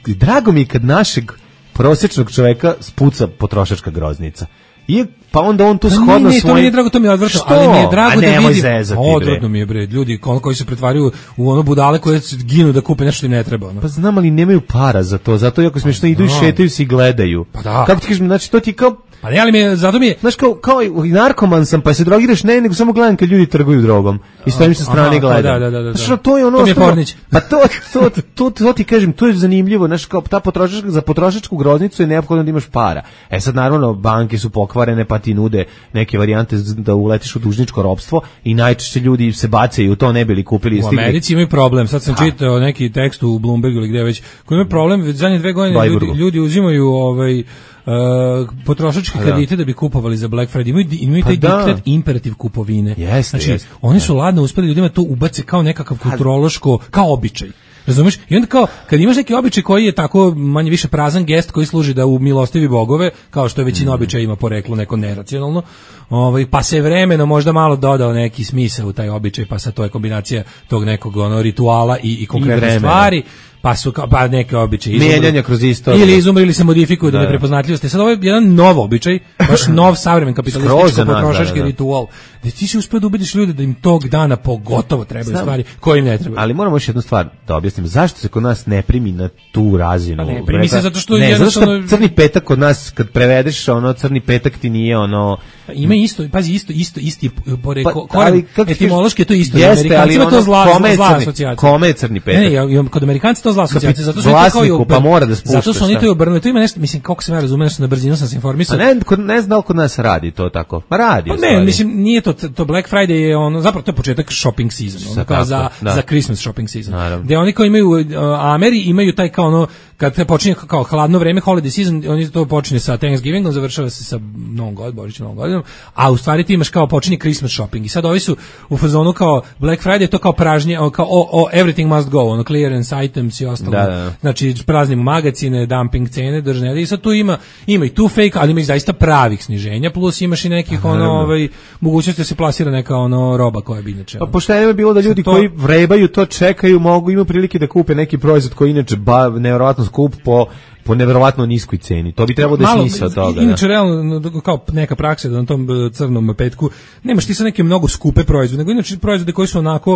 drago mi je kad našeg prosječnog čoveka spuca potrošačka groznica. I pa onda on tu shodno svoj... To mi je drago, to mi je odvrtno, ali mi je drago da vidim... Odvrtno mi je, bre, ljudi koji se pretvaraju u ono budale koje ginu da kupe nešto im ne treba. Ono. Pa znam, ali nemaju para za to, zato jako smiješno idu i šetaju se i gledaju. Pa da. Kako ti kažem, znači to ti kao... Pa ne, ali mi je, zato mi je... Znaš, kao, kao i narkoman sam, pa se drogiraš, ne, nego samo gledam kad ljudi trguju drogom. I stojim sa strane i gledam. Da, da, da, da. Znaš, to je ono... To mi je Pornić. Pa to, to, to, to ti kažem, to je zanimljivo. Znaš, kao ta potrošačka, za potrošačku groznicu je neophodno da imaš para. E sad, naravno, banke su pokvarene, pa ti nude neke varijante da uletiš u dužničko ropstvo i najčešće ljudi se bacaju u to, ne bili kupili. U Americi imaju problem. Sad sam čitao neki tekst u Bloombergu ili gdje već, koji imaju problem, već zadnje dve godine ljudi, ljudi uzimaju ovaj Uh, potrošačke kredite da bi kupovali za Black Friday. Imaju, imaju taj pa diktat imperativ kupovine. Jeste, znači, jeste. Oni su ladno uspeli ljudima to ubace kao nekakav kulturološko, kao običaj. Razumeš? I onda kao, kad imaš neki običaj koji je tako manje više prazan gest koji služi da umilostivi bogove, kao što je većina mm. običaja ima poreklo neko neracionalno, ovaj, pa se vremeno možda malo dodao neki smisao u taj običaj, pa sad to je kombinacija tog nekog ono, rituala i, i konkretne stvari, pa su kao, pa neke običaje mijenjanja kroz istoriju. Ili izumru ili se modifikuju da, da neprepoznatljivosti. Sad ovo je jedan nov običaj, baš nov savremen kapitalističko potrošački da, da, da. ritual. Da ti si uspio da ubediš ljude da im tog dana pogotovo trebaju Znam, stvari koje im ne trebaju. Ali moramo još jednu stvar da objasnim. Zašto se kod nas ne primi na tu razinu? Pa ne, primi se zato što ne, jednostavno... zato što crni petak kod nas, kad prevedeš, ono, crni petak ti nije ono... Pa ima isto, pazi, isto, isto, isti pore, pa, koren, etimološki je to isto. Jeste, Amerikancima ali to zla, kome zla crni, asocijacija. Kome je crni petak? Ne, ne, kod Amerikanci to zla asocijacija, zato su to kao i pa mora da spuštaš. Zato su oni to i obrnuli. To ima nešto, mislim, kako se ja razumem, na brzinu sam se informisao. A ne, kod, ne znam kod nas radi to tako. Ma radi. Pa ne, mislim, nije to, to Black Friday je ono, zapravo to je početak shopping season, ono, kao za, da. za Christmas shopping season. Naravno. Gde oni kao imaju, a Ameri imaju taj kao ono, kad počinje kao hladno vreme, holiday season, oni to počinje sa Thanksgivingom, završava se sa Novom godinom, Božićem, Novom godinom, a u stvari ti imaš kao počinje Christmas shopping. I sad ovi su u fazonu kao Black Friday, to kao pražnje, kao o, o, everything must go, ono, clearance items i ostalo. Da, da. Znači, praznimo magazine, dumping cene, držne. I sad tu ima, ima i tu fake, ali ima i zaista pravih sniženja, plus imaš i nekih, ono, ovaj, mogućnosti da se plasira neka, ono, roba koja bi inače. Pa pošteno je bilo da ljudi to... koji vrebaju to čekaju, mogu, imaju prilike da kupe neki proizvod koji inače ba, nevjerovatno skup po po neverovatno niskoj ceni. To bi trebalo da je smisao toga. Inače, da. realno, kao neka praksa da na tom crnom petku nemaš ti sa neke mnogo skupe proizvode, nego inače proizvode koji su onako,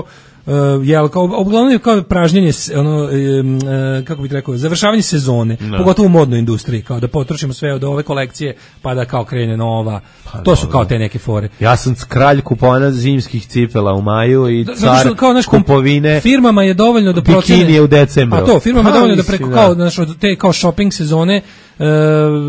uh, jel, kao, uglavnom je kao pražnjenje, ono, uh, kako bih rekao, završavanje sezone, no. pogotovo u modnoj industriji, kao da potrošimo sve od ove kolekcije, pa da kao krene nova. Pa, to su kao te neke fore. Ja sam kralj kupovana zimskih cipela u maju i da, car što, kao, naš, kupovine. Firmama je dovoljno da procene. Bikini je u decembru. A to, firmama je dovoljno da preko, da. kao, znaš, te kao shopping sezone e,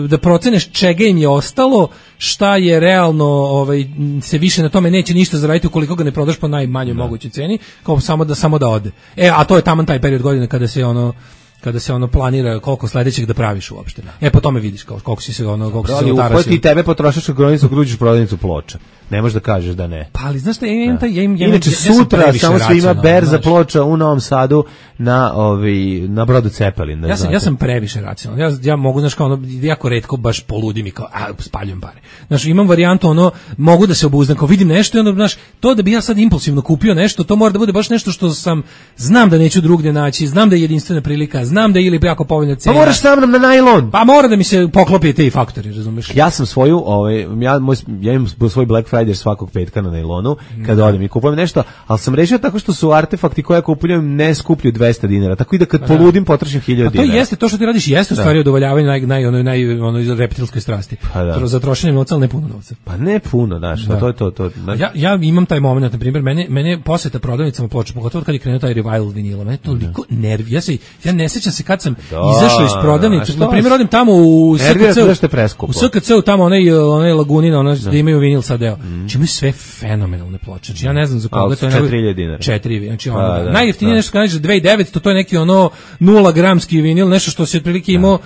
da proceneš čega im je ostalo, šta je realno, ovaj, se više na tome neće ništa zaraditi ukoliko ga ne prodaš po najmanjoj mogućoj ceni, kao samo da samo da ode. E, a to je taman taj period godine kada se ono kada se ono planira koliko sledećeg da praviš uopšte. E, po tome vidiš kao, koliko si se ono, koliko si se otarasio. Ali ti tebe potrošačku gronicu gruđiš prodavnicu Ploča. Ne možeš da kažeš da ne. Pa ali znaš šta, ja imam taj, ja imam, ja Inače, ja sutra samo se ima berza Ploča u Novom Sadu na, ovi, na brodu Cepelin. Da ja, sam, ja sam previše racionalan. Ja, ja mogu, znaš, kao ono, jako retko baš poludim i kao, a, spaljujem pare. Znaš, imam varijantu, ono, mogu da se obuzdam, kao vidim nešto i ono, znaš, to da bi ja sad impulsivno kupio nešto, to mora da bude baš nešto što sam, znam da neću drugdje naći, znam da je jedinstvena prilika, znam da je ili jako povoljna cena. Pa moraš sa mnom na najlon. Pa mora da mi se poklopi te faktori, razumeš? Ja sam svoju, ovaj, ja, moj, ja imam svoj Black Friday svakog petka na najlonu, kada odem i kupujem nešto, ali sam rešio tako što su artefakti koje kupujem ne skuplju dvesta dinara, tako i da kad da. poludim potrošim hiljadu dinara. A to jeste, to što ti radiš jeste u stvari udovoljavanje naj, naj, onoj, naj, onoj reptilskoj strasti. Pa da. Za trošenje novca, ali ne puno novca. Pa ne puno, daš, da. to je to. to znaš. Ja, ja imam taj moment, na primjer, mene, mene poseta prodavnicama Ploča, pogotovo kad je krenuo taj revival vinila, mene toliko nervi, ja, se, ja ne sećam se kad sam da, izašao iz prodavnice, na primjer, odim tamo u S K C-u, u S K C-u tamo onaj, onaj Lagunina, onaj gde imaju vinil sad deo. Mm. Čime sve fenomenalne ploče. Znači, ja ne znam za koga to je. četiri hiljade dinara. četiri, znači ono, a, da, najjeftinije da. Nešto kada nađeš dve hiljade devetsto, to je neki ono nula gramski vinil, nešto što se otprilike imao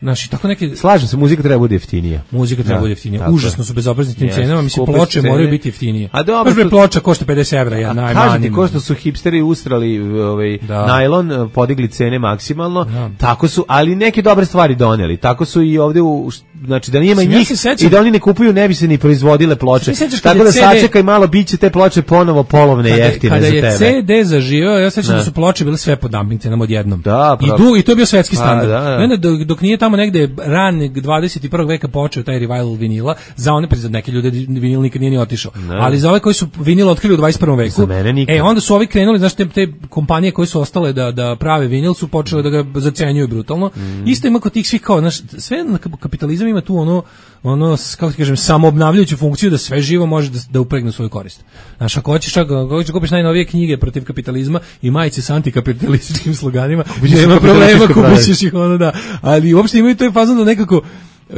Naši tako neki slažem se, muzika treba bude jeftinija. Muzika treba da, bude jeftinija. Užasno su bezobrazni tim cenama, mislim Skupe ploče cene. moraju biti jeftinije. A dobro, baš ploča košta pedeset evra, ja najmanje. Kažem ti, ko što su hipsteri ustrali ovaj da. najlon, podigli cene maksimalno, da. tako su, ali neke dobre stvari doneli. Tako su i ovde u, znači da nema njih ja i da oni ne kupuju, ne bi se ni proizvodile ploče. Tako da sačekaj malo, biće te ploče ponovo polovne kada, jeftine kada za tebe. Kada je C D zaživio, ja sećam da su ploče bile sve po dumping cenama odjednom. Da, I, du, I to je bio svetski standard. Da, da. Onda dok, dok nije tamo negde ranog dvadeset i prvog veka počeo taj revival vinila, za one za neke ljude vinil nikad nije ni otišao. Ne. Ali za ove koji su vinil otkrili u dvadeset prvom veku. E onda su ovi krenuli, znači te, te kompanije koje su ostale da da prave vinil su počele da ga zacenjuju brutalno. Mm. Isto ima kod tih svih kao, znaš, sve kapitalizam ima tu ono ono, kako ti kažem, samoobnavljajuću funkciju da sve živo može da, da upregne u svoju korist. Znaš, ako hoćeš, ako hoćeš kupiš najnovije knjige protiv kapitalizma i majice s antikapitalističkim sloganima, nema problema, kupiš ih ono, da. Ali uopšte imaju to je fazon da nekako,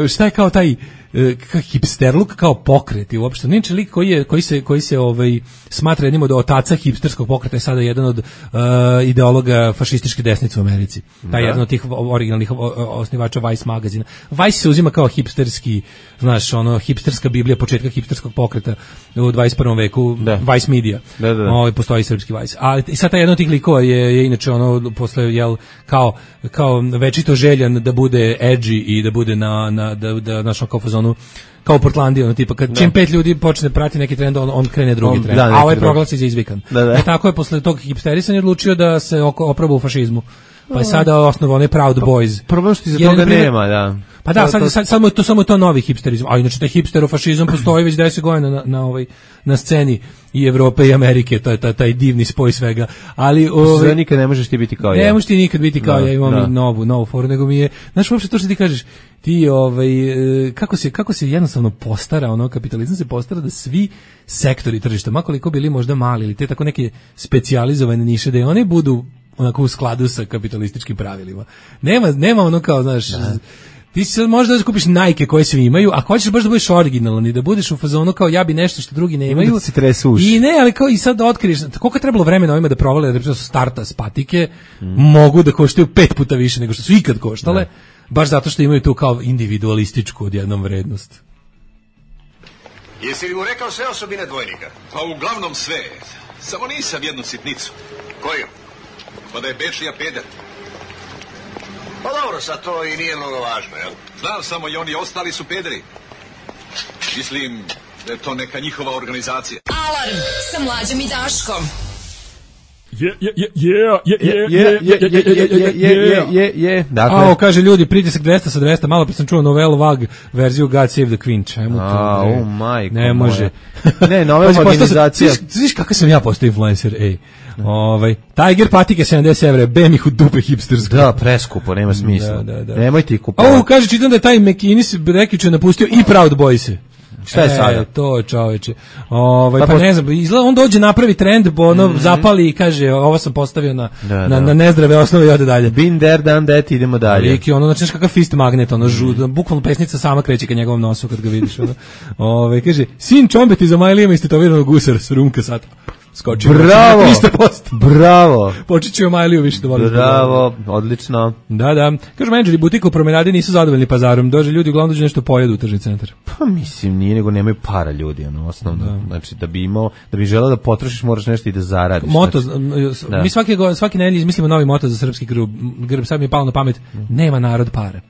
šta je kao taj kao hipsterluk, kao pokret i uopšte neče lik koji je koji se koji se ovaj smatra jednim od otaca hipsterskog pokreta, je sada jedan od uh, ideologa fašističke desnice u Americi. Taj jedan od tih originalnih osnivača Vice magazina. Vice se uzima kao hipsterski, znaš, ono hipsterska biblija početka hipsterskog pokreta u dvadeset prvom veku, da. Vice Media. Da, da. Ovaj postoji srpski Vice. A i sad taj jedan od tih likova je, je inače ono posle jel kao kao večito željan da bude edgy i da bude na na da da našo kao fazonu kao u Portlandiji, ono tipa kad da. Čim pet ljudi počne prati neki trend, on, on krene drugi on, trend, da, a ovaj proglasi za izvikan. Da, da. E tako je posle tog hipsterisanja odlučio da se oproba u fašizmu. Pa je sada osnovao onaj Proud Boys. Problem što za toga nema, da. Pa da, sad, sad, samo je to samo je to novi hipsterizam. A inače taj hipsterofašizam postoji već deset godina na, na ovaj na sceni i Evrope i Amerike, to je taj, taj divni spoj svega. Ali ovaj nikad ne možeš ti biti kao ja. Ne možeš ti nikad biti kao da, ja, imam da. novu novu foru, nego mi je, znaš, uopšte to što ti kažeš, ti ovaj kako se kako se jednostavno postara, ono kapitalizam se postara da svi sektori tržišta, ma koliko bili možda mali ili te tako neke specijalizovane niše, da one budu onako u skladu sa kapitalističkim pravilima. Nema, nema ono kao, znaš, da. Ti si možda da kupiš Nike koje svi imaju, a hoćeš baš da budeš originalan i da budeš u fazonu kao ja bi nešto što drugi ne imaju. Da se tresu uši. I ne, ali kao i sad da otkriješ, koliko je trebalo vremena ovima da provale da su starta s patike, mm. mogu da koštaju pet puta više nego što su ikad koštale, da. Baš zato što imaju tu kao individualističku odjednom vrednost. Jesi li mu rekao sve osobine dvojnika? Pa uglavnom sve. Samo nisam jednu sitnicu. Koju? Pa da je Bečija peder. Pa dobro, sad to i nije mnogo važno, jel? Znam samo i oni ostali su pederi. Mislim da je to neka njihova organizacija. Alarm sa Mlađom i Daškom. Je, je, je, je, je, je, je, je, je, je, je, je, dakle. A, kaže ljudi, pritisak dvesta sa dvesta, malo pa sam čuo novelu Vag verziju God Save the Queen, čemu to? A, oh majko. Ne može. Ne, nova organizacija. Znaš kakav sam ja postao influencer, ej. Ovaj Tiger patike sedamdeset evra, bem ih u dupe hipstersko. Da, preskupo, nema smisla. Da, da, da. Nemojte ih kupovati. O, kaže, čitam da je taj McInnes Brekić napustio i Proud Boys. Šta je sada? E, to čoveče. Ovaj pa, pa ne znam, izgleda on dođe napravi trend, ono mm-hmm. zapali i kaže ovo sam postavio na da, na, da. na nezdrave osnove i ode dalje. Been there, done that, idemo dalje. Iki ono znači kakav fist magnet, ono žud, mm. bukvalno pesnica sama kreće ka njegovom nosu kad ga vidiš, ono. Ovaj kaže sin Čombeti za Majlijama istetovirano gusar s rumka sad. Skočio. Bravo. tristo posto. Bravo. Počećemo Majliju više da volim. Bravo, odlično. Da, da. Kažu menadžeri butika u promenadi nisu zadovoljni pazarom. Dođe ljudi uglavnom dođe nešto pojedu u tržni centar. Pa mislim nije, nego nemaju para ljudi, ono osnovno. Da. Znači da bi imao, da bi želeo da potrošiš, moraš nešto i da zaradiš. Moto, znači, da. Mi svaki svaki nedelje izmislimo novi moto za srpski grb. Grb sad mi je palo na pamet. Nema narod para.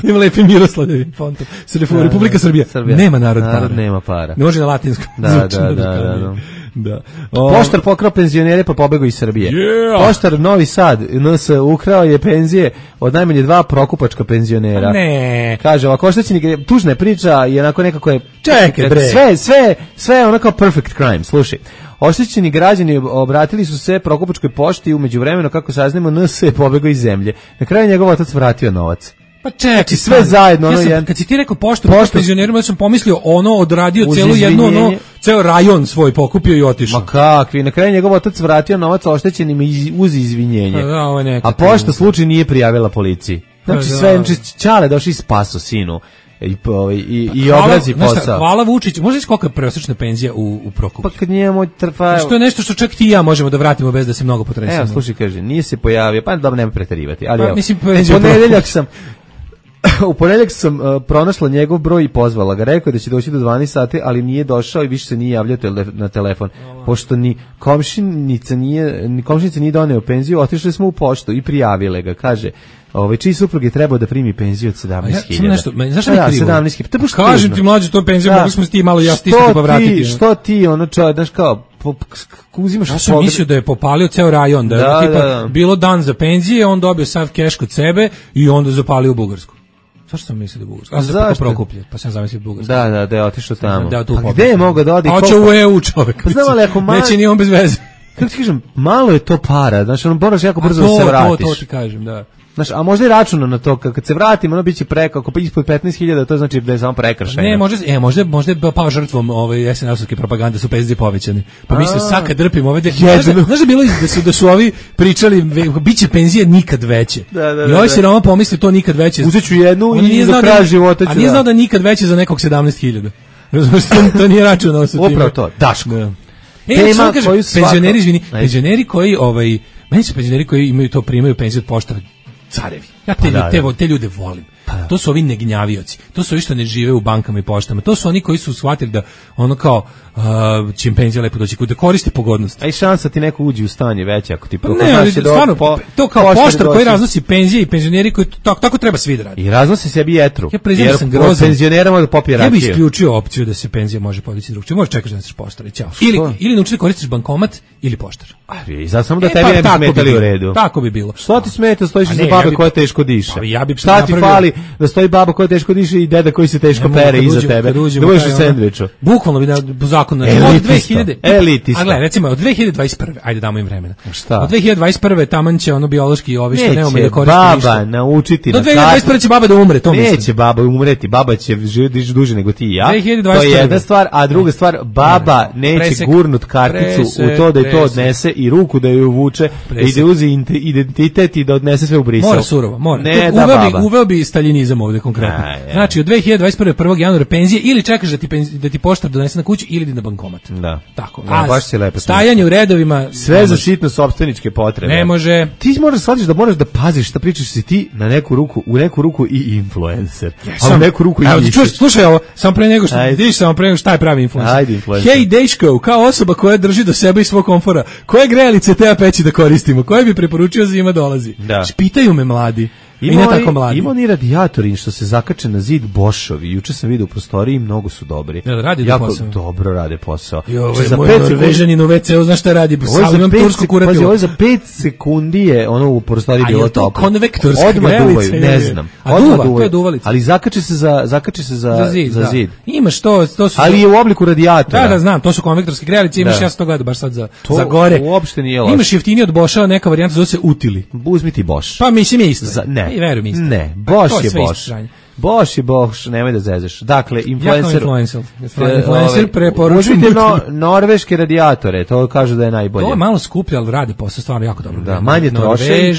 Ima lepi Miroslavljevi fontom. Da, Republika da, Srbija. Srbija. Nema narod, narod para. nema para. Ne može na latinskom. Da, da, da, da, da. Da. O, Poštar pokrao penzionere pa pobegao iz Srbije. Yeah. Poštar Novi Sad N S ukrao je penzije od najmanje dva prokupačka penzionera. Ne. Kaže, ovako oštećeni, tužna je priča i onako nekako je čekaj bre. Sve, sve, sve onako perfect crime. Slušaj. Oštećeni građani obratili su se Prokupačkoj pošti, umeđu vremenu kako saznamo N S je pobegao iz zemlje. Na kraju njegov otac vratio novac. Pa čekaj, sve pa, zajedno ja ono sam, jedan. Kad si ti rekao poštu penzionerima, ja sam pomislio ono odradio celu jednu ono ceo rajon svoj pokupio i otišao. Ma kakvi, na kraju njegov otac vratio novac oštećenim uz izvinjenje. Da, ovo je a pošta slučaj nije prijavila policiji. Znači da. Sve čale došli spaso sinu. I po, i i obrazi posao. Hvala Vučić. Možeš kolika je prosječna penzija u u Prokupu? Pa kad njemu trfa. Što je nešto što čak ti i ja možemo da vratimo bez da se mnogo potresemo. Evo, slušaj, kaže, nije se pojavio, pa dobro nema preterivati, ali pa, evo. Mislim, ponedeljak sam U ponedjeljak sam uh, pronašla njegov broj i pozvala ga. Rekao je da će doći do dvanaest sati, ali nije došao i više se nije javljao tele, na telefon. Pošto ni komšinica nije, ni komšinica nije doneo penziju, otišli smo u poštu i prijavile ga. Kaže, ovaj čiji suprug je trebao da primi penziju od sedamnaest hiljada. Ja, nešto, znaš šta je krivo? sedamnaest hiljada. Kažem ti, mlađe, to penziju, mogli smo ti malo ja stisnuti pa vratiti. Što ti, ono čovjek, znaš kao, uzimaš... Ja sam podre... mislio da je popalio ceo rajon, da je da, tipa, da, da. bilo dan za penzije, on dobio sav keš kod sebe i onda zapalio u Bugarsku. Zašto sam mislio da je Bugarska? A se preko Prokuplje, pa sam zamislio Bugarska. Da, da, da je otišao tamo. Da, a gde je mogao da odi? Hoće u E U čovek. Pa znam, ali ako malo... Neće ni on bez veze. Kako ti kažem, malo je to para, znači ono moraš jako brzo da se vratiš. To, to ti kažem, da. Znaš, a možda i računa na to, kad se vratimo, ono biće preko, ako ispod petnaest hiljada, to znači da je samo prekršajno. Ne, možda, e, možda, možda je pao žrtvom ove es en el-ovske propagande, su penzije povećane. Pa mislio, sad kad drpimo ove... Znaš da bilo da su, da su ovi pričali, biće penzije nikad veće. Da, da, I ovaj se Roma pomisli to nikad veće. Uzet ću jednu i do kraja života ću. A nije znao da nikad veće za nekog sedamnaest hiljada. Razumiješ, to nije računao sa tim. Upravo to, Daško. Da. E, tema kažem, koju svako... Penzioneri, izvini, penzioneri koji, ovaj, meni su penzioneri koji imaju to, primaju penziju od poštara, carevi. Ja te, pa da, te, te ljude volim. Pa da. To su ovi negnjavioci. To su ovi što ne žive u bankama i poštama. To su oni koji su shvatili da ono kao uh, će im penzija lepo doći, da koriste pogodnost. A i šansa ti neko uđe u stanje veće ako ti pa ne, ali stvarno, po, to kao poštar koji raznosi penzije i penzioneri koji tako, tako treba svi da radi. I raznosi sebi jetru. Ja jer sam grozan. Penzionera može da popije rakiju. Ja bih isključio opciju da se penzija može podići drugčije. Možeš čekaš da nosiš poštar i ćao. Ili, ili nauči da koristiš bankomat ili poštar. I zato samo da e, tebi pa, ne bi smetali u redu. Tako bi bilo. Što ti smeta, stojiš iza babe koja teško diše. Pa ja bi šta ti fali da stoji baba koja teško diše i deda koji se teško pere iza tebe. Da budeš u sendviču. Bukvalno bi da zakon od dve hiljade. Elitista. A gledaj, recimo od dve hiljade dvadeset prve. Ajde damo im vremena. Šta? Od dve hiljade dvadeset prve taman će ono biološki ovi što ne umeju da koriste ništa. Baba naučiti do dve hiljade dvadeset prve će baba da umre, to mislim. Neće baba umreti, baba će živjeti duže nego ti i ja. To je jedna stvar, a druga stvar, baba neće gurnut karticu u to da je to odnese i ruku da je uvuče, i da uzi identitet i da odnese sve u Brisel. Mora surovo, mora. Ne, da uveo, bi, uveo bi staljinizam ovdje konkretno. A, znači, od dve hiljade dvadeset prve. prvog januara penzije ili čekaš da ti, penzi, da ti poštar donese na kuću ili da na bankomat. Da. Tako. Da, baš si lepo. Stajanje u redovima. Sve za sitno sopstveničke potrebe. Ne može. Ti moraš shvatiti da moraš da paziš šta pričaš si ti na neku ruku, u neku ruku i influencer. Ja, a u neku ruku evo, i čuš, slušaj ovo, samo pre nego što vidiš, samo pre nego šta je pravi influencer. Ajde, influencer. Hej Deško, kao osoba koja drži do sebe i svog komfora, koje grejalice te peći da koristimo, koje bi preporučio zima dolazi. Da. Pitaju me mladi. Ima, I ne tako mladi. Ima oni radijatori što se zakače na zid Bošovi. Juče sam vidio u prostoriji i mnogo su dobri. Ja, radi jako posao. Dobro rade posao. I ovo je moj Norvežanin u ve ce u, znaš šta radi? Ovo imam tursku kurativu. Pazi, ovo za pet sekundi je ono u prostoriji bilo toplo. A je to konvektorska grelica? Ne znam. A duva, to je duvalica. Ali zakače se za, zakače se za, za zid. Za zid. Da. Imaš to, to su... Ali je u obliku radijatora. Da, da, znam, to su konvektorske grelice. Imaš, da. Ja sam to gledao baš sad za, to za gore. Uopšte nije loše. Imaš jeftinije od Boša, neka varijanta zove se Utili. Uzmi ti Boš. Pa mislim je isto. Za, ne. I verujem isto. Ne. Boš je Boš. Boš je Boš, nemoj da zezeš. Dakle, influencer... influencer. Influencer preporučujem. Uzmite no, norveške radijatore, to kažu da je najbolje. To je malo skuplje, ali radi posao stvarno jako dobro. Da, manje troše.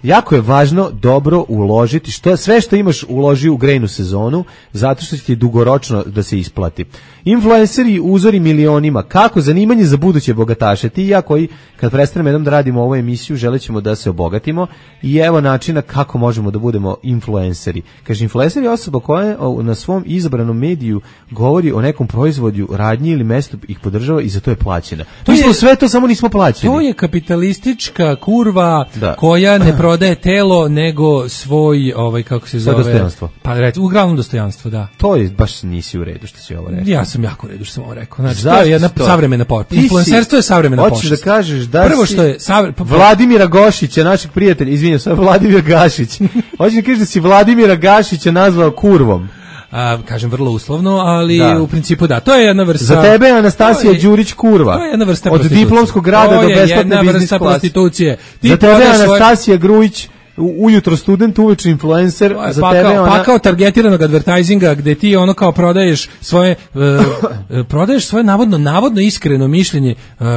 Jako je važno dobro uložiti. Što, sve što imaš uloži u grejnu sezonu, zato što će ti dugoročno da se isplati. Influenceri uzori milionima. Kako zanimanje za buduće bogataše? Ti i ja koji, kad prestanemo jednom da radimo ovu emisiju, želećemo da se obogatimo i evo načina kako možemo da budemo influenceri. Kaže, influencer je osoba koja na svom izabranom mediju govori o nekom proizvodu, radnji ili mestu ih podržava i za to je plaćena. To je sve to, samo nismo plaćeni. To je kapitalistička kurva da. Koja ne prodaje telo nego svoj, ovaj kako se zove, dostojanstvo. Pa reći, uglavnom dostojanstvo, da. To je baš nisi u redu što si ovo rekao. Ja sam jako u redu što sam ovo rekao. Znači, to je jedna to? savremena pošta. Influencerstvo je savremena pošta. Hoćeš da kažeš da prvo si što je savre... Vladimira Gošića, našeg prijatelja, izvinjam se, Vladimir Gašić. Hoćeš da kažeš da si Vladimira Gašića nazvao kurvom? A, kažem vrlo uslovno, ali da. U principu da. To je jedna vrsta... Za tebe je Anastasija Đurić kurva. To je jedna vrsta od diplomskog grada do besplatne biznis klase. Prostitucije. Ti za tebe je Anastasija svoje... Grujić ujutro student, uveče influencer, za pa tebe kao, ona... Pa kao targetiranog advertisinga gde ti ono kao prodaješ svoje uh, prodaješ svoje navodno navodno iskreno mišljenje uh,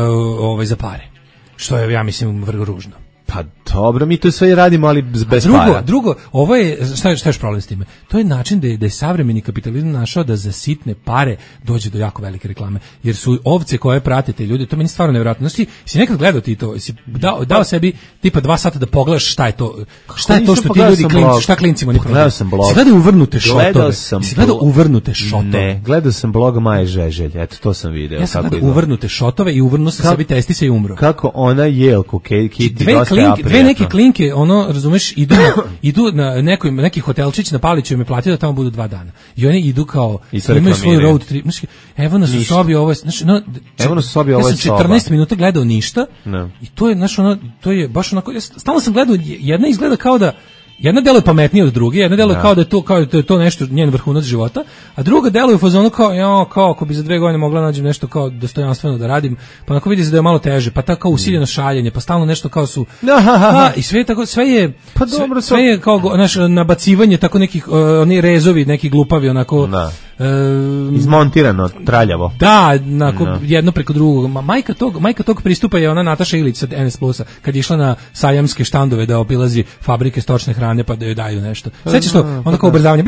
ovaj za pare. Što je, ja mislim, vrlo ružno. Pa dobro, mi to sve radimo, ali bez drugo, para. Drugo, ovo je, šta je, šta je problem s time? To je način da je, da je savremeni kapitalizam našao da za sitne pare dođe do jako velike reklame. Jer su ovce koje pratite ljudi, to meni stvarno nevjerojatno. Znači, si nekad gledao ti to, si dao, dao sebi tipa dva sata da pogledaš šta je to, šta je to što ti ljudi klinci, šta klincima ne prodaju. Gledao sam blog. Si gledao uvrnute šotove. Gledao sam si gledao uvrnute šotove. Ne, gledao sam blog Maje Žeželj, eto to sam video. Ja sam gledao uvrnute šotove i uvrnuo sam sebi testisa i umro. Kako ona jelku, Kitty, dve, klink, dve neke klinke, ono, razumeš, idu na, idu na nekoj, neki hotelčić na Paliću me platio da tamo budu dva dana. I oni idu kao, imaju svoj road trip. Znači, evo nas u sobi, ovo je, znači, no, evo nas u sobi, ovo je soba. Ja sam četrnaest minuta gledao ništa no. I to je, znaš, ono, to je baš onako, ja stalno sam gledao, jedna izgleda kao da, jedna deluje pametnije od druge, jedna deluje kao da je to kao da je to nešto njen vrhunac života, a druga deluje u fazonu kao ja kao ako bi za dve godine mogla nađem nešto kao dostojanstveno da radim, pa onako vidi se da je malo teže, pa tako usiljeno šaljenje, pa stalno nešto kao su a, i sve tako sve je pa dobro, sve, sve je kao naš nabacivanje tako nekih uh, oni rezovi, neki glupavi onako da. Uh, izmontirano, traljavo. Da, onako no. Jedno preko drugog. Ma, majka tog, majka tog pristupa je ona Nataša Ilić od N S Plusa, kad je išla na sajamske štandove da obilazi fabrike stočne hrane pa da joj daju nešto. Sećaš to? Onda kao ubrzavanje.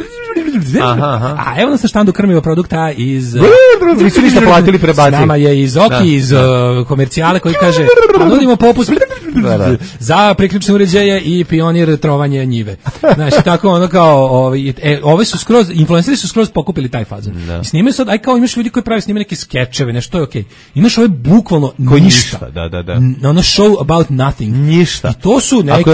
Aha, aha. A evo nas na štandu krmiva produkta iz nisu ništa platili, prebacili. Nama je iz Oki, da, iz da. Uh, komercijale koji kaže nudimo popust da, da. za priključne uređaje i pionir trovanje njive. Znači, tako ono kao ovi, e, ove su skroz, influenceri su skroz pokupili taj fazon. Da. I snimaju sad, aj kao imaš ljudi koji pravi snimaju neke skečeve, nešto to je okej. Okay. Imaš ove bukvalno koji ništa. Da, da, da. Ono show about nothing. Ništa. I to su neki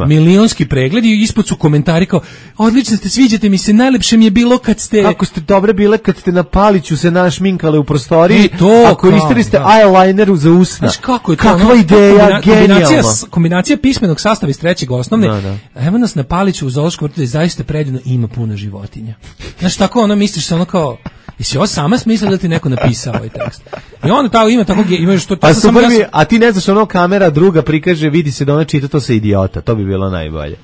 milionski pregledi i ispod su komentari kao, odlično ste, sviđate mi se, najlepše mi je bilo kad ste... Kako ste dobre bile kad ste na Paliću se našminkale u prostoriji, to, a koristili ste da. eyelineru za usna. Znaš kako je to? Kakva no, ideja, genijalna. Kombinacija, kombinacija pismenog sastava iz trećeg osnovne. Da, da. Evo nas na Paliću u zoološkom vrtu da zaista predivno ima puno životinja. Znaš, tako ono misliš se ono kao... I si ovo sama smisla da ti neko napisao ovaj tekst. I onda tako ima tako imaš to to a, sam ja sam... a ti ne znaš ono kamera druga prikaže, vidi se da ona čita to sa idiota. To bi bilo najbolje.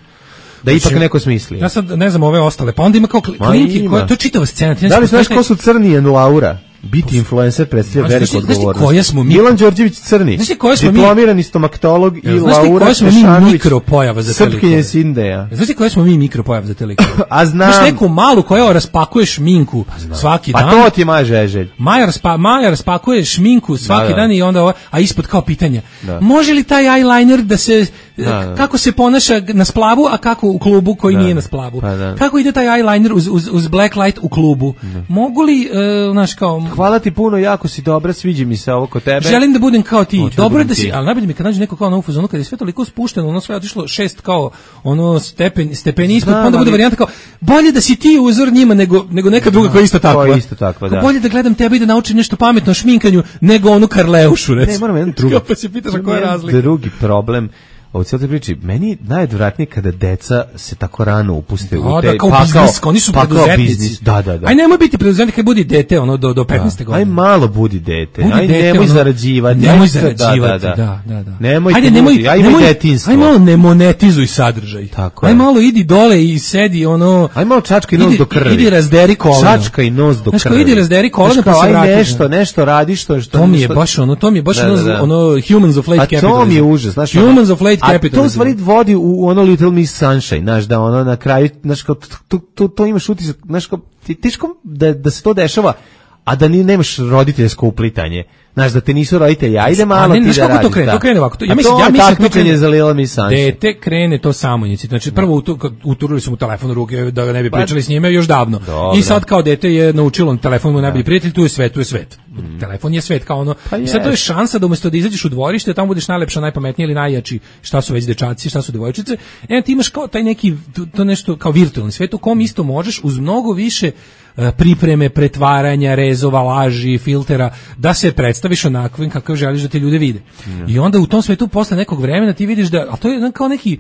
Da ipak znači, neko smisli. Ja sad ne znam ove ostale. Pa onda ima kao klinki, koja to je čitava scena. Da li znaš ko su Crni i Laura? Biti influencer predstavlja veliku odgovornost. Koja smo mi? Milan Đorđević Crni. Znači koja smo mi? Diplomirani stomatolog i Laura koja smo mi mikropojava za telikove. Srpkinje Sindeja. Znači koja smo mi mikropojava za telikove. A znam. Znaš neku malu koja raspakuje šminku pa svaki pa dan. Pa to ti je Maja Žeželj. Maja, raspa, Maja raspakuje šminku svaki da, da. dan i onda ovo, a ispod kao pitanja. Da. Može li taj eyeliner da se da, da. kako se ponaša na splavu, a kako u klubu koji da. nije na splavu? Pa da. Kako ide taj eyeliner uz, uz, uz black light u klubu? Da. Mogu li uh, naš kao hvala ti puno, jako si dobra, sviđa mi se ovo kod tebe. Želim da budem kao ti. Hoću dobro da, da si, ali najbolje mi kad nađe neko kao na ufazonu kad je sve toliko spušteno, ono sve otišlo šest kao ono stepen stepeni ispod, pa onda bude varijanta kao bolje da si ti uzor njima nego nego neka druga koja je isto takva. Koja isto takva, da. Bolje da gledam tebe i da naučim nešto pametno o šminkanju nego onu Karleušu, recimo. Ne, moram jedan drugi. Pa se pitaš koja je razlika. Drugi problem. Ovo cijelo te priči, meni najodvratnije kada deca se tako rano upuste da, u te da, kao pakao, biznis, oni su preduzetnici. Da, da, da. Aj nemoj biti preduzetnik, kad budi dete ono do do petnaeste godine. Aj malo budi dete. Budi aj dete, nemoj ono, zarađivati. Nemoj zarađivati, da, da, da. da. Nemoj, ajde, nemoj, aj nemoj detinjstvo. Aj malo ne monetizuj sadržaj. Tako aj je. malo idi dole i sedi ono. Aj malo čačka i nos do krvi. Idi razderi koleno. Čačka i nos do krvi. Znači idi razderi koleno pa se vrati. Aj nešto, nešto radi što što. To mi je baš ono, to mi je baš ono Humans of Late Capital. A to mi je užas, znači. Humans of Late Capital. Vodi u ono Little Miss Sunshine, znaš, da ono na kraju, znaš, kao, to, to, to imaš utisak, znaš, kao, teško da, da se to dešava, a da ni nemaš roditeljsko uplitanje. Znaš, da te nisu roditelji, ajde malo ne, ti da radiš. To krene, to krene ovako. To, ja mislim, ja mislim to krene za Little Miss Sunshine. Dete krene to samoinicijativno. Znači, prvo uturili su mu telefon u ruke da ga ne bi pričali s njime još davno. Dobro. I sad kao dete je naučilo telefon mu najbolji prijatelj, tu je svet, tu je svet. Mm. Telefon je svet kao ono. Pa I sad to je šansa da umesto da izađeš u dvorište, tamo budeš najlepša, najpametnija ili najjači, šta su već dečaci, šta su devojčice. E ti imaš kao taj neki to nešto kao virtualni svet u kom isto možeš uz mnogo više pripreme, pretvaranja, rezova, laži, filtera, da se predstaviš onakvim kakav želiš da te ljude vide. Mm. I onda u tom svetu posle nekog vremena ti vidiš da, a to je kao neki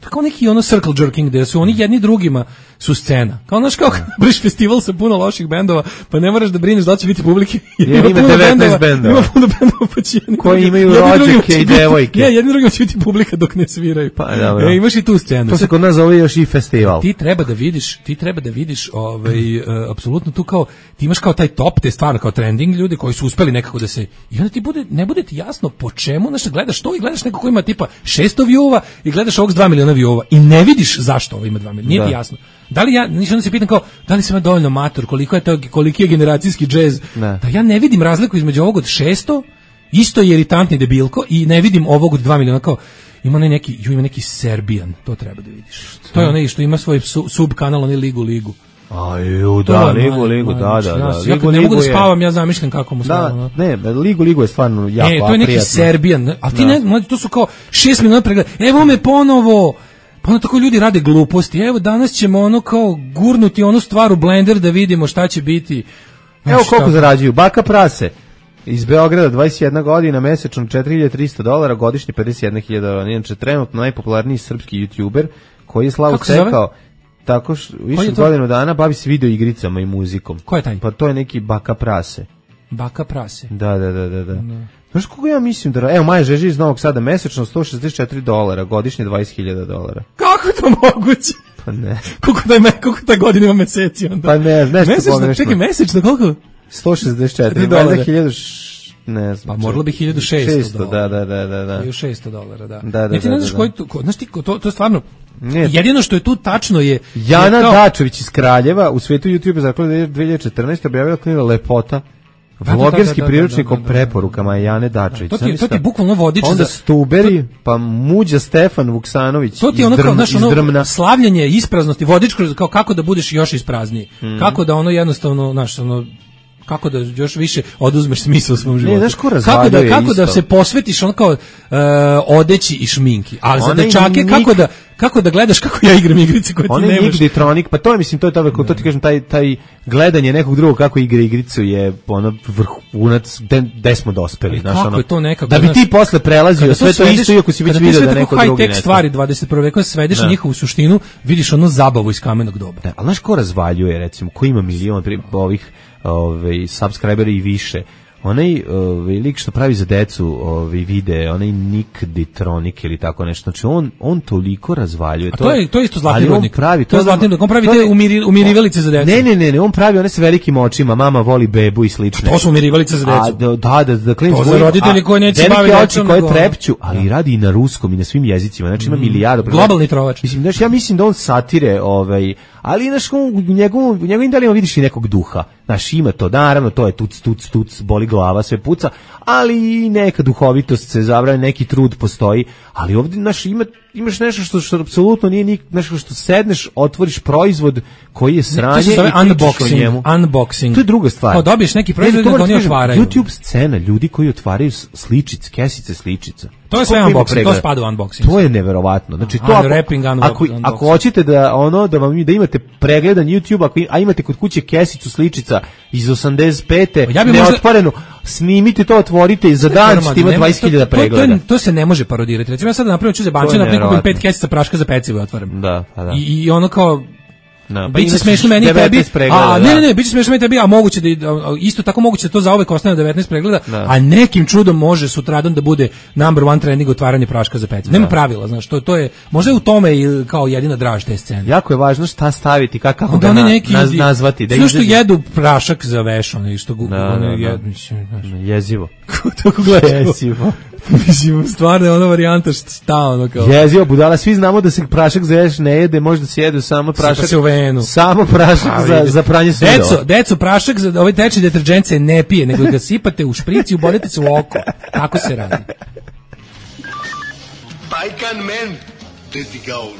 kao neki ono circle jerking gde su oni jedni drugima su scena. Kao znaš kao briš festival sa puno loših bendova, pa ne moraš da brineš da li će biti publike. Jer ima devetnaest bendova. Ima puno bendova pa će koji imaju rođake i devojke. Ne, jedni drugima će biti publika dok ne sviraju. Pa dobro. E, imaš i tu scenu. To se kod nas zove još i festival. Ti treba da vidiš, ti treba da vidiš ovaj uh, apsolutno tu kao ti imaš kao taj top, te stvarno kao trending ljudi koji su uspeli nekako da se i onda ti bude ne bude ti jasno po čemu, znaš, gledaš to i gledaš neko ko ima tipa šesto view-ova i gledaš ovog s dva miliona view-ova i ne vidiš zašto ovo ima dva miliona. Nije ti jasno. Da li ja, ništa onda se pitam kao, da li sam ja dovoljno mator, koliko je to, koliki je generacijski džez, ne. Da ja ne vidim razliku između ovog od šesto, isto je iritantni debilko i ne vidim ovog od dva miliona, kao, ima neki, ju ima neki Serbian, to treba da vidiš. To je onaj što ima svoj su, sub kanal, onaj Ligu Ligu. Aju, da, Ligu Ligu, da, da, da. Ja kad ne mogu da spavam, ja zamišljam kako mu spavam. Da, ne, Ligu Ligu je stvarno jako prijatno. Ne, to je neki Serbian, a ti ne, mlađi, to su kao šest miliona pregleda, evo me ponovo. Pa onda tako ljudi rade gluposti. Evo danas ćemo ono kao gurnuti onu stvar u blender da vidimo šta će biti. Evo šta? Koliko zarađuju. Baka Prase iz Beograda, dvadeset jedna godina, mesečno četiri hiljade trista dolara, godišnje pedeset jedna hiljada dolara. Inače, trenutno najpopularniji srpski youtuber koji je slavu stekao tako što više godinu dana bavi se video igricama i muzikom. Ko je taj? Pa to je neki Baka Prase. Baka Prase. Da, da, da, da. da. Znaš koliko ja mislim da... Evo, Maja Žeži iz Novog Sada mesečno sto šezdeset četiri dolara, godišnje dvadeset hiljada dolara. Kako je to moguće? Pa ne. Koliko da, me, koliko ta godina ima meseci onda? Pa ne, nešto mesečno, pogrešno. Čekaj, mesečno, koliko? sto šezdeset četiri dolara. hiljadu ne znam. Pa moralo bi hiljadu šesto dolara. Da, da, da, da. hiljadu šesto dolara, da. Da, da, Niti da, ne znaš da, koji, ko, znaš ti, to, to je stvarno... Ne. Jedino što je tu tačno je... Jana je kao... Dačević iz Kraljeva u svetu YouTube zaklade dve hiljade četrnaeste objavila knjigu Lepota. Vlogerski priručnik o preporukama Jane Dačević. To ti, to ti je bukvalno vodič onda za... Stuberi, pa Muđa Stefan Vuksanović to ti je ono kao, znaš, ono, slavljanje ispraznosti, vodič kao kako da budeš još isprazniji. Mm. Kako da ono jednostavno, znaš, ono... kako da još više oduzmeš smisao u svom životu. Ne, znaš ko kako da kako isto. Da se posvetiš on kao uh, odeći i šminki. A za dečake nik... kako da kako da gledaš kako ja igram igrice koje ti nemaš. On je Nigditronik, pa to je mislim to je to to ti kažem taj taj gledanje nekog drugog kako igra igricu je ono vrhunac gde smo dospeli, znaš ono. Je to nekako, da bi ti posle prelazio sve to isto iako si već video da neko drugi high tech stvari dvadeset prve veka svedeš na njihovu suštinu, vidiš ono zabavu iz kamenog doba. Da, al znaš ko razvaljuje recimo, ko ima milion ovih ovaj subscriberi i više. Onaj ovaj lik što pravi za decu ovaj vide, onaj Nick Ditronik ili tako nešto. Znači on on toliko razvaljuje. A to je to je isto zlatni rodnik. Pravi to je zlatni rodnik. On pravi te umiri, umirivalice za decu. Ne, ne, ne, ne, on pravi one sa velikim očima, mama voli bebu i slično. To su umirivalice za decu. A da, da, da klinci za roditelji koji neće baviti oči koje trepću, ali radi i na ruskom i na svim jezicima. Znači ima milijardu. Globalni trovač. Mislim, znači ja mislim da on satire ovaj, ali znaš u njegovom u njegovim delima vidiš i nekog duha. Znaš, ima to, naravno, to je tuc, tuc, tuc, boli glava, sve puca, ali i neka duhovitost se zabrane, neki trud postoji, ali ovdje, znaš, ima, imaš nešto što, što apsolutno nije nik, nešto što sedneš, otvoriš proizvod koji je sranje i unboxing, njemu. Unboxing. To je druga stvar. Kao dobiješ neki proizvod da oni otvaraju. YouTube scena, ljudi koji otvaraju sličice, kesice sličica. To je sve unboxing, to spada u unboxing. To je neverovatno. Znači to ako, ako, ako hoćete da ono da vam da imate pregledan YouTube, ako a imate kod kuće kesicu sličica iz osamdeset pete ja neotvorenu, možda... snimite to, otvorite i za dan ćete imati dvadeset hiljada pregleda. To, to, to se ne može parodirati. Recimo ja sad napravim ću za bančinu, napravim pet kesica praška za pecivo i otvaram. Da, pa da. I, i ono kao No, biće smešno meni i tebi, a ne, ne, ne, biće smešno meni i tebi, a moguće da isto tako moguće da to za uvek ostane devetnaest pregleda, da. A nekim čudom može sutradan da bude number one trending otvaranje praška za pecivo. Nema pravila, znaš, to to je možda je u tome i kao jedina draž te scene. Jako je važno šta staviti, kako kako ga na, neki, naz, nazvati, da što jedu prašak za veš, ono što gu, da, ono da, jed, mislim, jezivo. Kako gledaš? Jezivo. Mislim, stvarno je ona varijanta šta ono kao. Jezivo, budala, svi znamo da se prašak za veš ne jede, možda se jedu samo prašak. Se u venu. Samo prašak za, za pranje sudova. Deco, deco, prašak za ovaj tečni deterdžent se ne pije, nego ga sipate u šprici i ubodete se u oko. Tako se radi. Bajkan men, teti gaun.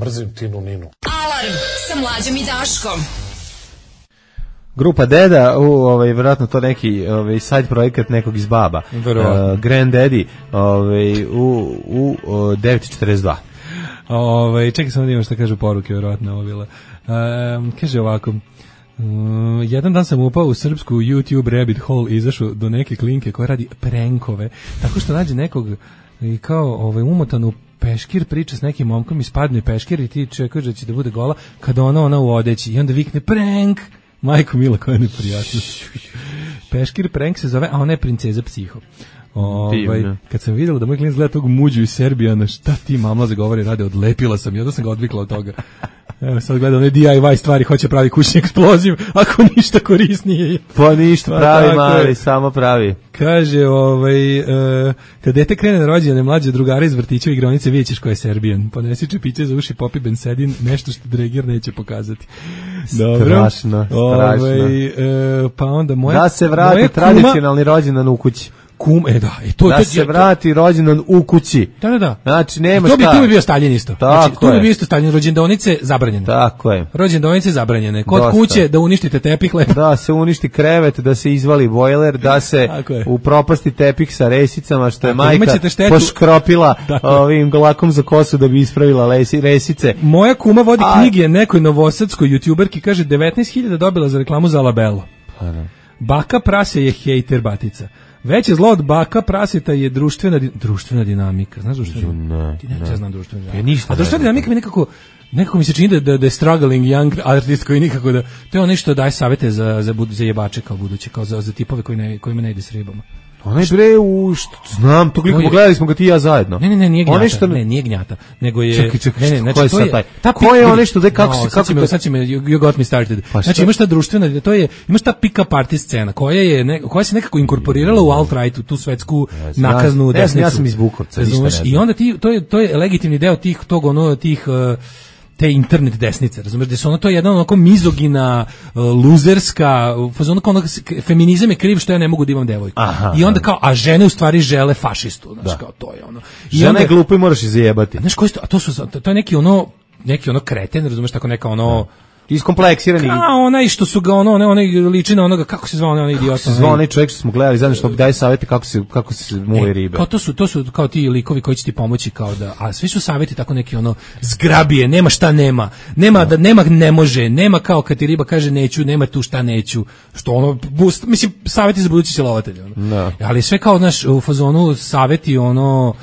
Mrzim Tinu Ninu. Alarm sa Mlađom i Daškom. Grupa Deda, u ovaj verovatno to neki ovaj side projekat nekog iz Baba. Uh, Grand Daddy, ovaj u u, u devet četrdeset dva. Ovaj čekaj samo da imam šta kažu poruke verovatno ovo bila. Um, kaže ovako. Uh, jedan dan sam upao u srpsku YouTube rabbit hole i izašao do neke klinke koja radi prenkove, tako što nađe nekog i kao ovaj, umotanu peškir, priča s nekim momkom i spadne peškir i ti čekaš da će da bude gola kada ona ona u odeći i onda vikne prank. Majko mila, koja je neprijatnost. Peškir prank se zove, a ona je princeza psiho. Ovaj, kad sam vidjela da moj klinac gleda tog muđu iz Serbijana, šta ti mamlaze govori, rade, odlepila sam i onda sam ga odvikla od toga. Evo sad gleda one D I Y stvari, hoće pravi kućni eksploziv, ako ništa korisnije je. Pa ništa pravi, mali, samo pravi. Kaže, ovaj, uh, kad dete krene na rođene mlađe drugara iz vrtića i igronice, vidjet ćeš ko je Serbijan. Ponesi čepiće za uši, popi bensedin, nešto što Dregir neće pokazati. Dobro. Strašno, strašno. Ovaj, uh, pa onda moja, da se vrati tradicionalni rođendan u kući. Kum, e da, e to, da to, se to, vrati rođendan u kući. Da, da, da. Znači, nema to bi, šta. To bi bio Staljin isto. Tako znači, to bi bio isto Staljin, rođendanice zabranjene. Tako je. Rođendanice zabranjene. Kod Dosta. kuće da uništite tepih lepo. Da se uništi krevet, da se izvali bojler, da se upropasti tepih sa resicama, što je tako, majka poškropila ovim lakom za kosu da bi ispravila lesi, resice. Moja kuma vodi A... knjige nekoj novosadskoj youtuberki, kaže devetnaest hiljada dobila za reklamu za Labello. Pa da. Baka prase je hejter batica. Veće zlo od baka praseta je društvena di, društvena dinamika. Znaš društvena? Ne, Ti ne, ne. znam društvena dinamika. Ja ništa. A društvena dinamika mi nekako nekako mi se čini da da, da je struggling young artist koji nikako da to je ono što daje savete za za za jebače kao buduće, kao za za tipove koji ne kojima ne ide s ribama. Onaj bre u što znam, to kliko pogledali smo ga ti i ja zajedno. Ne, ne, ne, nije gnjata, što... ne, nije gnjata, nego je čekaj, čekaj, ne, ne, znači to je taj. Ta ko je onaj što da kako no, se kako me, sad će me you got me started. Pa znači imaš ta društvena, to je imaš ta pick up party scena koja je ne, koja se nekako inkorporirala u alt-right, tu svetsku yes, nakaznu ja, desnicu. Ja sam iz Bukovca, i onda ti to je to je legitimni deo tih tog ono tih uh, te internet desnice, razumeš, da su ono to je jedna onako mizogina, uh, luzerska, fazon kao ono, feminizam je kriv što ja ne mogu da imam devojku. Aha, I onda kao, a žene u stvari žele fašistu, znaš, kao to je ono. I žena onda, je glupa i moraš ih zajebati. Znaš, koji to, a to su, to je neki ono, neki ono kreten, razumeš, tako neka ono, iskompleksirani. Kao onaj što su ga ono, onaj liči na onoga, kako se zvao onaj idiot. Kako se zvao onaj čovjek što smo gledali, zajedno što daje savjeti kako se kako se muve ribe. Kao to su to su kao ti likovi koji će ti pomoći kao da, a svi su savjeti tako neki ono zgrabije, nema šta nema. Nema da nema ne može, nema kao kad ti riba kaže neću, nema tu šta neću. Što ono boost, mislim savjeti za buduće silovatelje ono. No. Ali sve kao naš u fazonu savjeti ono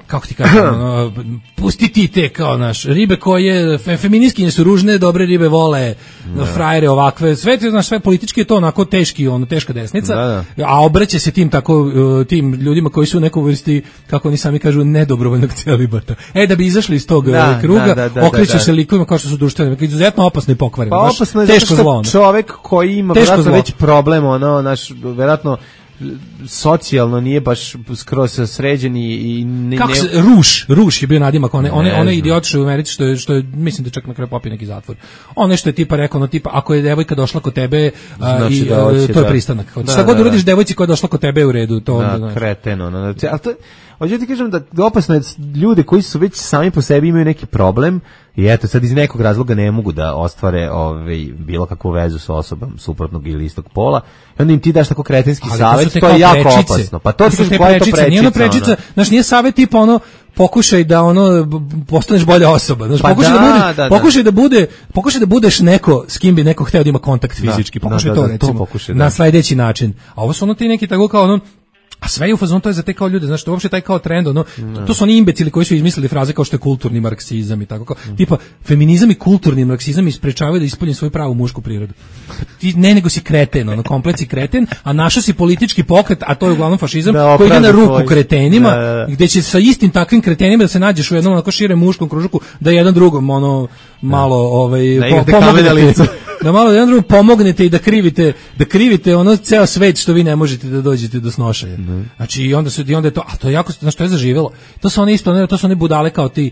kako ti kažem, ono, pusti ti te kao naš ribe koje fe, feministkinje su ružne, dobre ribe vole no. frajere ovakve, sve znaš, sve politički je to onako teški, ono teška desnica, da, da. a obraća se tim tako tim ljudima koji su u nekoj vrsti, kako oni sami kažu, nedobrovoljnog celibata. E da bi izašli iz tog da, kruga, da, da, da, okreću da, da. se likovima kao što su društvene, izuzetno opasno i pokvareni. Pa opasno je teško zlo, čovek koji ima vjerojatno već problem, ono naš vjerojatno socijalno nije baš skroz sređen i ne, kako se, Ruš, Ruš je bio nadimak, one, one, one idiot što je u Americi, što je, što je, mislim da čak na kraju popio neki zatvor. Ono što je tipa rekao, no tipa, ako je devojka došla kod tebe, znači i, da hoće, to je da. pristanak. Da, šta da, god uradiš da. devojci koja je došla kod tebe u redu, to da, onda, kreteno, no, znači, ali to hoću ti kažem da opasno je ljude koji su već sami po sebi imaju neki problem i eto sad iz nekog razloga ne mogu da ostvare ovaj bilo kakvu vezu sa osobom suprotnog ili istog pola. I onda im ti daš tako kretenski savjet, to, to je jako prečice. opasno. Pa to, to su te prečice, nije ono prečica, ono. Znaš, nije savjet tipa ono pokušaj da ono postaneš bolja osoba, znaš, pa pokušaj da, da, bude, da, da. pokušaj da bude, pokušaj da budeš neko s kim bi neko hteo da ima kontakt fizički, da, pokušaj da, to da, recimo to pokušaj, na sledeći način. A ovo su ono ti neki tako kao ono a sve je u fazonu, to je za te kao ljude, znači to uopšte taj kao trend, ono, to, to su oni imbecili koji su izmislili fraze kao što je kulturni marksizam i tako kao, mm. tipa, feminizam i kulturni marksizam isprečavaju da ispolji svoju pravu mušku prirodu. Ti ne nego si kreten, ono, komplet si kreten, a našao si politički pokret, a to je uglavnom fašizam, da, koji ide na ruku tvoj. kretenima, da, da, da. Gde će sa istim takvim kretenima da se nađeš u jednom onako širem muškom kružuku, da jedan drugom, ono, malo, ovaj, da po, pomognete, da malo jedan drugom pomognete i da krivite, da krivite ono ceo svet što vi ne možete da dođete do snošaja. Mm. Znači i onda su i onda je to, a to je jako, znači to je zaživelo. To su one isto, ne, to su one budale kao ti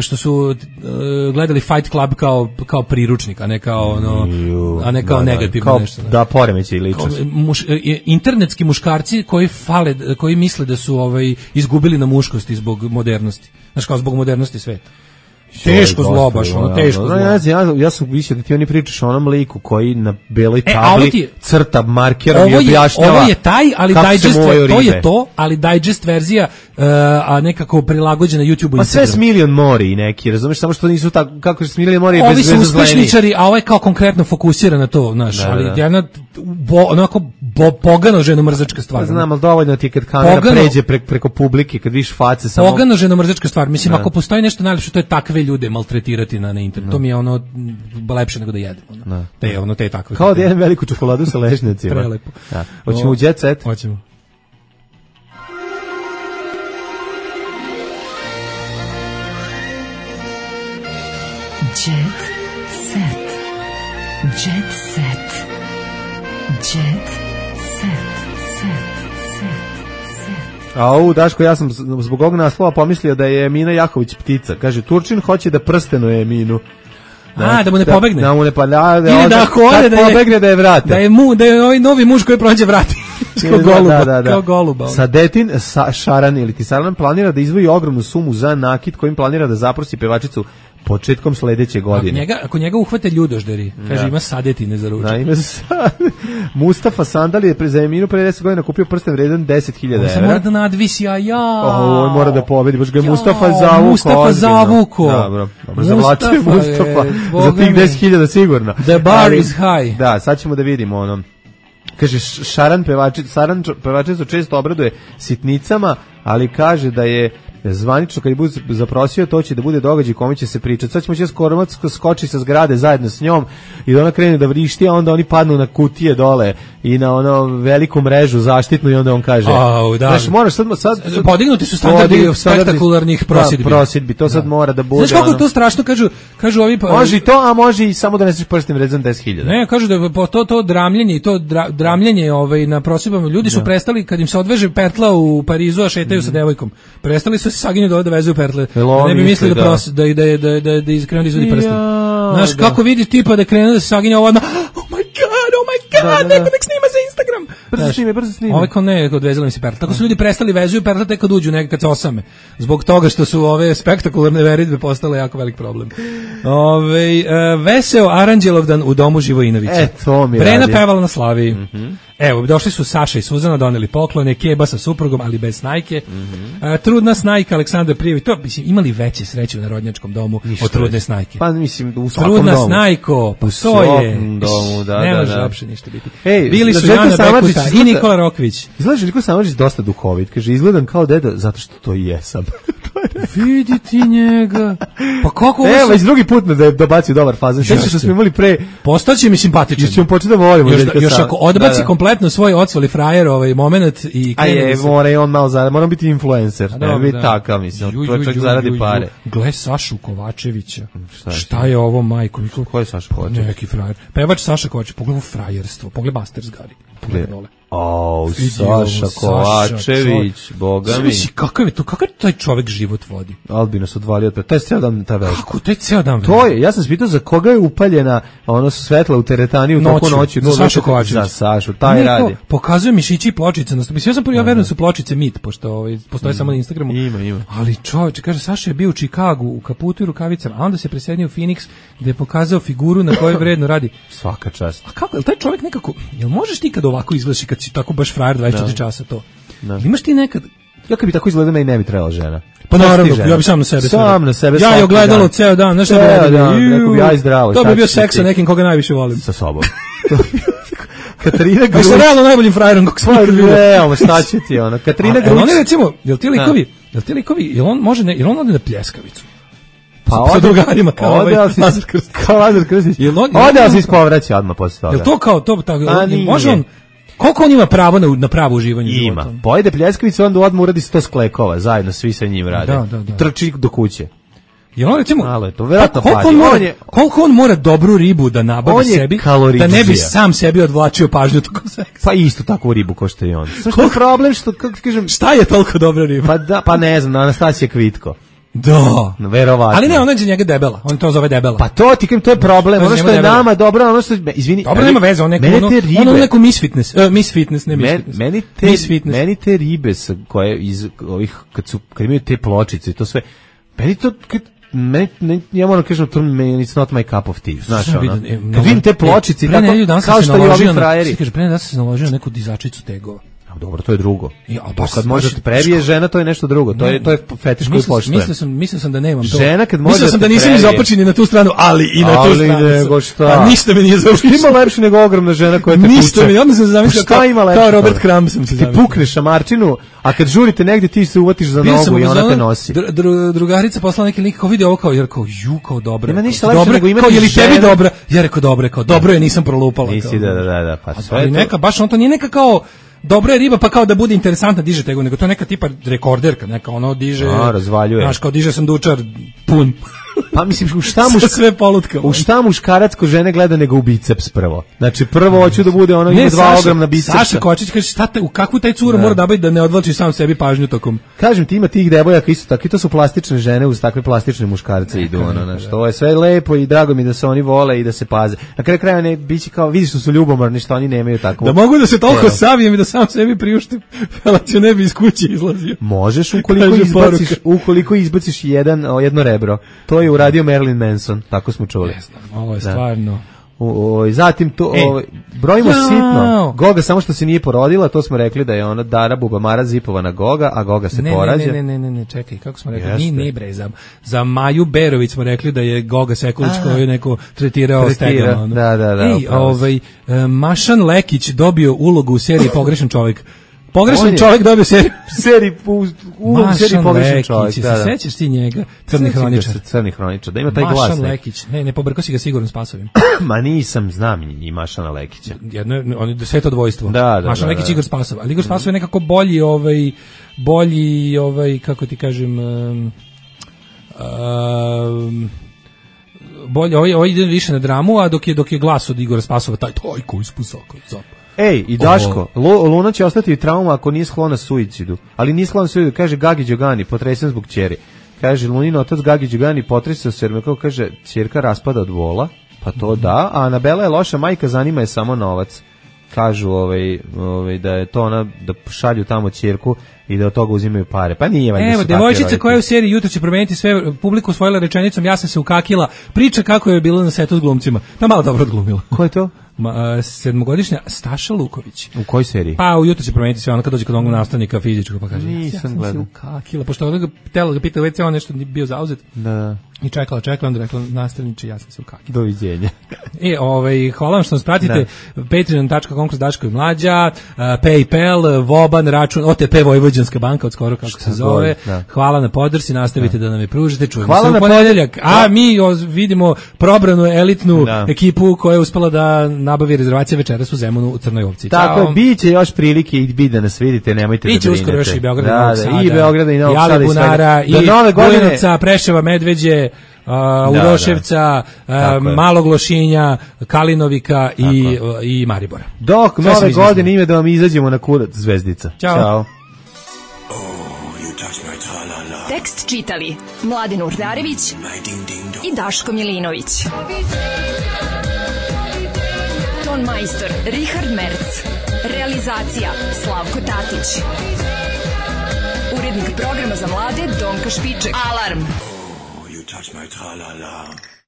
što su uh, gledali Fight Club kao kao priručnik, a ne kao ono, a ne kao da, negativno kao, nešto. Ne. Da poremeći ličnost. Muš, internetski muškarci koji fale, koji misle da su ovaj izgubili na muškosti zbog modernosti. Znači kao zbog modernosti sveta. Teško zlo, baš, ono, teško zlo. Ja, ja, ja sam mislio da ti oni pričaš o onom liku koji na beloj tabli e, je, crta markerom i objašnjava. Ovo je taj, ali digest, to je to, ali digest verzija, uh, a nekako prilagođena YouTube-u. Pa sve s Milion Mori i neki, razumeš, samo što nisu tako, kako s Milion Mori je bez veze zleni. Ovi su uspešničari, a ovo je kao konkretno fokusira na to, znaš, da, ali da. jedna bo, onako bo, pogano ženo-mrzačka stvar. Pa znam, ali dovoljno ti kad kamera pogano, pređe pre, preko publike, kad vidiš face samo... Pogano ženo-mrzečka stvar, mislim, da. Ako postoji nešto najlepše, to je takve ljude maltretirati na, na internetu. To mi je ono lepše nego da jedem. Ono. Da. Te, ono, te takve. Kao da jedem veliku čokoladu sa lešnjacima. Prelepo. Da. Hoćemo u Jet Set? Hoćemo. Jet Set. Jet Set. Jet Set. A ovu, Daško, ja sam zbog ovog naslova pomislio da je Emina Jaković ptica. Kaže, Turčin hoće da prstenuje Eminu. Da, A, da mu ne pobegne. Da, da mu ne pa da, da, Ili da ako ode da je, pobegne da je vrate. Da je mu, da je ovaj novi muž koji prođe vrati. Kao goluba, da, da, da. Kao goluba. Sadetin sa, Šaran ili Tisaran planira da izdvoji ogromnu sumu za nakit kojim planira da zaprosi pevačicu početkom sledeće godine. Ako njega, ako njega uhvate ljudožderi, kaže ja. Ima sadetine za ručak. Da, ima sad. Mustafa Sandal je za Eminu pre deset godina kupio prsten vredan deset hiljada evra. On se mora da nadvisi, a ja. O, on mora da pobedi, baš ga je Mustafa zavuko. Mustafa zavuko. Dobro, dobro, zavlačuje Mustafa za tih deset hiljada sigurno. The bar ali, is high. Da, sad ćemo da vidimo ono. Kaže, Šaran pevačica, Šaran pevačica često obraduje sitnicama, ali kaže da je zvanično kad je bude zaprosio, to će da bude događaj kome će se pričati. Sad ćemo će Skoromac skoči sa zgrade zajedno s njom i da ona krene da vrišti, a onda oni padnu na kutije dole i na ono veliku mrežu zaštitnu i onda on kaže, oh, da. Znaš, moraš sad, sad, sad podignuti su standardi spektakularnih prosidbi. Prosidbi, to sad da. Mora da bude. Znaš kako ono, to strašno, kažu, kažu ovi... Pa, može i to, a može i samo da neseš prstim vredan deset hiljada. Ne, kažu da po to, to dramljenje i to dra, dramljenje ovaj, na prosidbama, ljudi su da. Prestali, kad im se odveže petla u Parizu, a šetaju mm. sa devojkom, prestali su se saginju dole da vezuju pertle. Da ne bi mislili da, prosi, da, da, da, da, da iskrenu da izvodi prsten. Ja, znaš, da. Kako vidi tipa da krenu da se saginja ovo, oh my god, oh my god, da, da, da. Neko nek snima za Instagram. Brzo snime, brzo snime. Ove kao ne, odvezali mi se pertle. Tako su ljudi prestali vezuju pertle tek kad uđu nekad kad se osame. Zbog toga što su ove spektakularne veridbe postale jako velik problem. Ove, uh, veseo Aranđelovdan u domu Živojinovića. E, to mi Brena radi. pevala na Slaviji. Mm -hmm. Evo, došli su Saša i Suzana, doneli poklone, Keba sa suprugom, ali bez snajke. Mm -hmm. uh, trudna snajka Aleksandar Prijević. To, mislim, imali veće sreće u narodnjačkom domu Ništa od trudne snajke. Pa, mislim, u svakom trudna domu. Snajko, pa to je. Domu, da, ne da, može da. uopšte ništa biti. Ej, bili su Jana Bekuta i Nikola Rokvić. Izgledaš Nikola Samardžić dosta duhovit. Kaže, izgledam kao deda zato što to i jesam. Vidi ti njega. Pa kako evo, već drugi put da je dobacio dobar fazon. Sve što smo imali pre. Postaće mi simpatičan. Ćemo početi da volimo. Još, još ako odbaci da, da. kompletno svoj odsvali frajer ovaj moment i a je, mora i on malo zaradi. Moram biti influencer. Ne da, biti takav, mislim. To čak zaradi pare. Gle Sašu Kovačevića. Šta je, šta je ovo, majko? Ko je Saša Kovačević? Neki frajer. Pevač Saša Kovačević. Pogledaj frajerstvo. Pogledaj Masters Gari. Pogledaj dole. O, Saša Kovačević, boga mi. Znači, kakav je to, kakav taj čovjek život vodi? Albina se odvalio od pe. Taj ceo dan ta vežba. Kako, taj ceo dan vežba? To je, ja sam spitao za koga je upaljena ono svetla u teretani u toku noći. Za Sašu Kovačević. Za Sašu, taj ne, radi. Pokazuje mišići i pločice. Mislim, ja sam prvi, ja verujem su pločice mit, pošto ovaj, postoje mm. samo na Instagramu. Ima, ima. Ali čovječe, kaže, Saša je bio u Čikagu u kaputu i rukavicama, a onda se preselio u Phoenix gde je pokazao figuru na kojoj vredno radi. Svaka čast. A kako, jel taj čovjek nekako, jel možeš ti kad ovako izgledaš i kad si tako baš frajer dvadeset četiri časa to? No. Imaš ti nekad... Ja kad bi tako izgledao, meni ne bi trebala žena. Pa naravno, ja bi sam na sebe. Sam na sebe. Ja je ogledalo ceo dan, znaš šta bi radio? Rekao bi ja i zdravo. To bi bio seks sa nekim koga najviše volim. Sa sobom. Katarina Grujić. Pa sa realno najboljim frajerom kako smo ikad vidjeli. Evo, šta će ti ono? Katarina Grujić. Oni recimo, jel ti likovi, jel ti likovi, jel on može, ne, jel on ode na pljeskavicu? Pa ode, drugarima kao ovaj Lazar Krstić. Kao Lazar Krstić. Ode, ali se ispovraća odmah posle toga. Jel to kao to, tako, može on, koliko on ima pravo na, na pravo uživanje ima. Života? Pojede pljeskavicu, onda odmah uradi sto sklekova, zajedno svi sa njim rade. Da, da, da. Trči do kuće. Jel on recimo, malo je to, verovatno koliko, on mora, on je, koliko on mora dobru ribu da nabavi sebi, da ne bi sam sebi odvlačio pažnju tokom seksa? Pa isto takvu ribu ko što je on. Što je problem, što, kako kažem... Šta je toliko dobra riba? Pa, da, pa ne znam, Anastasija Kvitko. Da, verovatno. Ali ne, ona je njega debela. On to zove debela. Pa to ti kažem, to je problem. Ono što je debela. Nama dobro, ono što izvini. Dobro, nema veze, on neko ono, ono neko misfitness, uh, misfitness, ne misfitness. Meni te misfitness. Meni te ribe sa koje iz ovih kad su kad imaju te pločice i to sve. Meni to kad me, ne, ja moram kažem, to me, it's not my cup of tea, znaš, ono, vidim, e, kad vidim te pločici, e, tako, kao što i ovi frajeri. Svi kaže, pre nedelju sam se naložio na neku dizačicu tegova. Dobro, to je drugo. Ja, baš, kad može da te prebije žena, to je nešto drugo. To je to je fetiš koji poštujem. Mislio sam, mislio sam da nemam to. Žena kad može. Mislio sam da nisam izopačeni na tu stranu, ali i na ali tu stranu. Nego šta? A ništa me nije zaobišlo. Ima lepše nego ogromna žena koja te puče. Ništa mi, onda sam zamislio kao, kao Robert Crumb sam se zamislio. Ti pukneš šamarčinu, a kad žurite negdje ti se uvatiš za nogu i ona te nosi. Dru, dru, drugarica poslala neki link, kao vidi ovo kao, jer kao, ju, kao dobro. Nema ništa lepše nego imati ženu. Kao, je li tebi ženu? dobra? Ja rekao, dobro je, kao, dobro je, nisam prolupala. Nisi, da, da, da, pa sve ali neka, baš on to nije neka kao, dobra je riba, pa kao da bude interesantna, diže tego, nego to je neka tipa rekorderka, neka ono diže... A, razvaljuje. Znaš, kao diže sandučar pun. Pa mislim, u šta, muš... sve polutka, u šta muškarac ko žene gleda nego u biceps prvo? Znači, prvo hoću da bude ono, ima dva ogromna bicepsa. Saša Kočić kaže, šta te, u kakvu taj cura mora da biti da ne odvlači sam sebi pažnju tokom... Kažem ti, ima tih devojaka isto tako, i to su plastične žene uz takve plastične muškarce idu, ono, znači, to je sve lepo i drago mi da se oni vole i da se paze. Na kraju kraja ne, biće kao, vidiš što su ljubomorni, što oni nemaju tako... Da mogu da se toliko savijem i da sam sebi priuštim, Felacio ne bi iz kuće izlazio. Možeš ukoliko izbaciš, ukoliko izbaciš jedan, jedno rebro. To je uradio Marilyn Manson, tako smo čuli. Ne znam, ovo je stvarno... O, o, zatim to, e. o, brojimo ja. sitno. Goga samo što se nije porodila, to smo rekli da je ona Dara Bubamara zipovana Goga, a Goga se ne, porađa. Ne, ne, ne, ne, ne, čekaj, kako smo rekli? Ni ne bre, za, za Maju Berović smo rekli da je Goga Sekulić koju je neko tretirao stegama. Da, da, da. Ej, ovaj, Mašan Lekić dobio ulogu u seriji Pogrešan čovjek. Pogrešan čovjek dobio seriju. Seriji u, u seriji Pogrešan čovjek. Da, da. Se sećaš ti njega? Crni hroničar. Crni hroničar. Da ima taj glas. Mašan Lekić. Ne, ne pobrkao si ga sigurno Spasovim. Ma nisam, znam i Mašana Lekića. Jedno je, on je sveto dvojstvo. Da, da, Mašan da, Lekić da. Igor Spasov. Ali Igor Spasov je nekako bolji, ovaj, bolji, ovaj, kako ti kažem, um, um, bolje, ovaj, ovaj ide više na dramu, a dok je, dok je glas od Igora Spasova, taj, taj koji spusako, zap. Ej, i Daško, Lu, Luna će ostati trauma ako nije sklona suicidu, ali nije sklona suicidu, kaže Gagi Đogani, potresen zbog ćeri. Kaže, Lunin otac Gagi Đogani potresao se, jer me kao kaže, ćerka raspada od bola, pa to da, a Anabela je loša majka, zanima je samo novac. Kažu ovaj, ovaj, da je to ona, da šalju tamo ćerku i da od toga uzimaju pare. Pa nije valjda. Evo, devojčica koja je u seriji Jutro će promeniti sve, publiku osvojila rečenicom, ja sam se ukakila, priča kako je bilo na setu s glumcima. Pa malo dobro odglumila. Ko je to? Ma, sedmogodišnja Staša Luković. U kojoj seriji? Pa u Jutro će promeniti sve, ona kad dođe kod onog nastavnika fizičkog, pa kaže, nisam ja sam gledao. se ukakila, pošto onoga tela ga pita, već on nešto bio zauzet. Da. I čekala, čekala, onda rekla, nastavniče, ja sam se ukakila. Doviđenja. E, ovaj, hvala vam što nas pratite, patreon dot com kroz Daško i Mlađa, uh, PayPal, Voban, račun, O T P Vojvođanska banka, od skoro kako Šta se zove. Da. Hvala na podršci, nastavite da, da nam je pružite, čujemo hvala se u ponedeljak. A mi o, vidimo probranu elitnu da. ekipu koja je uspela da nabavi rezervacije večeras u Zemunu u Crnoj Ovci. Tako je, biće još prilike i bi da nas vidite, nemojte biće da brinete. Biće uskoro još i Beograd da, i Novog Sada. I Beograda i Novog Sada. I Bunara, i Bujanovca, Preševa, Medveđe, Uh, Uroševca, da, uh, Malog Lošinja, Kalinovika i, uh, i Maribora. Dok sve nove godine ime da vam izađemo na kurac Zvezdica. Ćao. Ćao. Oh, tekst čitali Mladin Urdarević i Daško Milinović. Ton majstor Richard Merc. Realizacija Slavko Tatić. Urednik programa za mlade Donka Špiček. Alarm! Touch my tra-la-la.